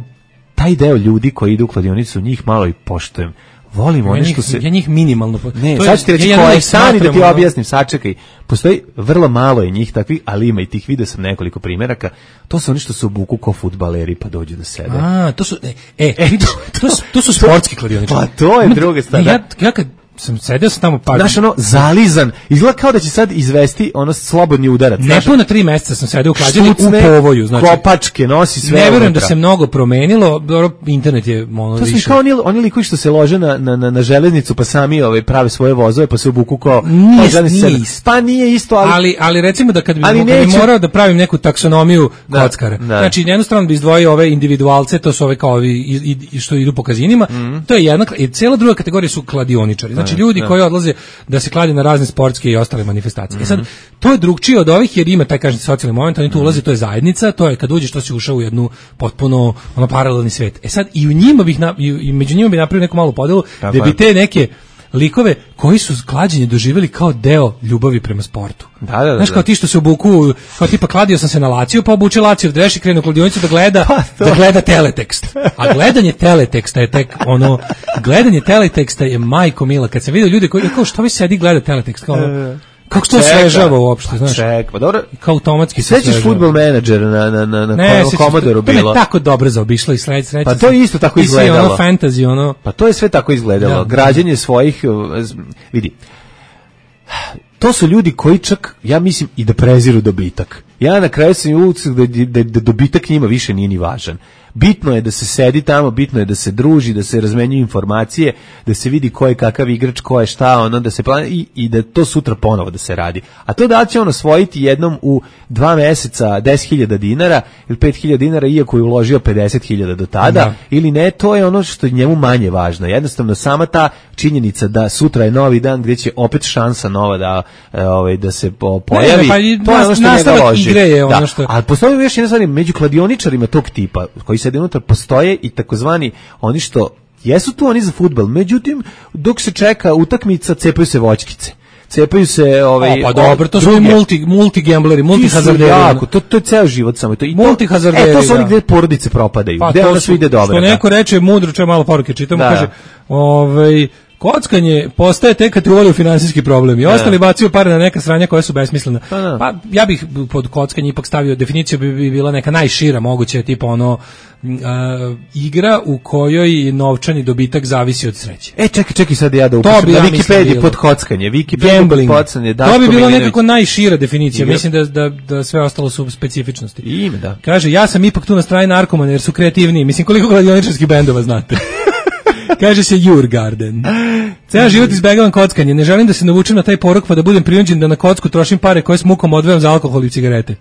taj deo ljudi koji idu u kladionicu, njih malo i poštujem. Volim ja one što se... Ja njih minimalno... Ne, sad ću ti reći ja koje, stani da ti objasnim, sačekaj. Postoji, vrlo malo je njih takvih, ali ima i tih, vidio sam nekoliko primjeraka, to su oni što se obuku kao fudbaleri pa dođu da sede. A, to su... E, e vidiš, to, to, to su sportski kladioničari. Pa to je druga stvar. Ja, ja kad sam sedio sam tamo pa znaš ono zalizan izgleda kao da će sad izvesti ono slobodni udarac. Nepuna tri meseca sam sedio u klađenju u povoju, znači kopačke nosi sve. Ne verujem da se mnogo promenilo, dobro internet je ono to više. To su kao oni oni likovi što se lože na na na, na železnicu pa sami ovaj prave svoje vozove pa se obuku kao nije, pa, nije isto. Pa nije isto, ali ali ali recimo da kad bi, kad bi morao da pravim neku taksonomiju da, kockara. Da. Znači jednu stranu bi izdvojio ove individualce, to su ove kao ovi i, i, što idu po kazinima, mm. to je jedna i cela druga kategorija su kladioničari. Znači ljudi da. Koji odlaze da se klade na razne sportske i ostale manifestacije. Mm-hmm. E sad, to je drugčije od ovih jer ima taj, kažem, socijalni moment, oni tu mm-hmm. ulaze, to je zajednica, to je kad uđeš, to si ušao u jednu potpuno ono, paralelni svet. E sad, i u njima bih, na, i među njima bih napravio neku malu podelu, da bi te neke likove koji su klađenje doživjeli kao deo ljubavi prema sportu. Da, da, da. Znaš, kao ti što se obuku, kao tipa kladio sam se na Laciju, pa obuče Laciju dreš i krenu u kladionicu da gleda, pa da gleda teletekst. A gledanje teleteksta je tek ono, gledanje teleteksta je majko mila. Kad sam vidio ljude koji, kao što vi sedi gleda teletekst, kao ono, kako to svežava uopšte, znaš? Ček, pa dobro. Kao automatski se svežava. Sećaš Fudbal menadžer na na na na Commodore bilo. To je tako dobro zaobišlo i sreć sreće. Pa to je isto tako izgledalo. I ono fantasy, ono. Pa to je sve tako izgledalo. Da, građenje svojih, vidi. To su ljudi koji čak, ja mislim, i da preziru dobitak. Ja na kraju sam utisak da, da, da dobitak njima više nije ni važan. Bitno je da se sedi tamo, bitno je da se druži, da se razmenjuju informacije, da se vidi ko je kakav igrač, ko je šta, ono, da se plani i, i da to sutra ponovo da se radi. A to da li će on osvojiti jednom u dva meseca deset hiljada dinara ili pet hiljada dinara, iako je uložio pedeset hiljada do tada, da. Ili ne, to je ono što je njemu manje važno. Jednostavno, sama ta činjenica da sutra je novi dan gdje će opet šansa nova da, ovaj, da se pojavi, ne, ne, pa, to je ono što njega loži. Je ono da. Što... Ali postoji još jedna stvar, među kladioničarima tog tipa, koji sede unutra, postoje i takozvani oni što jesu tu oni za fudbal, međutim dok se čeka utakmica cepaju se voćkice. Cepaju se ovaj o, pa dobro, to su multi multi gambleri, multi hazarderi. Jako, to to je ceo život samo to. I multi hazarderi. E, to su oni gdje porodice propadaju. Pa gdje onda sve ide dobro. Što neko reče mudro, če malo poruke čitamo, kaže, ovaj kockanje postaje tek kad te uvali u finansijski problem i ostali bacaju pare na neka sranja koja su besmislena. Pa, pa ja bih pod kockanje ipak stavio definiciju bi, bi bila neka najšira moguće, tipa ono uh, igra u kojoj novčani dobitak zavisi od sreće. E čekaj, čekaj sad ja da upišem na ja Wikipediji pod kockanje, Wikipedija pod kockanje. To bi bila nekako najšira definicija, igra. Mislim da, da, da sve ostalo su specifičnosti. Ime, da. Kaže, ja sam ipak tu na strani narkomana jer su kreativniji. Mislim, koliko kladioničarskih bendova znate? Kaže se Jurgarden. Ceo život izbegavam kockanje. Ne želim da se navučem na taj porok pa da budem prinuđen da na kocku trošim pare koje s mukom odvajam za alkohol i cigarete.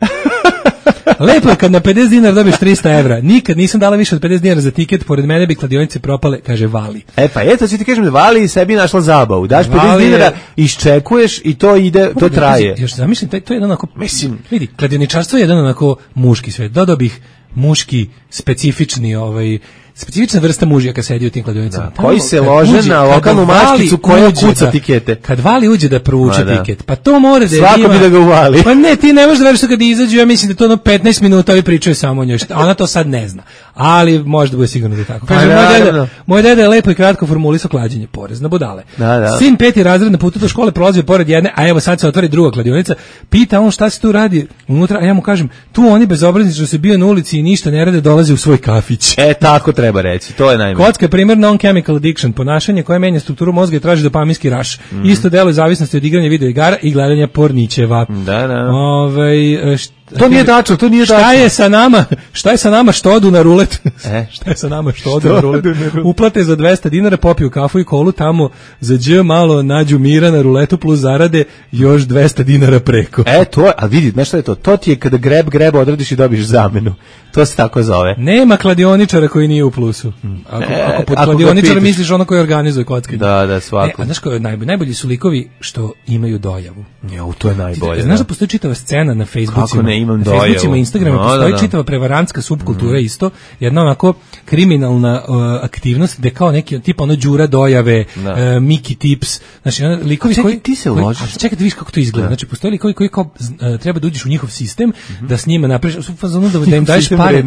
Lepo je kad na pedeset dinara dobiješ trista evra. Nikad nisam dala više od pedeset dinara za tiket, pored mene bi kladionice propale, kaže Vali. E pa eto, ću ti kažem da Vali sebi našla zabavu. Daš pedeset dinara, iščekuješ i to ide, to traje. Još zamislim, to je jedan onako, mislim, vidi, kladioničarstvo je jedan onako muški svet. Dodao bih muški, specifični, ovaj, specifična vrsta mužija kad sedi u tim kladionicama. Da, koji se lože na lokalnu maškicu koja kuca da, tikete. Kad Vali uđe da provuče da. Tiket, pa to mora da je svako ima, bi da ga uvali. Pa ne, ti ne možeš da veriš kad izađu, ja mislim da to ono petnaest minuta ovi pričaju samo o njoj. Ona to sad ne zna. Ali može da bude sigurno da je tako. Kaže, moj, deda, moj deda je lepo i kratko formulisao klađenje, porez na budale. Da, da. Sin peti razred na putu do škole prolazio pored jedne, a evo sad se otvori druga kladionica. Pita on šta se tu radi unutra, a ja mu kažem, tu oni bezobrazni što se bio na ulici i ništa ne rade, dolaze u svoj kafić. E, tako treba treba reći, to je najmanje. Kocka je primjer non-chemical addiction, ponašanje koje menja strukturu mozga i traži dopaminski raš. Mm. Isto delo je zavisnosti od igranja video igara i gledanja pornićeva. Da, da. Ove, št, to nije tačno, to nije tačno. Šta je sa nama? Šta je sa nama što odu na rulet? E? Šta je sa nama što odu na rulet? Uplate za dvesta dinara, popiju kafu i kolu, tamo za dž malo nađu mira na ruletu plus zarade još dvesta dinara preko. E, to je, a vidi, znaš šta je to? To ti je kada greb, greb odradiš i dobiš zamenu. To se tako zove. Nema kladioničara koji nije u plusu. Ako, e, ako pod ako kladioničara misliš ono koji organizuje kockanje. Da, da, svako. E, a znaš koji je najbolji? Najbolji su likovi što imaju dojavu. Jo, to je najbolje. Znaš da postoji čitava scena na Facebookima? Kako ne imam dojavu? Na Facebookima i Instagrama no, postoji da, da. čitava prevarantska subkultura mm. isto. Jedna onako kriminalna uh, aktivnost gde kao neki tipa ono Đura dojave, uh, Miki Tips. Znači, ono, likovi čekaj, koji... ti se uložiš. Čekaj da vidiš kako to izgleda. Da. Znači, postoji likovi koji kao uh, treba da uđeš u njihov sistem, mm-hmm. da s njima napraviš, da, da im daješ pare.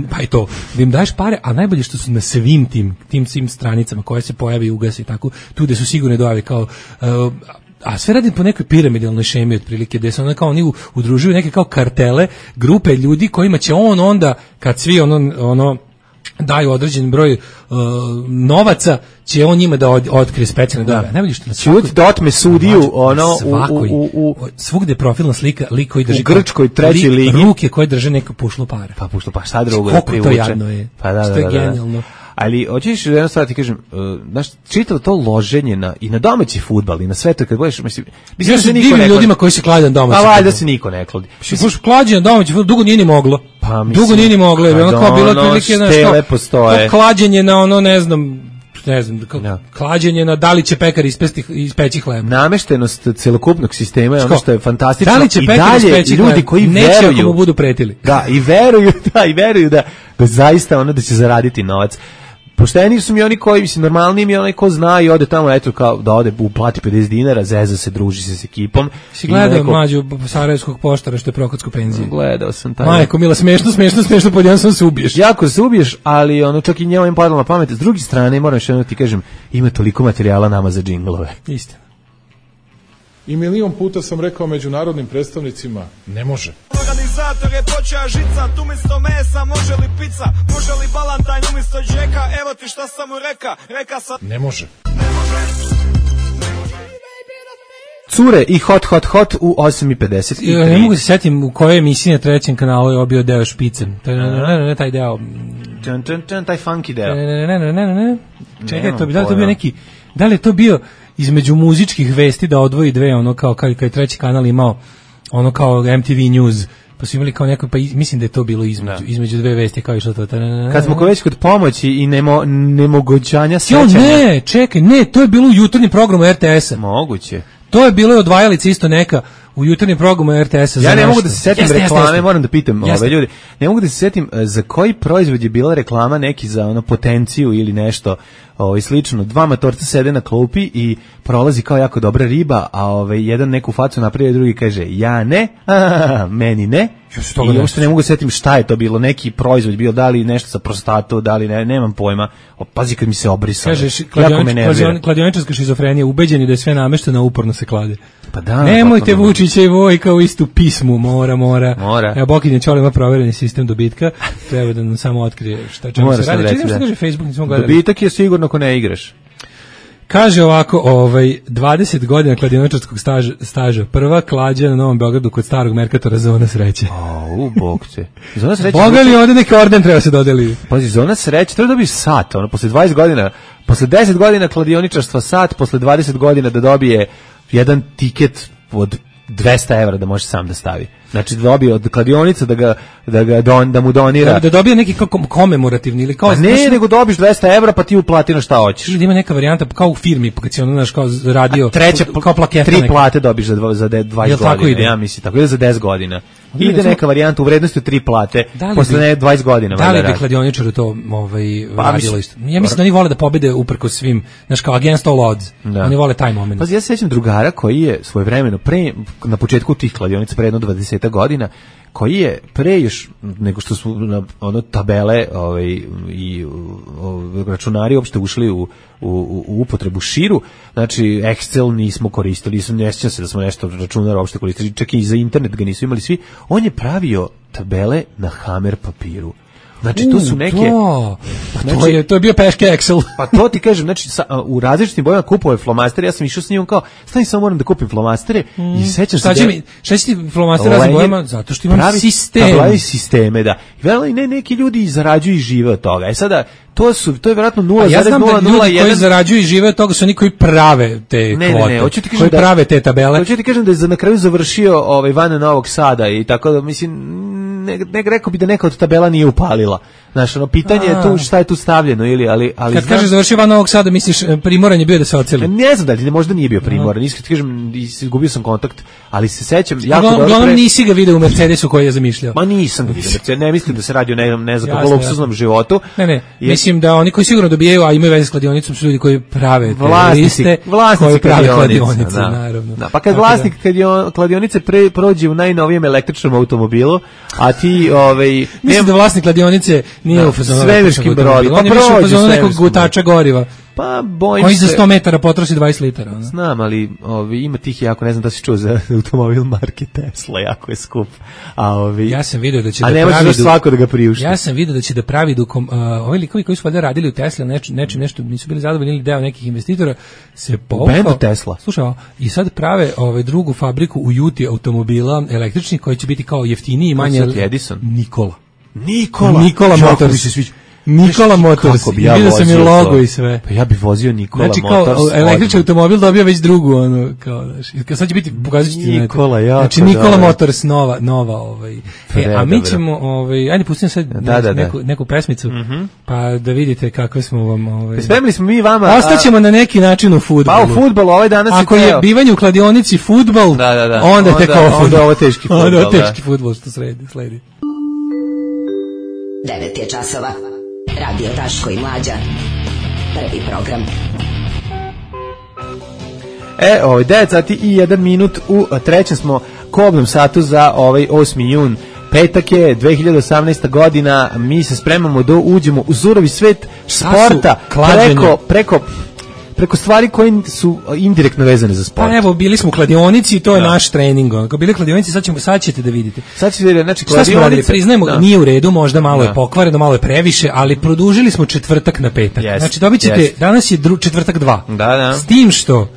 Pa i to, da im daješ pare, a najbolje što su na svim tim, tim svim stranicama koje se pojavi i ugasi i tako, tu gde su sigurne dojave kao... Uh, a sve radi po nekoj piramidalnoj šemi otprilike, gde se onda kao oni udružuju neke kao kartele, grupe ljudi kojima će on onda, kad svi ono, ono daju određen broj uh, novaca, će on njima da od, otkrije specijalne dojave. Najbolje što na svakoj... Čut da otme sudiju, ono, svakoj, u, u, u, svugde profilna slika, lik koji drži... U Grčkoj treći lik, ligi. Ruke koje drže neko pušlo pare. Pa pušlo pare, sad drugo da privuče. Koliko to jadno je. Pa da, da, što je da, da, genijalno. Ali hoćeš jedno stvar ti kažem, uh, znaš, čitalo to loženje na i na domaći fudbal i na sve to kad budeš, mislim, mislim da se niko ne ljudima koji se klade na domaći. Pa valjda se niko ne kladi. Baš klađenje na domaći fudbal dugo nije ni moglo. Pa mislim, dugo nije ni moglo, je ono kao bilo otprilike na što. Klađenje na ono, ne znam, ne znam, no. klađenje na da li će pekar ispesti, ispeći hleb. Nameštenost celokupnog sistema je ono što je fantastično. Da li će i pekar dalje ispeći ljudi hleb? koji neće veruju, ako mu budu pretili. Da, i veruju, da, i veruju da, da zaista ono da će zaraditi novac. Pošteni su mi oni koji, mislim, normalni mi je onaj ko zna i ode tamo, eto, kao da ode, uplati pedeset dinara, zeza se, druži se s ekipom. Si gledao neko... mlađu sarajevskog poštara što je prokocku penziju? Gledao sam taj. Majko, mila, smešno, smešno, smešno, pod jedan sam se ubiješ. Jako se ubiješ, ali ono, čak i njema im padalo na pamet. S druge strane, moram još jedno ti kažem, ima toliko materijala nama za džinglove. Istina. I milion puta sam rekao međunarodnim predstavnicima, ne može. Organizator je počeo žicat, umjesto mesa može li pizza, može li balantajn umjesto džeka, evo ti šta sam mu reka, reka sam... Ne može. Cure i hot, hot, hot u osam i pedeset tri. Ne mogu se setim u kojoj emisiji na trećem kanalu je obio deo špicem. Ne, taj deo... Taj funky deo. Ne, ne, ne, ne, ne. Čekaj, to bi, da li to bio neki... Da li je to bio... između muzičkih vesti da odvoji dve, ono kao kad je treći kanal imao ono kao M T V News, pa su imali kao neko, pa mislim da je to bilo između, između dve vesti kao išlo to. Kad smo već kod pomoći i nemo, nemogućanja sećanja. Jo, ne, čekaj, ne, to je bilo u jutarnjem programu R T S-a. Moguće. To je bilo odvajalica isto neka u jutarnjem programu R T S-a. Ja ne mogu da se setim jeste, reklame, jeste, jeste. Moram da pitam ove ljudi. Ne mogu da se setim za koji proizvod je bila reklama, neki za ono potenciju ili nešto ovaj slično. Dva matorca sede na klupi i prolazi kao jako dobra riba, a ovaj jedan neku facu napravi, drugi kaže ja ne, a, meni ne. I uopšte ne mogu da se setim šta je to bilo, neki proizvod bio, da li nešto sa prostatu, da li ne, nemam pojma. O, pazi kad mi se obrisalo. Kažeš, kladioničarska šizofrenija, ubeđeni da je sve namešteno, uporno se klade. Pa da, nemojte Vučića i Vojka u istu pismu, mora, mora. Mora. Evo, Bokinje Ćole ima provereni sistem dobitka, treba da nam samo otkrije šta čemu se radi. Čekaj, što kaže Facebook, nismo gledali. Dobitak je sigurno ako ne igraš. Kaže ovako, ovaj, dvadeset godina kladioničarskog staža, staža, prva klađa na Novom Beogradu kod starog Merkatora, zona sreće. O, u bog te. Zona sreće. Boga li ovdje neki orden treba se dodeli? Pazi, zona sreće, treba da dobiješ sat, ono, posle dvadeset godina, posle deset godina kladioničarstva sat, posle dvadeset godina da dobije jedan tiket od dvesta evra da može sam da stavi. Znači da dobije od kladionica da ga da ga don, da mu donira. Da, da dobije neki kao komemorativni ili kao pa ne, nego dobiš dvesta evra pa ti uplati na šta hoćeš. Da ima neka varijanta kao u firmi, pa kad si ono znaš kao radio, a treća kao plaketa. Tri neka. Plate dobiš za dva, za dvadeset godina. Ja mislim tako, ide za deset godina. Ide recimo, neka varijanta u vrednosti od tri plate posle ne dvadeset godina. Da li bi kladioničaru to ovaj pa, radilo isto? Ja mislim da oni vole da pobede uprkos svim, znaš kao against all odds. Da. Oni vole taj moment. Pa ja se sećam drugara koji je svojevremeno pre na početku tih kladionica pre jedno dvadeset godina koji je pre još nego što su na ono tabele ovaj i o, računari uopšte ušli u, u, u upotrebu širu, znači Excel nismo koristili, nisam ne sjećam se da smo nešto računar uopšte koristili, čak i za internet ga nisu imali svi. On je pravio tabele na Hammer papiru. Znači, to su neke... To, pa znači, to, je, to je bio peške Excel. Pa to ti kažem, znači, sa, u različitim bojama kupovao flomastere, ja sam išao s njim kao, stani, samo moram da kupim flomastere, mm. i sećam šta se... Će da, mi, šta će ti flomastere različitim bojama? Zato što imam pravi, sistem. Pravi sisteme, da. I vela, ne, neki ljudi zarađuju i žive od toga. E sada, to su, to je vjerojatno nula zarez nula nula jedan... Ja znam da ljudi koji zarađuju i žive od toga su oni koji prave te ne, kvote, ne, ne, hoću ti kažem koji da, prave te tabele. Hoću ti kažem da je za na kraju završio ovaj, van Novog Sada i tako da, mislim... Ne, ne rekao bi da neka od tabela nije upalila. Znaš, ono, pitanje je tu šta je tu stavljeno ili, ali... ali kad kažeš završio van Novog Sada, misliš primoran je bio da se oceli? Ne znam da li, možda nije bio primoran, iskreno ti kažem, izgubio sam kontakt, ali se sećam... Uglavnom pre... nisi ga video u Mercedesu koji je zamišljao. Ma nisam ga video, ne mislim da se radi o nekom, ne znam, kako luksuznom životu. Ne, ne, jer... mislim da oni koji sigurno dobijaju, a imaju veze s kladionicom, su ljudi koji prave vlasnici, liste, vlasnici koji prave kladionice, da. naravno. Da, pa kad vlasnik da. kladionice pre, prođe u najnovijem električnom automobilu, a ti... Ovaj, mislim da vlasnik kladionice nije da, u fazonu svemirskim brodom. On je više u fazonu nekog gutača goriva. Pa bojim koji se... za sto metara potroši dvadeset litara. Ono. Znam, ali ovi, ima tih jako, ne znam da si čuo za automobil marke Tesla, jako je skup. A, ovi, ja sam vidio da će a da ne pravi... da svako da ga priušti. Ja sam vidio da će da pravi dukom... Uh, ovi likovi koji su valjda radili u Tesla, neč, nečim nešto, nisu bili zadovoljni ili deo nekih investitora, se povukao... U bendu Tesla. Slušaj, i sad prave ovaj, drugu fabriku u Juti automobila električnih koji će biti kao jeftiniji i manje... Edison? Nikola. Nikola? Nikola Motors. Nikola Motors, ja vidio sam i logo to. I sve. Pa ja bih vozio Nikola znači, Motors. Znači kao električni automobil dobio već drugu, ono, kao, znaš, sad će biti, pokazat ću ti Nikola, jako znači, Nikola dobra. Motors, nova, nova, ovaj. E, a mi ćemo, ovaj, ajde pustim sad da, da, neku, da. neku pesmicu, mm-hmm. pa da vidite kakve smo vam, ovaj. Spremili smo mi vama. Ostaćemo a... na neki način u fudbalu. Pa u fudbalu, ovaj danas ako je bivanje u kladionici fudbal, da, da, da. onda je tek ovo fudbal. Onda ovo teški fudbal, onda ovo teški fudbal što sledi, sledi. devet je časova. Radio Daško i Mlađa. Prvi program. E, ovaj devet sati i jedan minut u trećem smo kobnom satu za ovaj osmi jun. Petak je dve hiljade osamnaesta godina, mi se spremamo da uđemo u surovi svet sporta preko preko preko stvari koje su indirektno vezane za sport. Pa evo, bili smo u kladionici i to je da. naš trening. Ako bili u kladionici, sad, ćemo, sad ćete da vidite. Sad ćete da znači kladionice... Šta smo radili? Priznajemo, da. nije u redu, možda malo da. je pokvareno, malo je previše, ali produžili smo četvrtak na petak. Yes. Znači dobit ćete, yes. danas je dru, četvrtak dva. Da, da. S tim što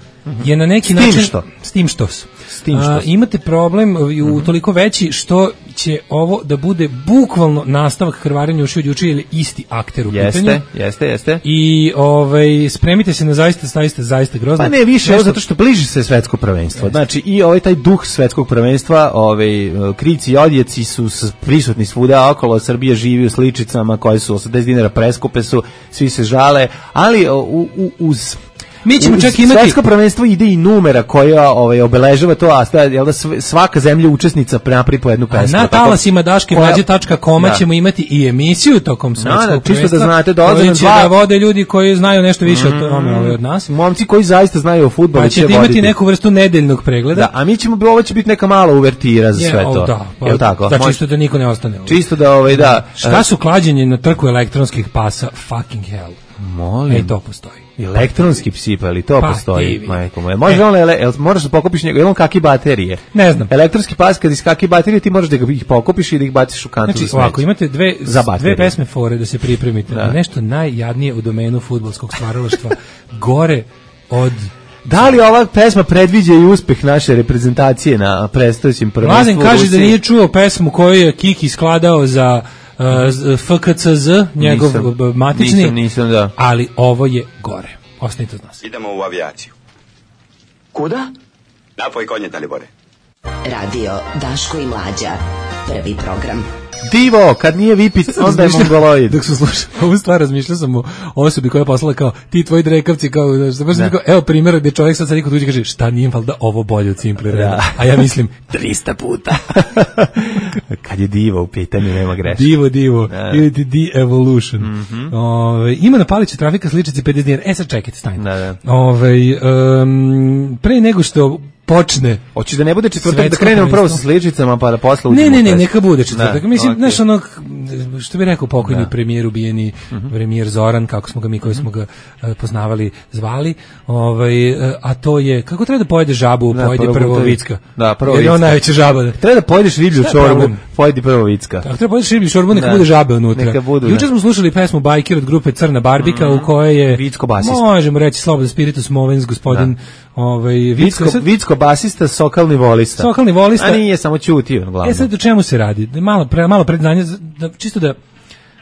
je na neki s način... Što? S tim što su. S tim što A, imate problem u mm-hmm. toliko veći što će ovo da bude bukvalno nastavak krvarenja uši od juče ili isti akter u jeste, pitanju. Jeste, jeste. I ovaj, spremite se na zaista, zaista, zaista grozno. Pa ne više, nešto... zato što bliži se svetsko prvenstvo. Jeste. Znači i ovaj taj duh svetskog prvenstva, ovaj, krici i odjeci su prisutni svuda okolo, Srbija živi u sličicama koje su osamdeset dinara preskupe su, svi se žale, ali u, u, uz... Mi ćemo čak imati svetsko prvenstvo ide i numera koja ovaj obeležava to, a sta, jel da svaka zemlja učesnica napravi po jednu pesmu. A na talasima daške mlađe tačka com da. ćemo imati i emisiju tokom svetskog da, da, prvenstva. Čisto da znate, dolaze nam dva da vode ljudi koji znaju nešto više mm, od tome ovaj, od nas. Momci koji zaista znaju o fudbalu pa će voditi. imati neku vrstu nedeljnog pregleda. Da, a mi ćemo ovo će biti neka mala uvertira za je, sve to. Da, pa, jel tako? Da, čisto da niko ne ostane. Ovaj. Čisto da ovaj da. Šta su klađenje na trku elektronskih pasa? Fucking hell. Molim. E, to postoji. Elektronski psi, pa ali to pa, postoji, majko moja. Može on, ele, moraš da pokupiš njega, je on kaki baterije? Ne znam. Elektronski pas, kad iskaki baterije, ti možeš da ih pokupiš i da ih baciš u kantu znači, za smeće. Ovako, imate dve, dve pesme fore da se pripremite. Da. Nešto najjadnije u domenu fudbalskog stvaralaštva. Gore od... Da li ova pesma predviđa i uspeh naše reprezentacije na predstojećem prvenstvu? Mladen kaže da nije čuo pesmu koju je Kiki skladao za... Uh, F K C Z, njegov nisam, matični, nisam, nisam, da. ali ovo je gore. Ostanite od nas. Idemo u avijaciju. Kuda? Napoj konje, Dalibore. Radio Daško i Mlađa. Prvi program. Divo, kad nije Vipic, onda je mongoloid. Dok sam slušao ovu stvar, razmišljao sam o osobi koja je poslala kao, ti tvoji drekavci, kao, znaš, kao, evo primjer gdje čovjek sad sad niko tuđi kaže, šta nije valjda ovo bolje od Simple Reda? A ja mislim, trista puta. Kad je Divo u pitanju, nema greška. Divo, Divo, ili ti De-Evolution. Mm-hmm. Ove, ima na paliću trafika sličice pedeset dinara. E sad čekajte, stanite. Da, da. Ove, um, pre nego što počne. Hoćeš da ne bude četvrtak, da krenemo prvo sa sličicama pa da posle uđemo. Ne, ne, ne, neka bude četvrtak. Mislim mislim, okay. znaš, ono, što bi rekao pokojni da. premijer ubijeni, uh-huh. premijer Zoran, kako smo ga mi koji smo ga uh, poznavali, zvali, ovaj, uh, a to je, kako treba da pojede žabu, da, pojedi prvo, prvo vicka. Da, prvo vicka. Jer je on najveća žaba. Da. Treba da pojedeš riblju čorbu, pojedi prvo vicka. Tako, treba pojedeš riblju čorbu, neka da. bude žabe unutra. Budu, Juče smo slušali pesmu Bajker od grupe Crna Barbika, mm-hmm. u kojoj je, Vicko basista. Možemo reći slobodno Spiritus Movens, gospodin da. ovaj, Vicko, Vicko, Vicko basista, sokalni volista. Sokalni volista. A nije samo ćutio, glavno. E sad o čemu se radi? Malo, pre, malo predznanje, da, čisto da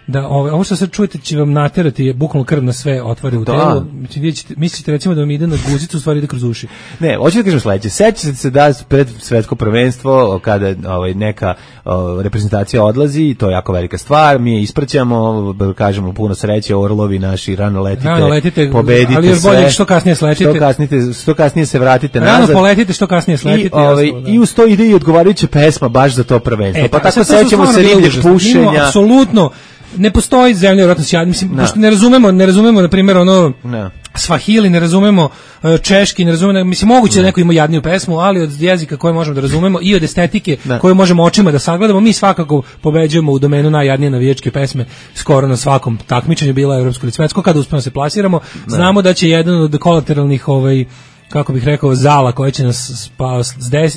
da ovo, ovo što sad čujete će vam naterati bukvalno krv na sve otvore u telu. Mislite, mislite recimo da vam ide na guzicu, u stvari ide kroz uši. Ne, hoću da kažem sledeće. Sećate se da pred svetsko prvenstvo kada ovaj neka o, reprezentacija odlazi, to je jako velika stvar. Mi je ispraćamo, kažemo puno sreće, orlovi naši, rano letite, rano letite pobedite ali još sve. Bolje što kasnije slećete. Što kasnije, što kasnije se vratite rano nazad. Rano poletite, što kasnije slećete. I, ovaj, da. I uz to ide i odgovarajuća pesma baš za to prvenstvo. E, pa tako sećamo se ribljeg pušenja. Apsolutno. Ne postoji zemlja vjerojatno sjajna, mislim, no. pošto ne razumemo, ne razumemo na primjer ono no. Svahili, ne razumemo uh, češki, ne razumemo, mislim moguće no. da neko ima jadniju pesmu, ali od jezika koje možemo da razumemo i od estetike no. koju možemo očima da sagledamo, mi svakako pobeđujemo u domenu najjadnije navijačke pesme skoro na svakom takmičenju, bila evropsko ili svetsko, kada uspemo se plasiramo, no. znamo da će jedan od kolateralnih ovaj kako bih rekao, zala koja će nas spa,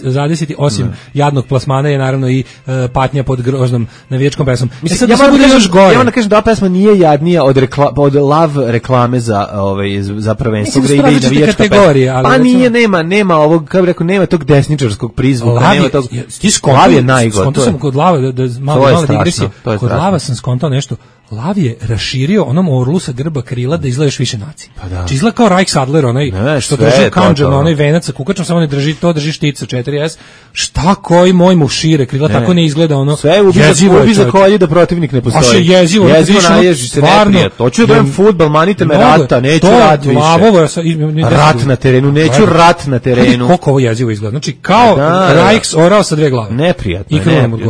zadesiti, osim ne. jadnog plasmana je naravno i uh, patnja pod groznom navijačkom pesmom. Mislim, e sad, ja moram da još gore. Ja moram da kažem da pesma nije jadnija od, rekla, od lav reklame za, ovaj, za prvenstvo gde ide i navijačka pesma. Pa nije, nema, nema ovog, kako bih rekao, nema tog desničarskog prizvuka. Lav nema tog, je, ti skonto, lav je najgod. Skonto sam kod lava, da, da malo, malo digresije, kod lava sam skontao nešto. Lav je raširio onom orlu sa grba krila da izgledaš više nacije. Pa da. Či izgleda kao Reichsadler, onaj ne, što drži kanđan, onaj venac sa kukačom, samo ne drži to, drži štica četiri es. Šta koji moj mu šire krila, ne. tako ne izgleda ono. Sve ubi za, ubi za kolje da protivnik ne postoji. Baš je jezivo. Jezivo naježi se neprijat. Hoću da gledam fudbal, manite me rata, neću rat više. Lavovo, rat na terenu, neću rat na terenu. Koliko ovo jezivo izgleda. Znači, kao Reichs orao sa dve glave. Neprijatno,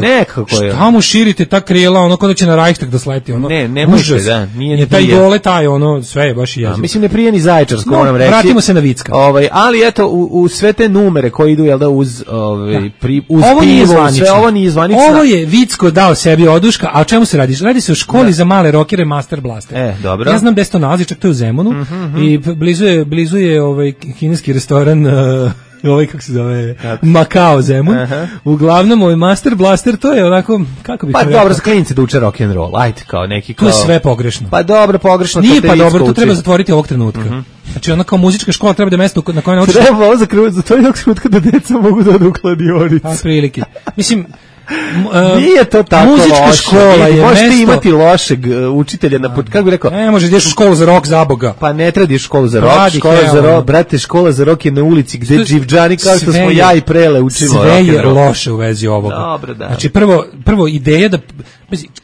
nekako je. Šta mu širite ta krila, ono kao da će na Reichstag da sleti, ono. Ne, ne može. Da, nije je taj dole taj ono sve je baš jezivo. Mislim ne prije ni Zaječarsko, no, moram reći. Vratimo se na Vicka. Ovaj, ali eto u, u sve te numere koji idu jel da uz ovaj pri uz ovo pivo, sve ovo nije zvanično. Ovo je Vicko dao sebi oduška, a o čemu se radi? Radi se o školi da. za male rokere Master Blaster. E, dobro. Ja znam da se to nalazi, čak to je u Zemunu mm -hmm. i blizu je blizu je ovaj kineski restoran uh, ovaj kako se zove Makao Zemun. Uh-huh. Uglavnom ovaj Master Blaster to je onako kako bih pa rekao. dobro za klince da uče rock and roll. Ajde kao neki kao. To je sve pogrešno. Pa dobro pogrešno. Nije pa dobro, to treba zatvoriti ovog trenutka. Uh-huh. Znači ona kao muzička škola treba da mesto na kojem naučiš. Treba ovo zatvoriti ovog trenutka da deca mogu da odu u kladionicu. Pa prilike. Mislim Uh, nije to tako muzička loše. škola je možete mesto... imati lošeg uh, učitelja na kako bih rekao ne može ideš u školu za rok za boga pa ne treba školu za rok škola za rok brate škola za rok je na ulici gde dživdžani kao što smo ja i Prele učimo sve je loše u vezi ovoga. Dobro, da. Znači prvo prvo ideja da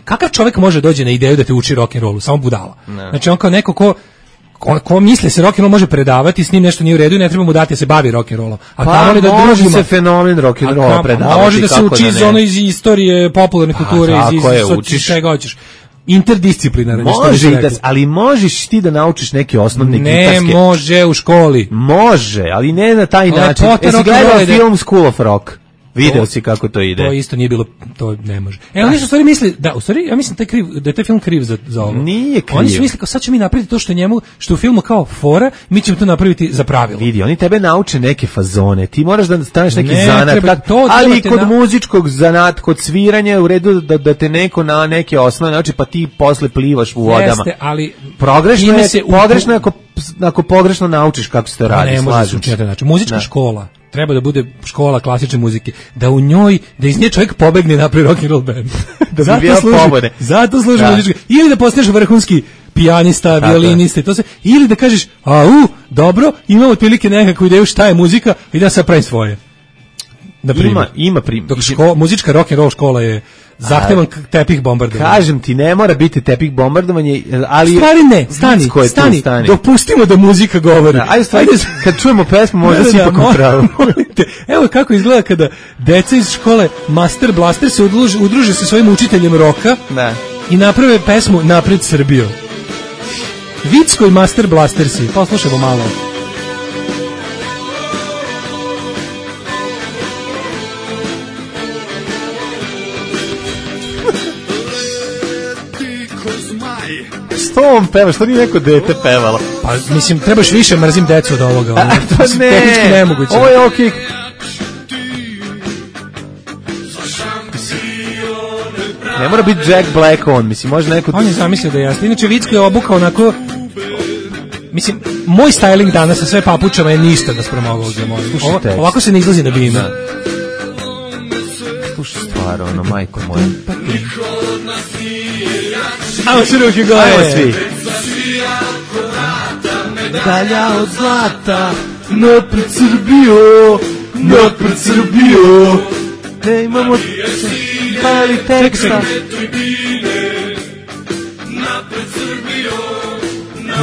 kakav čovjek može doći na ideju da te uči rock and rollu samo budala ne. Znači on kao neko ko Ko, ko misle se rock and roll može predavati, s njim nešto nije u redu i ne treba mu dati da se bavi rock and rollom. A pa tamo li da može drugima, se fenomen rock and rolla predavati. Može da se uči iz ono iz istorije popularne kulture, pa, iz, iz, iz čega hoćeš. Interdisciplinarno. Može, da, ali možeš ti da naučiš neke osnovne ne gitarske. Ne može u školi. Može, ali ne na taj način. Jesi gledao film School of Rock? Video si kako to ide. To isto nije bilo, to ne može. E, oni su u stvari misli, da, u stvari, ja mislim taj kriv, da je taj film kriv za, za ovo. Nije kriv. Oni su misli kao sad ćemo mi napraviti to što je njemu, što u filmu kao fora, mi ćemo to napraviti za pravilo. Vidi, oni tebe nauče neke fazone, ti moraš da staneš neki ne, zanat, treba, to, ali kod na... muzičkog zanat, kod sviranja u redu da, da te neko na neke osnove, znači pa ti posle plivaš u vodama. Jeste, ali progrešno je, pogrešno je ako, ako pogrešno naučiš kako se to radi, ne, slažem se. Znači, muzička da. škola treba da bude škola klasične muzike, da u njoj, da iz nje čovjek pobegne napravi rock and roll band. da zato, bi služi, zato služi muzička. Ili da postaneš vrhunski pijanista, tako, violinista i to se, ili da kažeš, a u, dobro, imamo otprilike nekakvu ideju šta je muzika i da se pravi svoje. Da ima, ima primjer. Dok ško, muzička rock and roll škola je zahtevan tepih bombardovanja. Kažem ti, ne mora biti tepih bombardovanje, ali... Stvari ne, stani, stani, stani, dopustimo da muzika govori. Da, ajde, stvari, kad čujemo pesmu, možda si ipak upravo. Evo kako izgleda kada deca iz škole Master Blaster se udruže, udruže sa svojim učiteljem roka da. I naprave pesmu Napred Srbijo. Vicko i Master Blastersi, poslušamo malo. Što on peva, što nije neko dete pevalo? Pa mislim, trebaš više, mrzim decu od ovoga. Ono. Pa ne, tehnički nemoguće. ovo je okej. Ne mora biti Jack Black on, mislim, može neko... On je zamislio da je jasno. Inače, Vicko je obukao onako... Mislim, moj styling danas sa sve papučama je ništa da sprem ovog za moj. Ovo, ovako se ne izlazi na bime. Slušaj stvar, ono, majko moja. Ajmo se ruke gore. Ajmo svi. Dalja od zlata, napred Srbijo, napred Srbijo. Ne imamo pali teksta.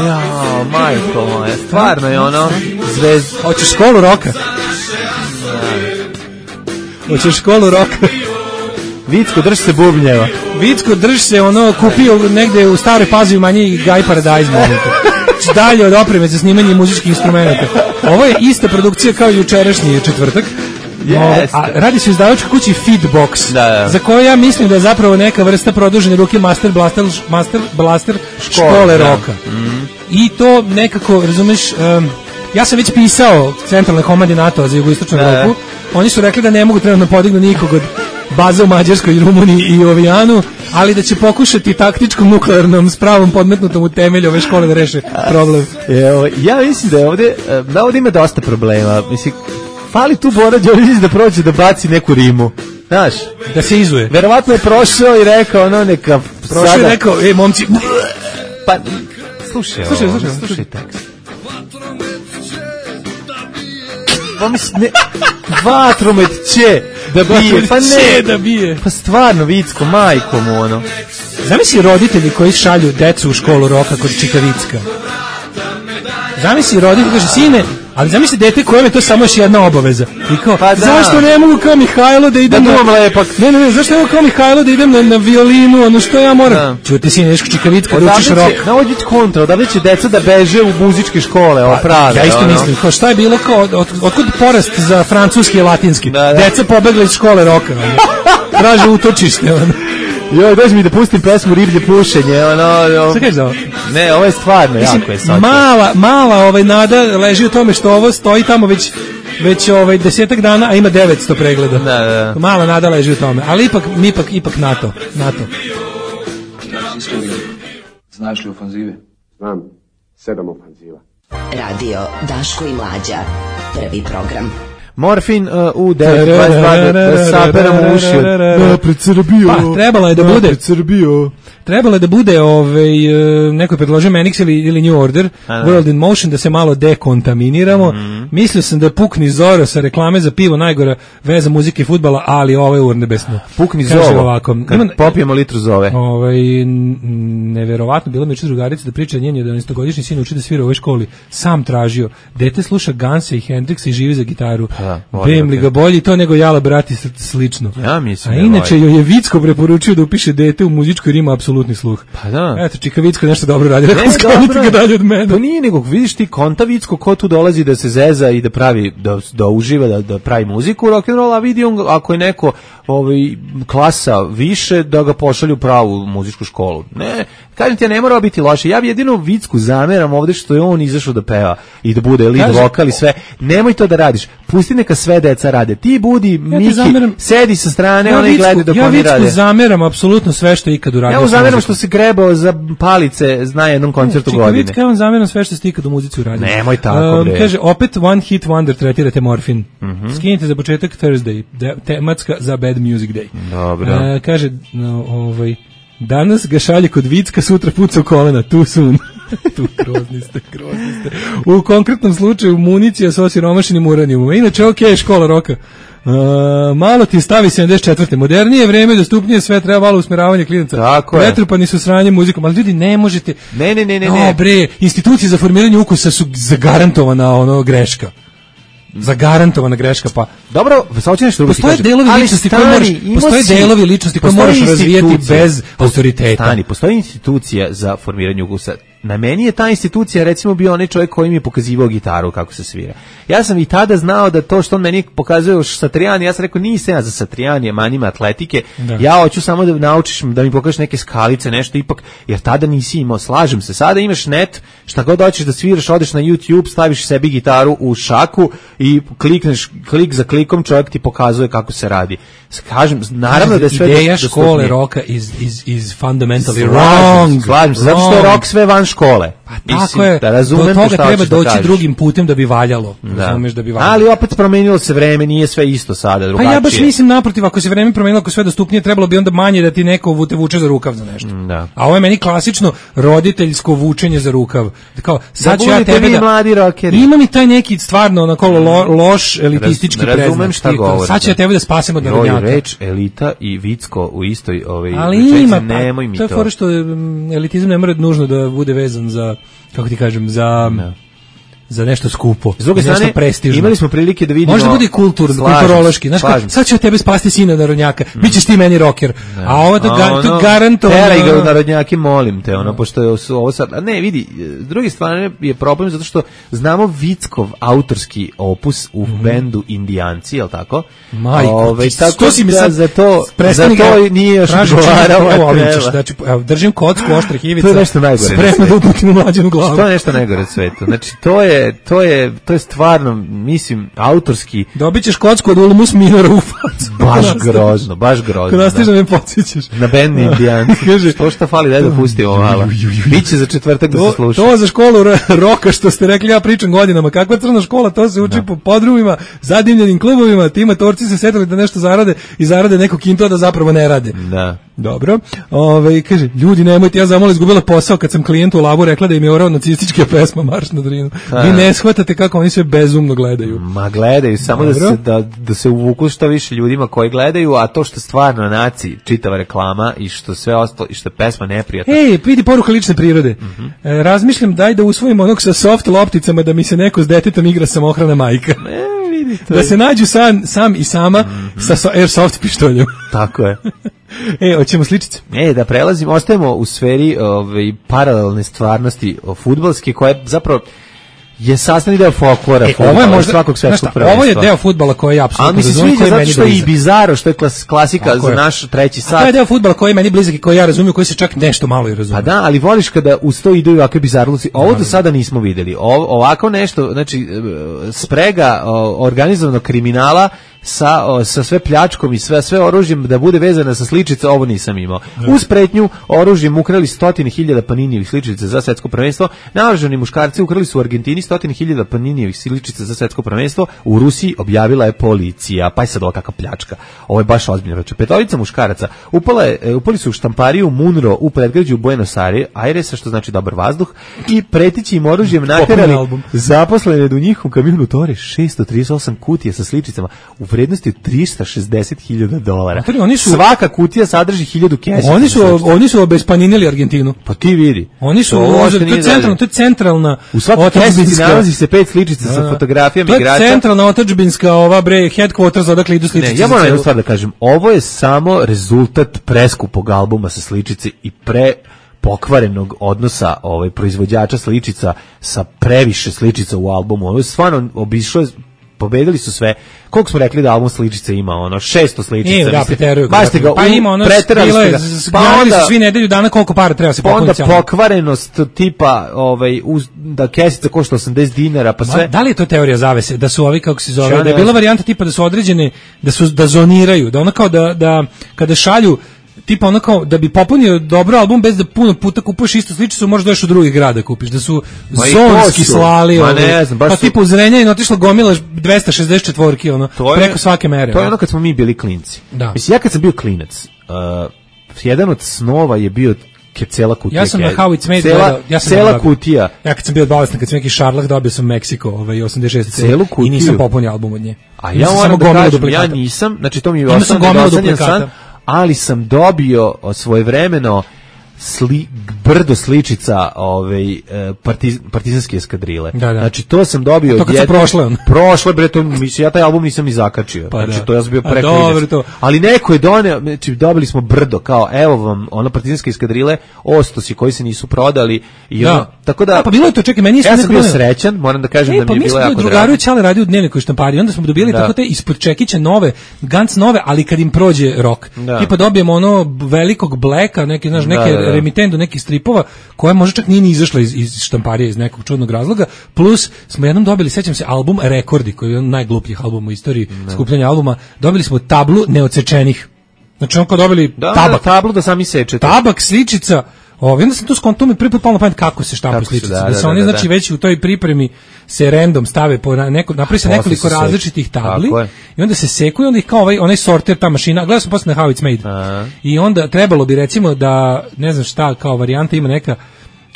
Jao, majko moja, stvarno je ono zvezd. Hoćeš školu roka? Hoćeš školu roka? Vicko, drž se bubnjeva. Vicko, drž se, ono, kupio negde u Staroj Pazovi manji Guy Paradise momenta. Dalje od opreme za snimanje muzičkih instrumenta. Ovo je ista produkcija kao jučerašnji četvrtak. Yes. A radi se u izdavačkoj kući Feedbox, da, da. za koju ja mislim da je zapravo neka vrsta produžene ruke Master Blaster, Master Blaster škole, škole roka. Mm. I to nekako, razumeš, um, ja sam već pisao centralne komande NATO za jugoistočnu Evropu. Oni su rekli da ne mogu trenutno podignu nikog od baza u Mađarskoj, Rumuniji i Ovijanu, ali da će pokušati taktičkom nuklearnom spravom podmetnutom u temelju ove škole da reše problem. Evo, ja mislim da je ovde, da ovde ima dosta problema. Mislim, fali tu Bora Đorđević da prođe da baci neku rimu. Znaš? Da se izuje. Verovatno je prošao i rekao ono neka... Prošao i rekao, e, momci... Pa, slušaj, slušaj, ovo, slušaj, slušaj tekst. Pa mislim, ne... Vatromet će da bije, pa ne, da bije. Pa stvarno, Vicko, majko mu, ono. Zamisli roditelji koji šalju decu u školu roka kod Čikavicka. Zamisli roditelji, kaže, sine, ali zamisli dete kojem je to samo još jedna obaveza. I kao, pa da. Zašto ne mogu kao Mihajlo da idem da na... lepak. Ne, ne, ne, zašto ne mogu kao Mihajlo da idem na, na violinu, ono što ja moram? Čuti, sine, ješ Čikavicka da učiš rok. Na ovdje kontra, odavde će deca da beže u muzičke škole, ovo prave. Ja isto ono. mislim, kao šta je bilo, kao, od, od, otkud porast za francuski i latinski? Da, da. Deca pobegla iz škole roka, ono. Traže utočište, ono. Joj, dođi mi da pustim pesmu Riblje pušenje, ono... ono. Šta kažeš za ovo? Ne, ovo je stvarno mislim, jako je sad. Mala, mala ovaj nada leži u tome što ovo stoji tamo već već ovaj desetak dana, a ima devetsto pregleda. Da, da. Mala nada leži u tome, ali ipak ipak ipak NATO, NATO. Znaš li ofanzive? Znam, sedam ofanziva. Radio Daško i Mlađa, prvi program. Morfin uh, u devet dvadeset dva da, da saberamo uši. Napred Srbijo. Pa, trebalo je da bude. Napred Srbijo. Trebalo je da bude, ovaj, neko je predložio Manix ili, ili New Order, Aha. World in Motion, da se malo dekontaminiramo. Mm-hmm. Mislio sam da pukni Zoro sa reklame za pivo, najgora veza muzike i fudbala, ali ovo je urnebesno. Pukni Zoro, ovako, kad ima, popijemo litru Zove. Ovaj, neverovatno, bila mi uče drugarica da priča njen jedanaestogodišnji sin uči da svira u ovoj školi. Sam tražio. Dete sluša Gansa i Hendrixa i živi za gitaru. Bem li ga bolji to nego Jala brati slično. Ja mislim. A inače joj je Vicko preporučio da upiše dete u muzičkoj rima apsolutni sluh. Pa da. Eto, Čika Vicko nešto dobro radi. Ne, dobro. Ga dalje od mene. To nije nego, vidiš ti konta Vicko ko tu dolazi da se zeza i da pravi, da, da uživa, da, da pravi muziku rock'n'roll, a vidi on ako je neko ovaj, klasa više, da ga pošalju pravu muzičku školu. Ne, kažem ti, ja ne mora biti loše. Ja bi jedino Vicku zameram ovde što je on izašao da peva i da bude lead vokal i sve. Nemoj to da radiš. Pusti neka sve deca rade. Ti budi, ja Miki, zameram, sedi sa strane, ja ona i gleda dok ja oni rade. Ja Vicku zameram apsolutno sve što je ikad uradio. Ja mu zameram što se grebao za palice na jednom koncertu Čika godine. Vicka, ja vam zameram sve što ste ikad u muzici uradio. Nemoj tako, bre. Um, kaže, opet one hit wonder tretirate morfin. Mm -hmm. Skinite za početak Thursday, de, tematska za Bad Music Day. Dobro. Uh, kaže, no, ovaj, danas ga šalje kod Vicka, sutra puca u kolena, tu sun. Tu grozni ste, grozni ste. U konkretnom slučaju municija sa osiromašenim uranijumom. Inače, ok, škola roka. Uh, malo ti stavi sedamdeset četvrte Modernije vreme, dostupnije sve, treba malo usmeravanje klinaca. Tako je. Pretrpani su sranjem muzikom, ali ljudi ne možete. Ne, ne, ne, ne. No, ne. bre, institucije za formiranje ukusa su zagarantovana ono greška. Zagarantovana greška, pa dobro, sad hoćeš nešto drugo. Postoje delovi ličnosti koje možeš, postoje delovi ličnosti koje možeš razvijati bez autoriteta. Stani, postoji institucija za formiranje ukusa. na meni je ta institucija recimo bio onaj čovjek koji mi je pokazivao gitaru kako se svira. Ja sam i tada znao da to što on meni pokazuje Satriani, ja sam rekao nisam ja za Satriani, manima atletike, da. Ja hoću samo da naučiš, da mi pokažeš neke skalice, nešto ipak, jer tada nisi imao, slažem se, sada imaš net, šta god hoćeš da sviraš, odeš na YouTube, staviš sebi gitaru u šaku i klikneš, klik za klikom čovjek ti pokazuje kako se radi. Kažem, naravno da je sve ideja škole roka is, is, is fundamentally wrong. wrong. Slažem se, zato što je rok sve van škole. Pa tako mislim, je, da razumem do toga treba doći da drugim putem da bi valjalo. Da. Razumeš da bi valjalo. Ali opet promenilo se vreme, nije sve isto sada, drugačije. Pa ja baš mislim naprotiv, ako se vreme promenilo, ako sve dostupnije, trebalo bi onda manje da ti neko te vuče za rukav za nešto. Da. A ovo je meni klasično roditeljsko vučenje za rukav. Kao, sad da ću ja tebe da... mladi rockeri. Ima mi taj neki stvarno onako lo, loš elitistički Raz, preznak. Šta govori, sad ću ja tebe da spasim od narodnjaka. Reč elita i vicko u istoj ovaj ali ima, nemoj mi to. To je fora što elitizam ne mora nužno da bude vezan za, kako ti kažem, za... Ne. za nešto skupo, s druge strane, prestižno. Imali smo prilike da vidimo... Može da bude kultur, kulturološki. Znaš kao, sad ću tebe spasti sina narodnjaka, mm. bit ćeš ti meni rocker. Ne. A ovo to, ga, to garantovano... Teraj ga u narodnjaki, molim te, ono, pošto je ovo sad... A ne, vidi, s druge strane je problem zato što znamo Vickov autorski opus u mm. bendu Indijanci, je li tako? Majko, Ove, ti, tako to si mi sad... Za to, za to nije još odgovarao. Evo, ovim ćeš, znači, držim kocku, oštrih ivica. To je nešto najgore. Spremno da uputim u mlađenu glavu. To je nešto najgore u svetu. Znači, to je to je to je stvarno, mislim, autorski. Dobićeš kocku od Ulmus Minora u facu. Baš grozno, baš grozno. Kada stiže da me podsjećaš. Na bend Indijanci. Kaže, što šta fali, daj da pustimo malo. Biće za četvrtak da se sluša. To za školu roka što ste rekli, ja pričam godinama. Kakva crna škola, to se uči no. po podrumima, zadimljenim klubovima, ti matorci se setili da nešto zarade i zarade neko kinto da zapravo ne rade. Da. Dobro. Ove, kaže, ljudi, nemojte, ja zamalo izgubila posao kad sam klijentu u labu rekla da im je orao nacistička pesma Marš na Drinu. Vi ne shvatate kako oni sve bezumno gledaju. Ma gledaju, samo da se, da, da se uvuku što više ljudima koji gledaju, a to što stvarno naci, čitava reklama i što sve ostalo, i što je pesma neprijatna. Ej, vidi poruka lične prirode. Mm-hmm. E, razmišljam, daj da usvojim onog sa soft lopticama da mi se neko s detetom igra samohrana majka. Ne, vidi to. Da se nađu sam, sam i sama mm-hmm. sa so, airsoft pištoljem. Tako je. E, hoćemo sličice. E, da prelazimo, ostajemo u sferi ovaj, paralelne stvarnosti fudbalske, koja je zapravo je sastavni deo folklora, e, ovo je možda svakog svetskog prvenstva. Ovo je deo fudbala koji je apsolutno ali mi se sviđa zato što je i bizaro, što je klas, klasika tako za je. Naš treći sat. A to je deo fudbala koji je meni blizak i koji ja razumijem, koji se čak nešto malo i razumije. Pa da, ali voliš kada uz to idu ovakve bizarluci. Ovo do sada nismo videli. O, ovako nešto, znači sprega o, organizovanog kriminala sa, o, sa sve pljačkom i sve sve oružjem da bude vezana sa sličica, ovo nisam imao. Ne. Uz pretnju oružjem ukrali stotine hiljada Paninijevih sličica za svetsko prvenstvo. Naoružani muškarci ukrali su u Argentini stotine hiljada Paninijevih sličica za svetsko prvenstvo. U Rusiji objavila je policija. Pa je sad ova kakva pljačka. Ovo je baš ozbiljno. Znači, petorica muškaraca upala je, upali su u štampariju Munro u predgrađu Buenos Airesa, što znači dobar vazduh, i pretići im oružjem naterali zaposlene do njih u kamionu tore šesto trideset osam kutija sa sličicama u vrednosti od trista šezdeset hiljada dolara. Oni su, svaka kutija sadrži hiljadu kesica. Oni su oni su obespaninili Argentinu. Pa ti vidi. Oni su to, to je centralno, to je centralna. U svakoj kesici nalazi se pet sličica da, sa fotografijama igrača. To je centralna otadžbinska ova bre headquarters odakle idu sličice. Ne, ja moram jednu stvar da kažem. Ovo je samo rezultat preskupog albuma sa sličice i pre pokvarenog odnosa ovaj proizvođača sličica sa previše sličica u albumu. Ovo je stvarno obišlo, pobedili su sve. Koliko smo rekli da album sličice ima, ono šesto sličica. E, da, preteruju. Ga, pa ima ono stile, pa onda svi nedelju dana koliko para treba se popuniti. Onda pokvarenost tipa, ovaj, uz, da kesica košta osamdeset dinara, pa sve. Ma, da li je to teorija zavese, da su ovi, kako se zove, Čane, da je bila varijanta tipa da su određene, da su, da zoniraju, da ono kao da, da kada šalju tipa ono kao da bi popunio dobro album bez da puno puta kupuješ istu sličicu, možda dođeš u drugi grad da kupiš, da su zonski slali, ma ne znam, pa su... tipa u Zrenjaninu je otišlo gomila dvesta šezdeset četiri ono, je, preko svake mere. To je ono kad smo mi bili klinci. Da. Mislim, ja kad sam bio klinac, uh, jedan od snova je bio ke cela kutija. Ja sam na How It's Made cela, gledao, ja sam cela kutija. Ja kad sam bio bolestan, kad sam neki šarlah, dobio sam Meksiko, ovaj osamdeset šeste celu kutiju. I nisam popunio album od nje. A ja moram da kažem, ja nisam, znači to mi je ostalo, ali sam dobio svojevremeno sli, brdo sličica ovaj partiz, partizanske eskadrile. Da, da. Znači to sam dobio to kad su prošle on. Prošle bre, to mislim ja taj album nisam ni zakačio. Pa znači da. to ja sam bio preko. Dobro, to. Ali neko je doneo, znači dobili smo brdo kao evo vam ono partizanske eskadrile, ostosi koji se nisu prodali i da. ono, tako da. A, pa bilo je to, čekaj, meni ja sam bio srećan, moram da kažem e, da mi pa je bilo jako drago. Drugaru Ćale radio u Dnevniku štampari, onda smo dobili da. tako te ispod čekića nove, Gans nove, ali kad im prođe rok. Da. Tipa dobijemo ono velikog Blacka, neke, znaš, neke da, da, da. remitendu, nekih stripova, koje možda čak nije ni izašla iz, iz štamparije iz nekog čudnog razloga, plus smo jednom dobili, sećam se, album Rekordi, koji je jedan najglupljih albuma u istoriji da. skupljanja albuma, dobili smo tablu neodsečenih. Znači onko dobili da, tabak. Tablu da sami sečete. Tabak, sličica. Ovo, onda sam tu skonto mi prvi put palo na pamet kako se štampu sličice. Da, da, da se oni, da, da, znači, već u toj pripremi se random stave, po neko, napravi se nekoliko različitih tabli i onda se sekuju, onda ih kao ovaj, onaj sorter, ta mašina, gledao sam posle na How It's Made. Aha. I onda trebalo bi, recimo, da, ne znam šta, kao varijanta ima neka,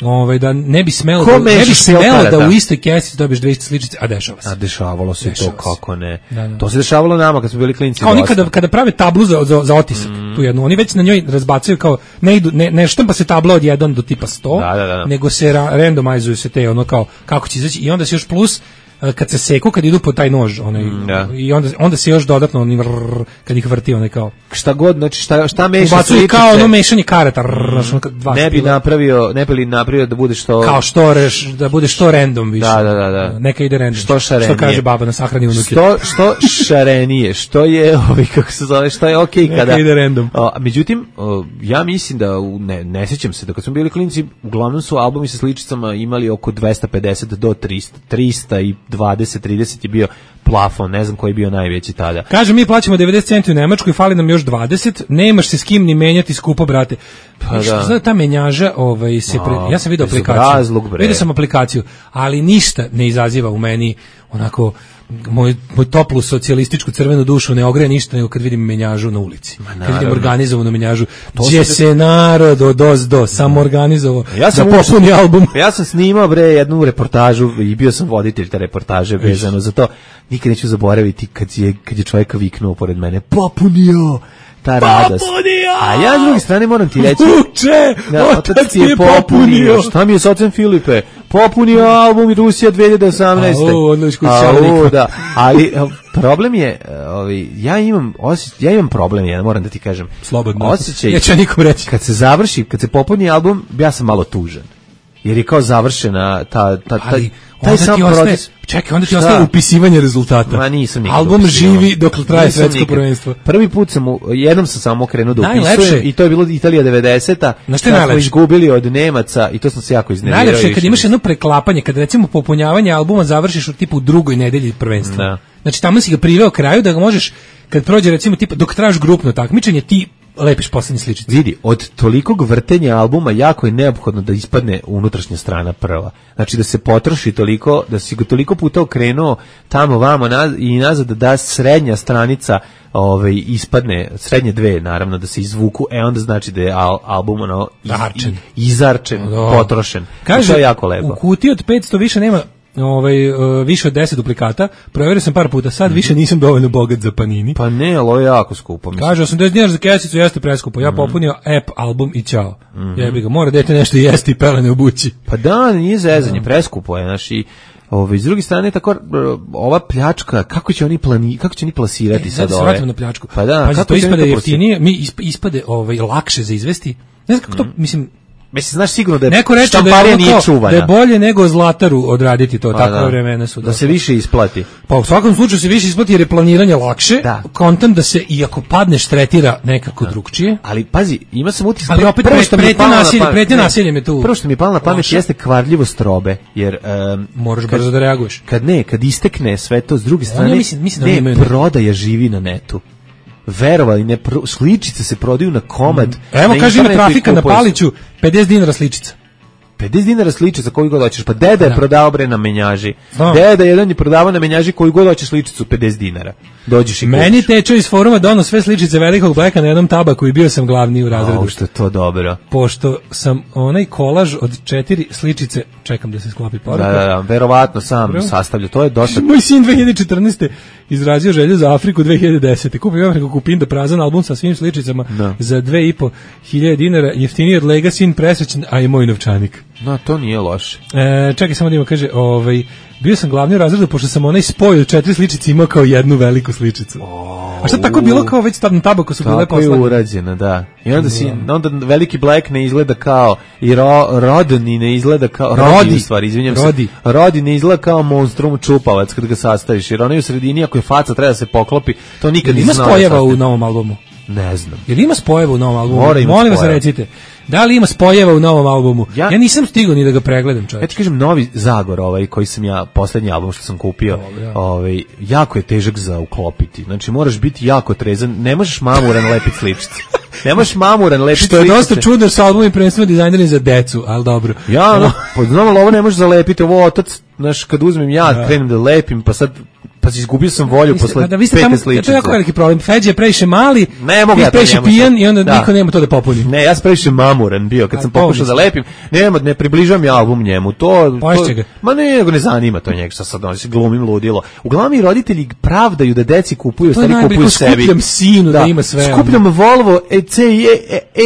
ovaj da ne bi smelo da, ne bi smelo da, da u istoj kesi dobiješ dve iste sličice, a dešava se. A dešavalo se dešava to kako ne. Da, da. To se dešavalo nama kad smo bili klinci. Kao oni kada, kada prave tablu za, za, za otisak, mm. tu jednu, oni već na njoj razbacaju kao ne idu ne, ne štampa se tabla od jedan do tipa sto, da, da, da. nego se ra, randomizuju se te ono kao kako će izaći i onda se još plus kad se seku, kad idu po taj nož, onaj, da. i onda, onda se još dodatno oni vrr, kad ih vrti, onaj kao šta god, znači šta, šta meša sličice, kao ono mešanje karata rr, dva ne bi napravio, ne bi li napravio da bude što kao što reš, da bude što random više, da, da, da, da. neka ide random, što šarenije, što kaže baba na sahrani unuke, što, što šarenije, što je ovi, kako se zove, što je okej okay kada neka ide random. O, međutim, o, ja mislim da, ne, ne sjećam se, da kad smo bili klinci, uglavnom su albumi sa sličicama imali oko dvesta pedeset do trista, trista i dvadeset, trideset je bio plafon, ne znam koji je bio najveći tada. Kaže, mi plaćamo devedeset centi u Nemačkoj, fali nam još dvadeset, nemaš se s kim ni menjati skupo, brate. Pa da. Zna, ta menjaža, ovaj, se pre... ja sam vidio aplikaciju, vidio sam aplikaciju, ali ništa ne izaziva u meni onako moj, moj toplu socijalističku crvenu dušu ne ogreje ništa nego kad vidim menjažu na ulici. Kad vidim organizovanu menjažu, gdje se, se narod od os do samo organizovao ja sam da popuni album. Ja sam snimao bre jednu reportažu i bio sam voditelj te reportaže vezano za to. Nikad neću zaboraviti kad je, kad je čovjek viknuo pored mene, popunio ta radost. A ja s druge strane moram ti reći, uče, da, otac ti je popunio. Šta mi je s ocem Filipe? Popunio album Rusija dve hiljade osamnaeste. A, ono iskućalnika. Da, ali problem je, ovaj, ja imam osjećaj, ja imam problem, ja moram da ti kažem. Slobodno. Osjećaj, ja ću nikom reći. Kad se završi, kad se popuni album, ja sam malo tužan. Jer je kao završena ta, ta, ta, ali, taj sam proces. Čekaj, onda ti ostaje upisivanje rezultata. Ma nisam nikad album upisivao. Živi dok traje svetsko prvenstvo. Prvi put sam, jednom sam samo krenuo da upisujem i to je bilo Italija devedeseta. Na što je najlepše? Smo izgubili od Nemaca i to sam se jako iznervirao. Najlepše je kad imaš jedno preklapanje, kad recimo popunjavanje albuma završiš u tipu u drugoj nedelji prvenstva. Da. Znači tamo si ga priveo kraju da ga možeš, kad prođe recimo tipa, dok tražiš grupno takmičenje, ti lepiš poslednje sličice. Vidi, od tolikog vrtenja albuma jako je neophodno da ispadne unutrašnja strana prva. Znači da se potroši toliko, da si ga toliko puta okrenuo tamo vamo naz, i nazad da srednja stranica ovaj, ispadne, srednje dve naravno da se izvuku, e onda znači da je al, album ono, iz, izarčen, no. potrošen. Kaže, to je jako lepo. U kutiji od petsto više nema ovaj uh, više od deset duplikata. Proverio sam par puta, sad mm-hmm. više nisam dovoljno bogat za Panini. Pa ne, ali ovo je jako skupo. Mislim. Kaže osamdeset dinara za kesicu jeste preskupo. Ja mm-hmm. popunio app, album i ćao. Mm-hmm. Jebi ga, mora dete nešto jesti i pelene obući. Pa da, nije zezanje, preskupo je, znači ovaj, s druge strane tako ova pljačka, kako će oni plani, kako će oni plasirati e, sad ove? Ove? Na pljačku. Pa da, Pazi, kako to ispade jeftinije, mi ispade ovaj lakše za izvesti. Ne znam kako mm-hmm. to, mislim. Mislim, znaš sigurno da je neko reče štamparija da je, nije čuvana. Da je bolje nego Zlataru odraditi to, pa takve da. vremena su. Da se više isplati. Pa u svakom slučaju se više isplati jer je planiranje lakše, da. Kontent da se, iako padneš, tretira nekako da. drugčije. Ali pazi, ima sam utisak. Ali opet prvo što pretnje nasilje, pretnje nasiljem je tu. Prvo što mi je palo na pamet jeste kvarljivost robe, jer um, moraš brzo da reaguješ. Kad ne, kad istekne sve to, s druge strane, ja mislim, mislim ne, ne prodaja živi na netu. Verovali, ne pro, sličice se prodaju na komad. Mm. Evo kaže ima trafika na Paliću, pedeset dinara sličica. pedeset dinara sličica koju god hoćeš. Pa deda je da. prodao bre na menjaži. Da. Deda jedan je prodavao na menjaži koju god hoćeš sličicu pedeset dinara. Dođeš i kupiš. Meni teče iz foruma dono sve sličice velikog Blacka na jednom tabaku i bio sam glavni u razredu. O, što je to dobro. Pošto sam onaj kolaž od četiri sličice, čekam da se sklopi poruka. Da, da, da, verovatno sam Prvo. sastavlja. To je dosta. Moj sin dve hiljade četrnaeste izrazio želju za Afriku dve hiljade desete. Kupio Afriku Kupinda prazan album sa svim sličicama no. za dve i po hiljade dinara, jeftiniji od Legacy, presrećen, a i moj novčanik. No, to nije loše. E, čekaj, samo da ima, kaže, ovaj, bio sam glavni u razredu, pošto sam onaj spoj od četiri sličice imao kao jednu veliku sličicu. Oh, a šta tako bilo kao već tam tabako su bile posljednje? Tako je urađeno, da. I onda, si, onda veliki Black ne izgleda kao, i ro, Rodni ne izgleda kao, Rodi, Rodi u stvari, izvinjam Rodi. se, Rodi ne izgleda kao monstrum čupavac kad ga sastaviš, jer onaj u sredini, ako je faca, treba da se poklopi, to nikad nisam znao. Ima spojeva u novom albumu? Ne znam. Jer ima spojeva u novom albumu? Molim vas recite. Da li ima spojeva u novom albumu? Ja, ja nisam stigao ni da ga pregledam, čovječ. Ja ti kažem, Novi Zagor, ovaj, koji sam ja, poslednji album što sam kupio, ovaj, jako je težak za uklopiti. Znači, moraš biti jako trezan, ne možeš mamuran lepiti sličice. Ne možeš mamuran lepiti sličice. Što je dosta čudno sa albumom prvenstveno dizajnirani za decu, ali dobro. Ja, no, pod znam, ovo ne možeš zalepiti, ovo otac, znaš, kad uzmem ja, da. krenem da lepim, pa sad pa si izgubio sam volju vi ste, posle da, pete sličice. To je jako veliki problem. Feđa je previše mali, ne mogu ja previše pijan i onda da. niko nema to da popuni. Ne, ja sam previše mamuran bio kad A, sam pokušao da lepim. Nema, ne približavam ja album njemu. To, to ga. Ma ne, nego ne zanima to njega, šta sad on se glumim ludilo. Uglavnom i roditelji pravdaju da deci kupuju, stari kupuju sebi. Skupljam sinu da, da ima sve. Skupljam Volvo E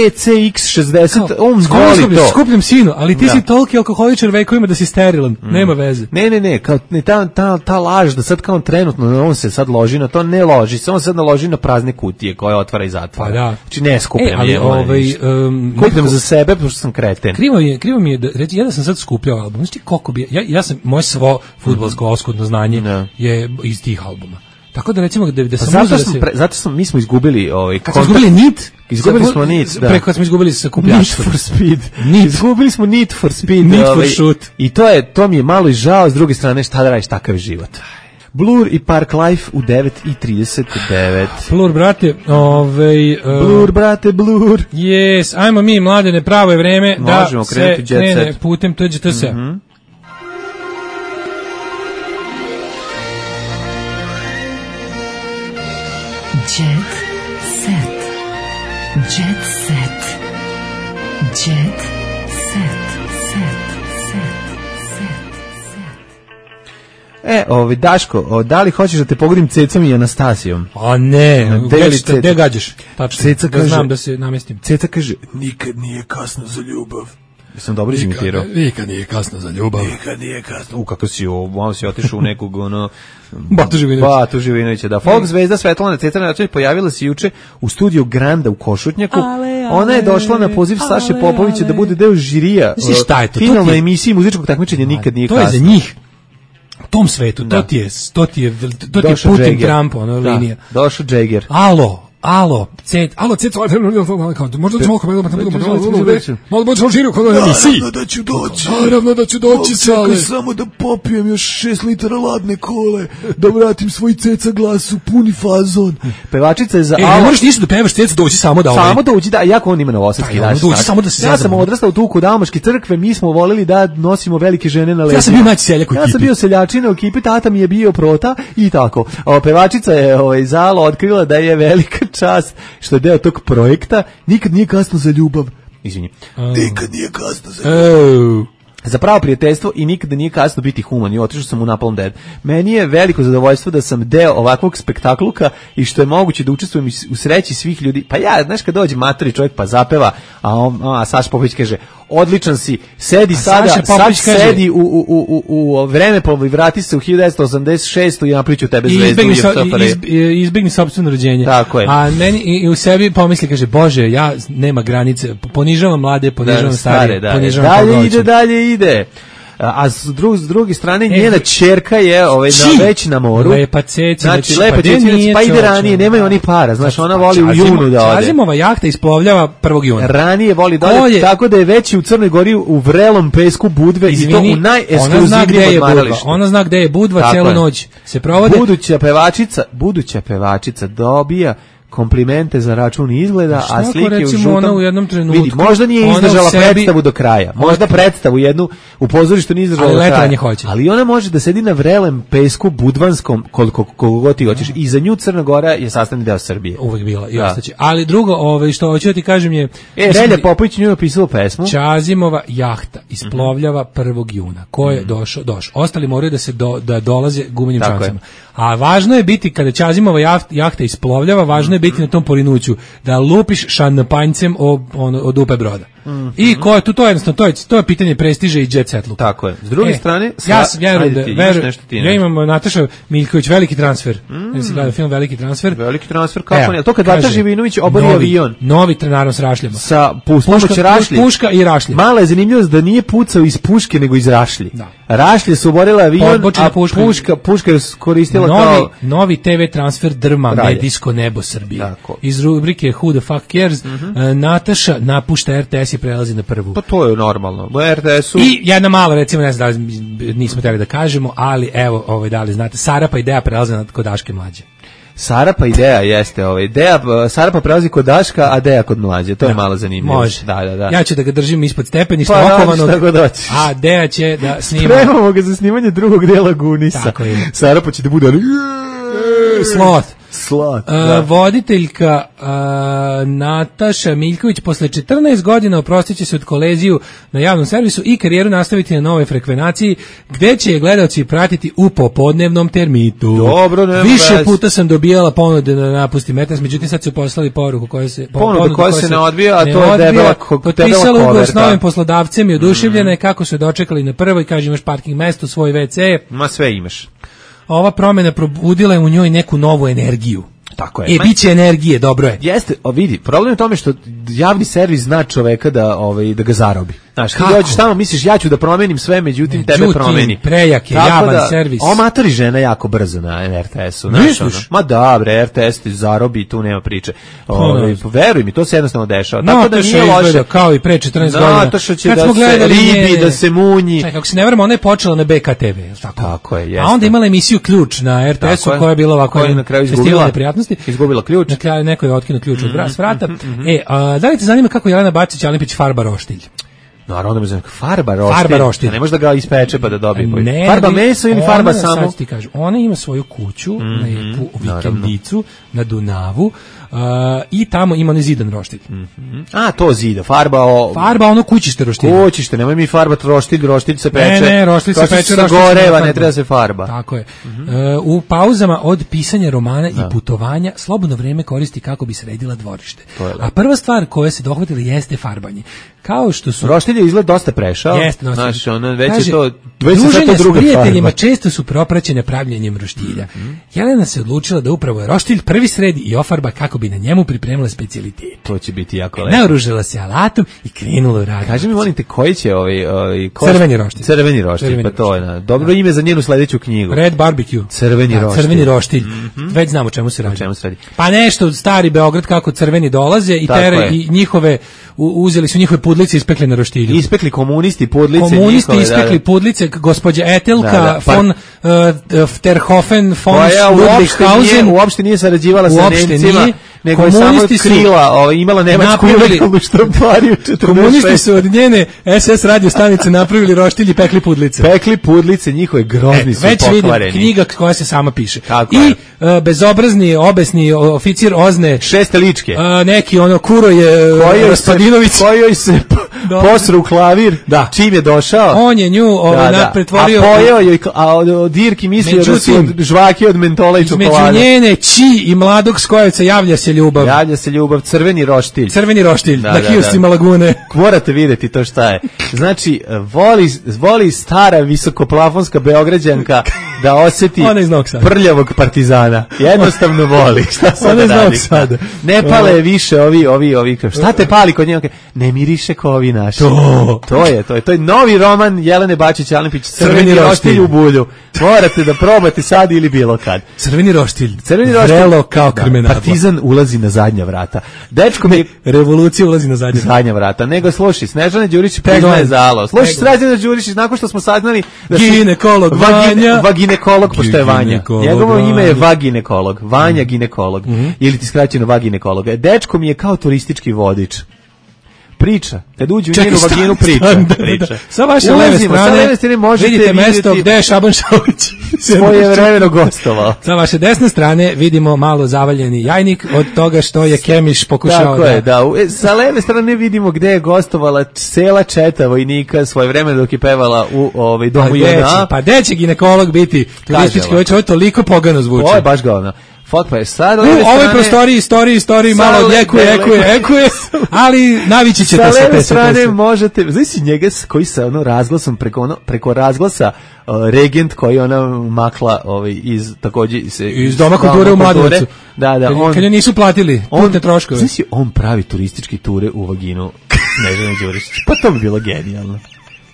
C X šezdeset, on voli to. Skupljam sinu, ali ti da. si toliki alkoholičar vekovima da si sterilan. Mm. Nema veze. Ne, ne, ne, kao ne, ta, ta, ta laž da sad kao trenutno on se sad loži na to, ne loži se, on se sad naloži na prazne kutije koje otvara i zatvara. Pa da. Znači ne skupljam e, ali, ovaj, um, kupljam za sebe, pošto sam kreten. Krivo je, krivo mi je, da, reći, ja da sam sad skupljao album, znači koliko bi, ja, ja sam, moje svo fudbalsko mm-hmm. oskudno znanje no. je iz tih albuma. Tako da recimo da, da sam pa zato, da sam se... pre, zato smo, mi smo izgubili ovaj, kad smo izgubili nit, izgubili smo nit, da. Preko smo izgubili sa kupljaštvom. Need for speed. Nit. Izgubili smo need for speed. Need ovaj, for shoot. I to je, to mi je malo i žao, s druge strane šta da radiš, takav je život. Blur i Park Life u devet i trideset devet. Blur, brate, ovaj... Uh, Blur, brate, Blur. Yes, ajmo mi, mladene, pravo je vreme Možemo da se krene putem T G T S. Mm-hmm. Jet set. Jet set. Jet set. E, ovi, Daško, o, da li hoćeš da te pogodim Cecom i Anastasijom? A ne, gde gađaš? Tačno, Ceca da kaže, znam da se namestim. Ceca kaže, nikad nije kasno za ljubav. Sam dobro izimitirao. Nikad nije kasno za ljubav. Nikad nije kasno. U, kako si ovo, malo si otišao u nekog, ono... Batu Živinovića. Batu Živinovića, da. Folk zvezda Svetlana Ceca Račević pojavila se juče u studiju Granda u Košutnjaku. Ale, ale, Ona je došla na poziv ale, Saše Popovića ale. da bude deo žirija. Znaš šta je to? Finalna emisija muzičkog takmičenja Nikad nije kasno. To je za njih. U tom svetu, da. to ti je, to ti je, to ti je Putin Jagger. Trump, ono da. linija. Došao Jagger. Alo, alo, cet, alo, cet, možda ćemo malo malo možda žiru kod emisiji. Naravno da ću doći. Naravno da ću doći, Sale. Samo da popijem još šest litara ladne kole, da vratim svoj Ceca glas u puni fazon. Pevačica je za e, ne možeš ništa da pevaš, Ceca doći samo da ovaj. Samo doći, da, jako on ima novosadski daš. Doći samo da se ja sam odrastao tu kod Dalmaške crkve, mi smo voleli da nosimo velike žene na leđima. Ja sam bio naći seljak u ekipi. Ja sam bio seljačina u ekipi, tata mi je bio prota i tako. O, pevačica je ovaj Zalo otkrila da je velika čast što je deo tog projekta. Nikad nije kasno za ljubav. Izvini. Oh. Nikad nije kasno za ljubav. Oh. Za pravo prijateljstvo i nikada nije kasno biti human. I otišao sam u Napalm Dead. Meni je veliko zadovoljstvo da sam deo ovakvog spektakluka i što je moguće da učestvujem u sreći svih ljudi. Pa ja, znaš, kad dođe matori čovjek pa zapeva, a, on, a Saša Popović kaže, odličan si, sedi a sada, sad sedi u, u, u, u vreme pa vrati se u hiljadu devetsto osamdeset šestu i napriču tebe zvezdu. I izbegni, izbegni sopstveno rođenje. Tako je. A meni i, i u sebi pomisli, kaže, Bože, ja nema granice, ponižavam mlade, ponižavam da, starije, da, ponižavam dalje koga ide, dalje ide. A s, dru, s druge strane e, njena ćerka je ovaj na već na moru. Lepa Ceca, znači lepa pa, Ceca, pa ide ranije, nemaju oni para, znači ona voli u junu da ode. Čazimova jahta isplovljava prvog juna. Ranije voli da ode, tako da je već u Crnoj Gori u vrelom pesku Budve. Izvini, i to u najekskluzivnijem odmaralištu. Ona zna gde je Budva, celu noć se provode. Buduća pevačica, buduća pevačica dobija komplimente za račun izgleda, a slike u žutom... ona u jednom trenutku... Vidi, možda nije izdržala sebi... predstavu do kraja. Možda predstavu jednu u pozorištu nije izdržala do kraja. Hoće. Ali ona može da sedi na vrelem pesku budvanskom koliko, koliko god ti hoćeš. I za nju Crna Gora je sastavni deo Srbije. Uvijek bila i ostaće. Ali drugo, ovaj, što hoću da ti kažem je... E, Relja Popović nju je napisala pesmu. Čazimova jahta isplovljava prvog juna. Ko je došao? Došao. Ostali moraju da se do, da dolaze gumenim čamcima. A važno je biti, kada Čazimova jahta isplovljava, važno je biti na tom porinuću, da lupiš šanpanjcem od, od dupe broda. Mm-hmm. I ko je tu, to je jednostavno, to je, to je pitanje prestiža i jet set luka. Tako je. S druge e, strane, sla... ja vjerujem da, veru, ja imam Nataša Miljković, veliki transfer. Mm. Ja sam gledao film Veliki transfer. Veliki transfer, kako ne? To kad Vata Živinović obori avion. Novi, naravno s rašljama. Sa puška, rašlje. Puška i rašlje. Mala je zanimljivost da nije pucao iz puške, nego iz rašlje. Da. Rašlje su oborile avion, Odbočila a puška, puška, puška je koristila novi, kao... Novi te ve transfer drma, Ralje. Medijsko nebo Srbije. Tako. Iz rubrike Who the fuck cares, mm-hmm. uh, Nataša napušta er te es i prelazi na prvu. Pa to je normalno. U er te esu... I jedna mala, recimo, ne znam da li nismo trebali da kažemo, ali evo, ovaj, da li znate, Sarapa Ideja prelazi na kod Daške Mlađe. Sarapa Ideja jeste, ovaj. Ideja, Sarapa prelazi kod Daška, a Deja kod Mlađe. To da, je malo zanimljivo. Može. Da, da, da. Ja ću da ga držim ispod stepeništa pa, okovanog, a Deja će da snima. Spremamo ga za snimanje drugog dela Gunisa. Tako je. Sarapa će da bude ali... Sloth. Slat, uh, voditeljka uh, Nataša Miljković posle četrnaest godina oprostit će se od koleziju na javnom servisu i karijeru nastaviti na nove frekvenaciji gde će je gledalci pratiti u popodnevnom termitu. Dobro, nema Više vez. puta sam dobijala ponude da napustim Metas, međutim sad su poslali poruku koja se ponuda koja se ne odbija, a to je debela potpisala ugovor s novim poslodavcem i oduševljena je mm. kako su je dočekali na prvoj, kaže imaš parking mesto, svoj ve ce. Ma sve imaš. Ova promjena probudila je u njoj neku novu energiju. Tako je. E, bit će energije, dobro je. Jeste, o vidi, problem je u tome što javni servis zna čoveka da, ovaj, da ga zarobi. Znaš, ti dođeš tamo, misliš ja ću da promenim sve, međutim, međutim tebe promeni. Prejak je javan da, servis. Omatori žena jako brzo na er te esu. Misliš? Ma dobro, er te es ti zarobi i tu nema priče. Ove, veruj mi, to se jednostavno dešava. No, tako da nije loše. Kao i pre četrnaest godina. Nataša će da se ribi, njene, da se munji. Čekaj, kako se ne vremo, ona je počela na be ka te ve. Tako, tako je, jeste. A onda imala emisiju Ključ na er te esu koja je bila ovako na kraju izgubila, izgubila ključ. Na kraju neko je otkinuo ključ od vrata. E, da li te zanima kako Jelena Bacić-Alimpić farba roštilj? Naravno da me znam, farba roštilj. Farba roštilj. Ne može da ga ispeče pa da dobije. Ne, farba meso ili farba ona, samo? Sad ti kažu, ona ima svoju kuću, mm-hmm, lepu vikendicu na Dunavu, Uh, i tamo ima onaj zidan roštilj. Mm-hmm. A, to zida, farba o... Farba ono kućište roštilj. Kućište, nemoj mi farbat roštilj, roštilj se peče. Ne, ne, roštilj se peče, roštilj goreva, ne treba se farba. Tako je. Mm-hmm. Uh, u pauzama od pisanja romana da. i putovanja slobodno vreme koristi kako bi sredila dvorište. A prva stvar koja se dohvatila jeste farbanje. Kao što su... Roštilj je izgled dosta prešao. Jeste, dosta. Znaš, ono, već Kaže, je to... Već druženja s prijateljima često su propraćene pravljenjem roštilja. Mm-hmm. Jelena se odlučila da upravo je roštilj prvi sredi i ofarba kako bi na njemu pripremila specijalitete. To će biti jako lepo. Naoružala se alatom i krenula u rad. Kaži mi, molim te, koji će ovaj... ovaj ko... Crveni roštilj. Crveni roštilj, Crveni pa to je na, dobro da. ime za njenu sledeću knjigu. Red barbecue. Crveni da, roštilj. Crveni roštilj. Mm-hmm. Već znamo čemu se radi. Čemu se radi. Pa nešto, stari Beograd kako crveni dolaze i, tere, i njihove, u, uzeli su njihove pudlice i ispekli na roštilju. Ispekli komunisti pudlice. Komunisti njihove, ispekli da, pudlice, gospođa Etelka, da, da, pa, von uh, Terhofen, von Ludwighausen. Uopšte nije sarađivala sa Nemcima, nego je samo krila, ovaj, imala nemačku ilegalnu štampariju. Komunisti su od njene es es radio stanice napravili roštilj i pekli pudlice. Pekli pudlice, njihove grozni e, su već pokvareni. Već vidim, knjiga koja se sama piše. Kako I uh, bezobrazni, obesni oficir Ozne. Šesteličke. Uh, neki ono kuro je uh, Raspadinović. Kojoj se posru klavir, da. Čim je došao. On je nju ovaj, da, da. pretvorio. A pojeo joj, a od Dirki mislio da su žvaki od mentola i čokolade. Među njene či i mladog Skojevca javlja se ljubav. Javlja se ljubav, crveni roštilj. Crveni roštilj, da, na kioscima da, da. Lagune. Morate vidjeti to šta je. Znači, voli, voli stara visokoplafonska Beograđanka da osjeti prljavog partizana. Jednostavno voli. Šta sad da radi? Ne pale više ovi, ovi, ovi. Šta te pali kod njega? Ne miriše ko ovi naši. To. to je, to je. To je novi roman Jelene Bačić-Alimpić, Crveni roštilj u bulju. Morate da probate sad ili bilo kad. Crveni roštilj. Crveni roštilj. Vrelo kao krmenadla. Partizan ulazi na zadnja vrata. Dečko mi revolucija ulazi na zadnja, zadnja vrata. Nego slušaj, Snežana Đurišić priznaje zalo. Slušaj, Snežana Đurišić nakon što smo saznali da ginekolog Vanja, vagina, ginekolog, pošto je Vanja. Ginekolog, Njegovo ime je Vanja. vaginekolog. Vanja ginekolog. Mm-hmm. Ili ti skraćeno vaginekolog. Dečko mi je kao turistički vodič. Priča. Kad uđe u Čekaj, njenu vaginu, stan, priča. stan, da, priča. da. Sa vaše leve Ulazimo, strane, sa leve strane možete vidite mesto vidjeti gde je Šaban Šaulić svoje vremeno gostovao. Sa vaše desne strane vidimo malo zavaljeni jajnik od toga što je Kemiš pokušao Tako da... je, da. U- e, Sa leve strane vidimo gde je gostovala cela četa vojnika svoje vreme dok je pevala u ovaj, Pa domu gde će, jedan A. pa gde će ginekolog biti turistički ovako. vodič, ovo je toliko pogano zvuči. Ovo je baš govno. Fok pa je sad... U ovoj prostoriji, istoriji, istoriji, Sa malo le- odjekuje, le- ekuje, ekuje, ali navići ćete sa se. leve te strane se. možete, znaš si njega s- koji sa ono razglasom preko ono preko razglasa uh, regent koji ona makla ovaj iz takođe se Iz Doma kulture u Mladenovcu. Da, da, Kad- on kad joj nisu platili putne troškove. Znaš si, on pravi turistički ture u vaginu Snežane Đurišić. Pa to bi bilo genijalno.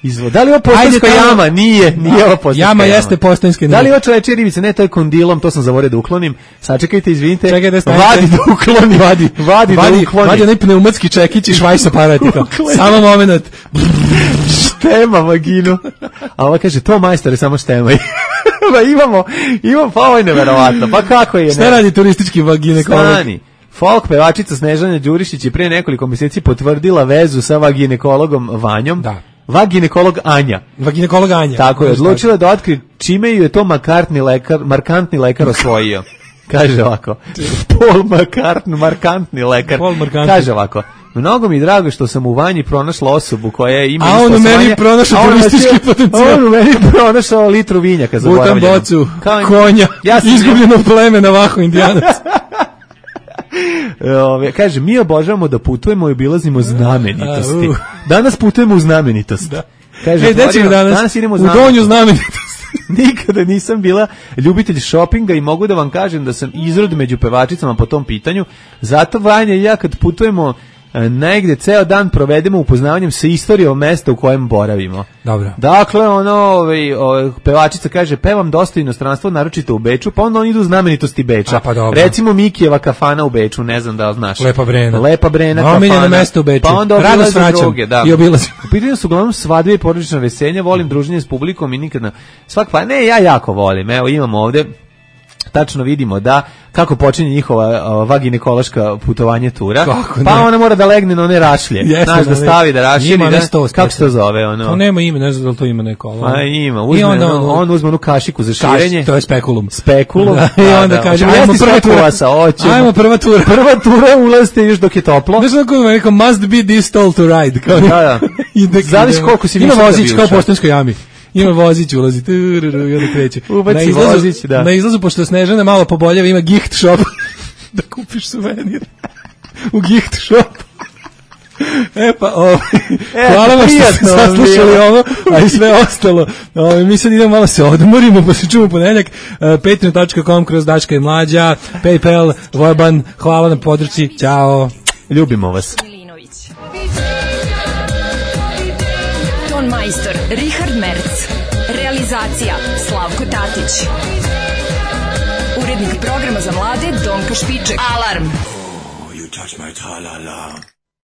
Izvo. Da li ovo postanjska Ajde, tamo- jama? Nije, nije ovo postanjska Jama jama. jeste postanjska, Da li nije. ovo čovečija ribica? Ne, to je kondilom, to sam zaboravio da uklonim. Sačekajte, izvinite. Čekaj da stanete. Vadi da ukloni. Vadi, Vadi, vadi, da ukloni. vadi onaj pneumatski čekić i švajs aparatika. Ukloni. Samo moment. Štema vaginu. A ova kaže, to majstore, samo štemaj. Pa imamo, imamo, pa ovo je neverovatno. Pa kako je? Šta ne? radi turistički ginekolog? Stani. Folk pevačica Snežana Đurišić je prije nekoliko mjeseci potvrdila vezu sa vaginekologom Vanjom. Da. Vaginekolog Anja. Vaginekolog Anja. Tako je, odlučila da otkrije čime ju je to markantni lekar, markantni lekar osvojio. Kaže ovako, Paul McCartney, markantni lekar. Paul McCartney. Kaže ovako, mnogo mi je drago što sam u Vanji pronašla osobu koja ima... A isto on u meni osvajanje, pronašao a on turistički nas je- potencijal. On u meni pronašao litru vinjaka Butan zaboravljeno. bocu, Kao- konja, Ja sam- izgubljeno pleme na Vahu Indijanac. Ove, kaže, mi obožavamo da putujemo i obilazimo znamenitosti. A, uh. Danas putujemo u znamenitost. Da. Kaže, Ej, gde ćemo otvorio- danas? danas idemo u U znamenitost. donju znamenitost. Nikada nisam bila ljubitelj šopinga i mogu da vam kažem da sam izrod među pevačicama po tom pitanju. Zato Vanja i ja kad putujemo e, negde ceo dan provedemo upoznavanjem sa istorijom mesta u kojem boravimo. Dobro. Dakle, ono, ovaj, ovaj, pevačica kaže, pevam dosta inostranstvo, naročito u Beču, pa onda oni idu u znamenitosti Beča. A, pa dobro. Recimo Mikijeva kafana u Beču, ne znam da li znaš. Lepa Brena. Lepa Brena No, omiljeno kafana. mesto u Beču. Pa onda Rado obilaze svraćam druge, da. i obilazim. U pitanju su uglavnom svadbe i porodična veselja, volim druženje s publikom i nikad na svak pa ne, ja jako volim. Evo imamo ovde tačno vidimo da kako počinje njihova a, vaginekološka putovanje tura. Kako Pa ne? ona mora da legne na one rašlje. Jeste, Znaš da ne, stavi da raširi. ima Da, ne sto kako se to zove? Ono? To nema ime, ne znam da li to ima neko. ali- Pa ima, I uzme, onda on, on uzme onu kašiku za Kaš- širenje. to je spekulum. Spekulum. Da, i onda kaže, ajmo prva tura. Hoćemo. Ajmo prva tura. Prva tura ulazite još dok je toplo. Znaš kako je rekao, must be this tall to ride. Kao, Da, da. ide- Zavisi ide- koliko si Ima više da vozić bi kao u ušao. poštanskoj jami. Ima vozić, ulazi, tururu, i onda kreće. Ubaci Na izlazu- vozić, da. Na izlazu, pošto Snežana malo poboljeva, ima gift shop da kupiš suvenir. U gift shop. E pa, ovaj, E, hvala vam što ste prijatno vam saslušali bilo. ovo, a i sve ostalo. Ovaj, mi sad idemo malo se odmorimo, pa se čujemo u ponedeljak. Uh, patreon dot com kroz Daška i Mlađa, PayPal, Voban, hvala na podršci, ćao. Ljubimo vas. Ton majstor Richard Merc. Realizacija Slavko Tatić. Urednik programa za mlade Donka Špiček. Alarm! You touch my tra-la-la.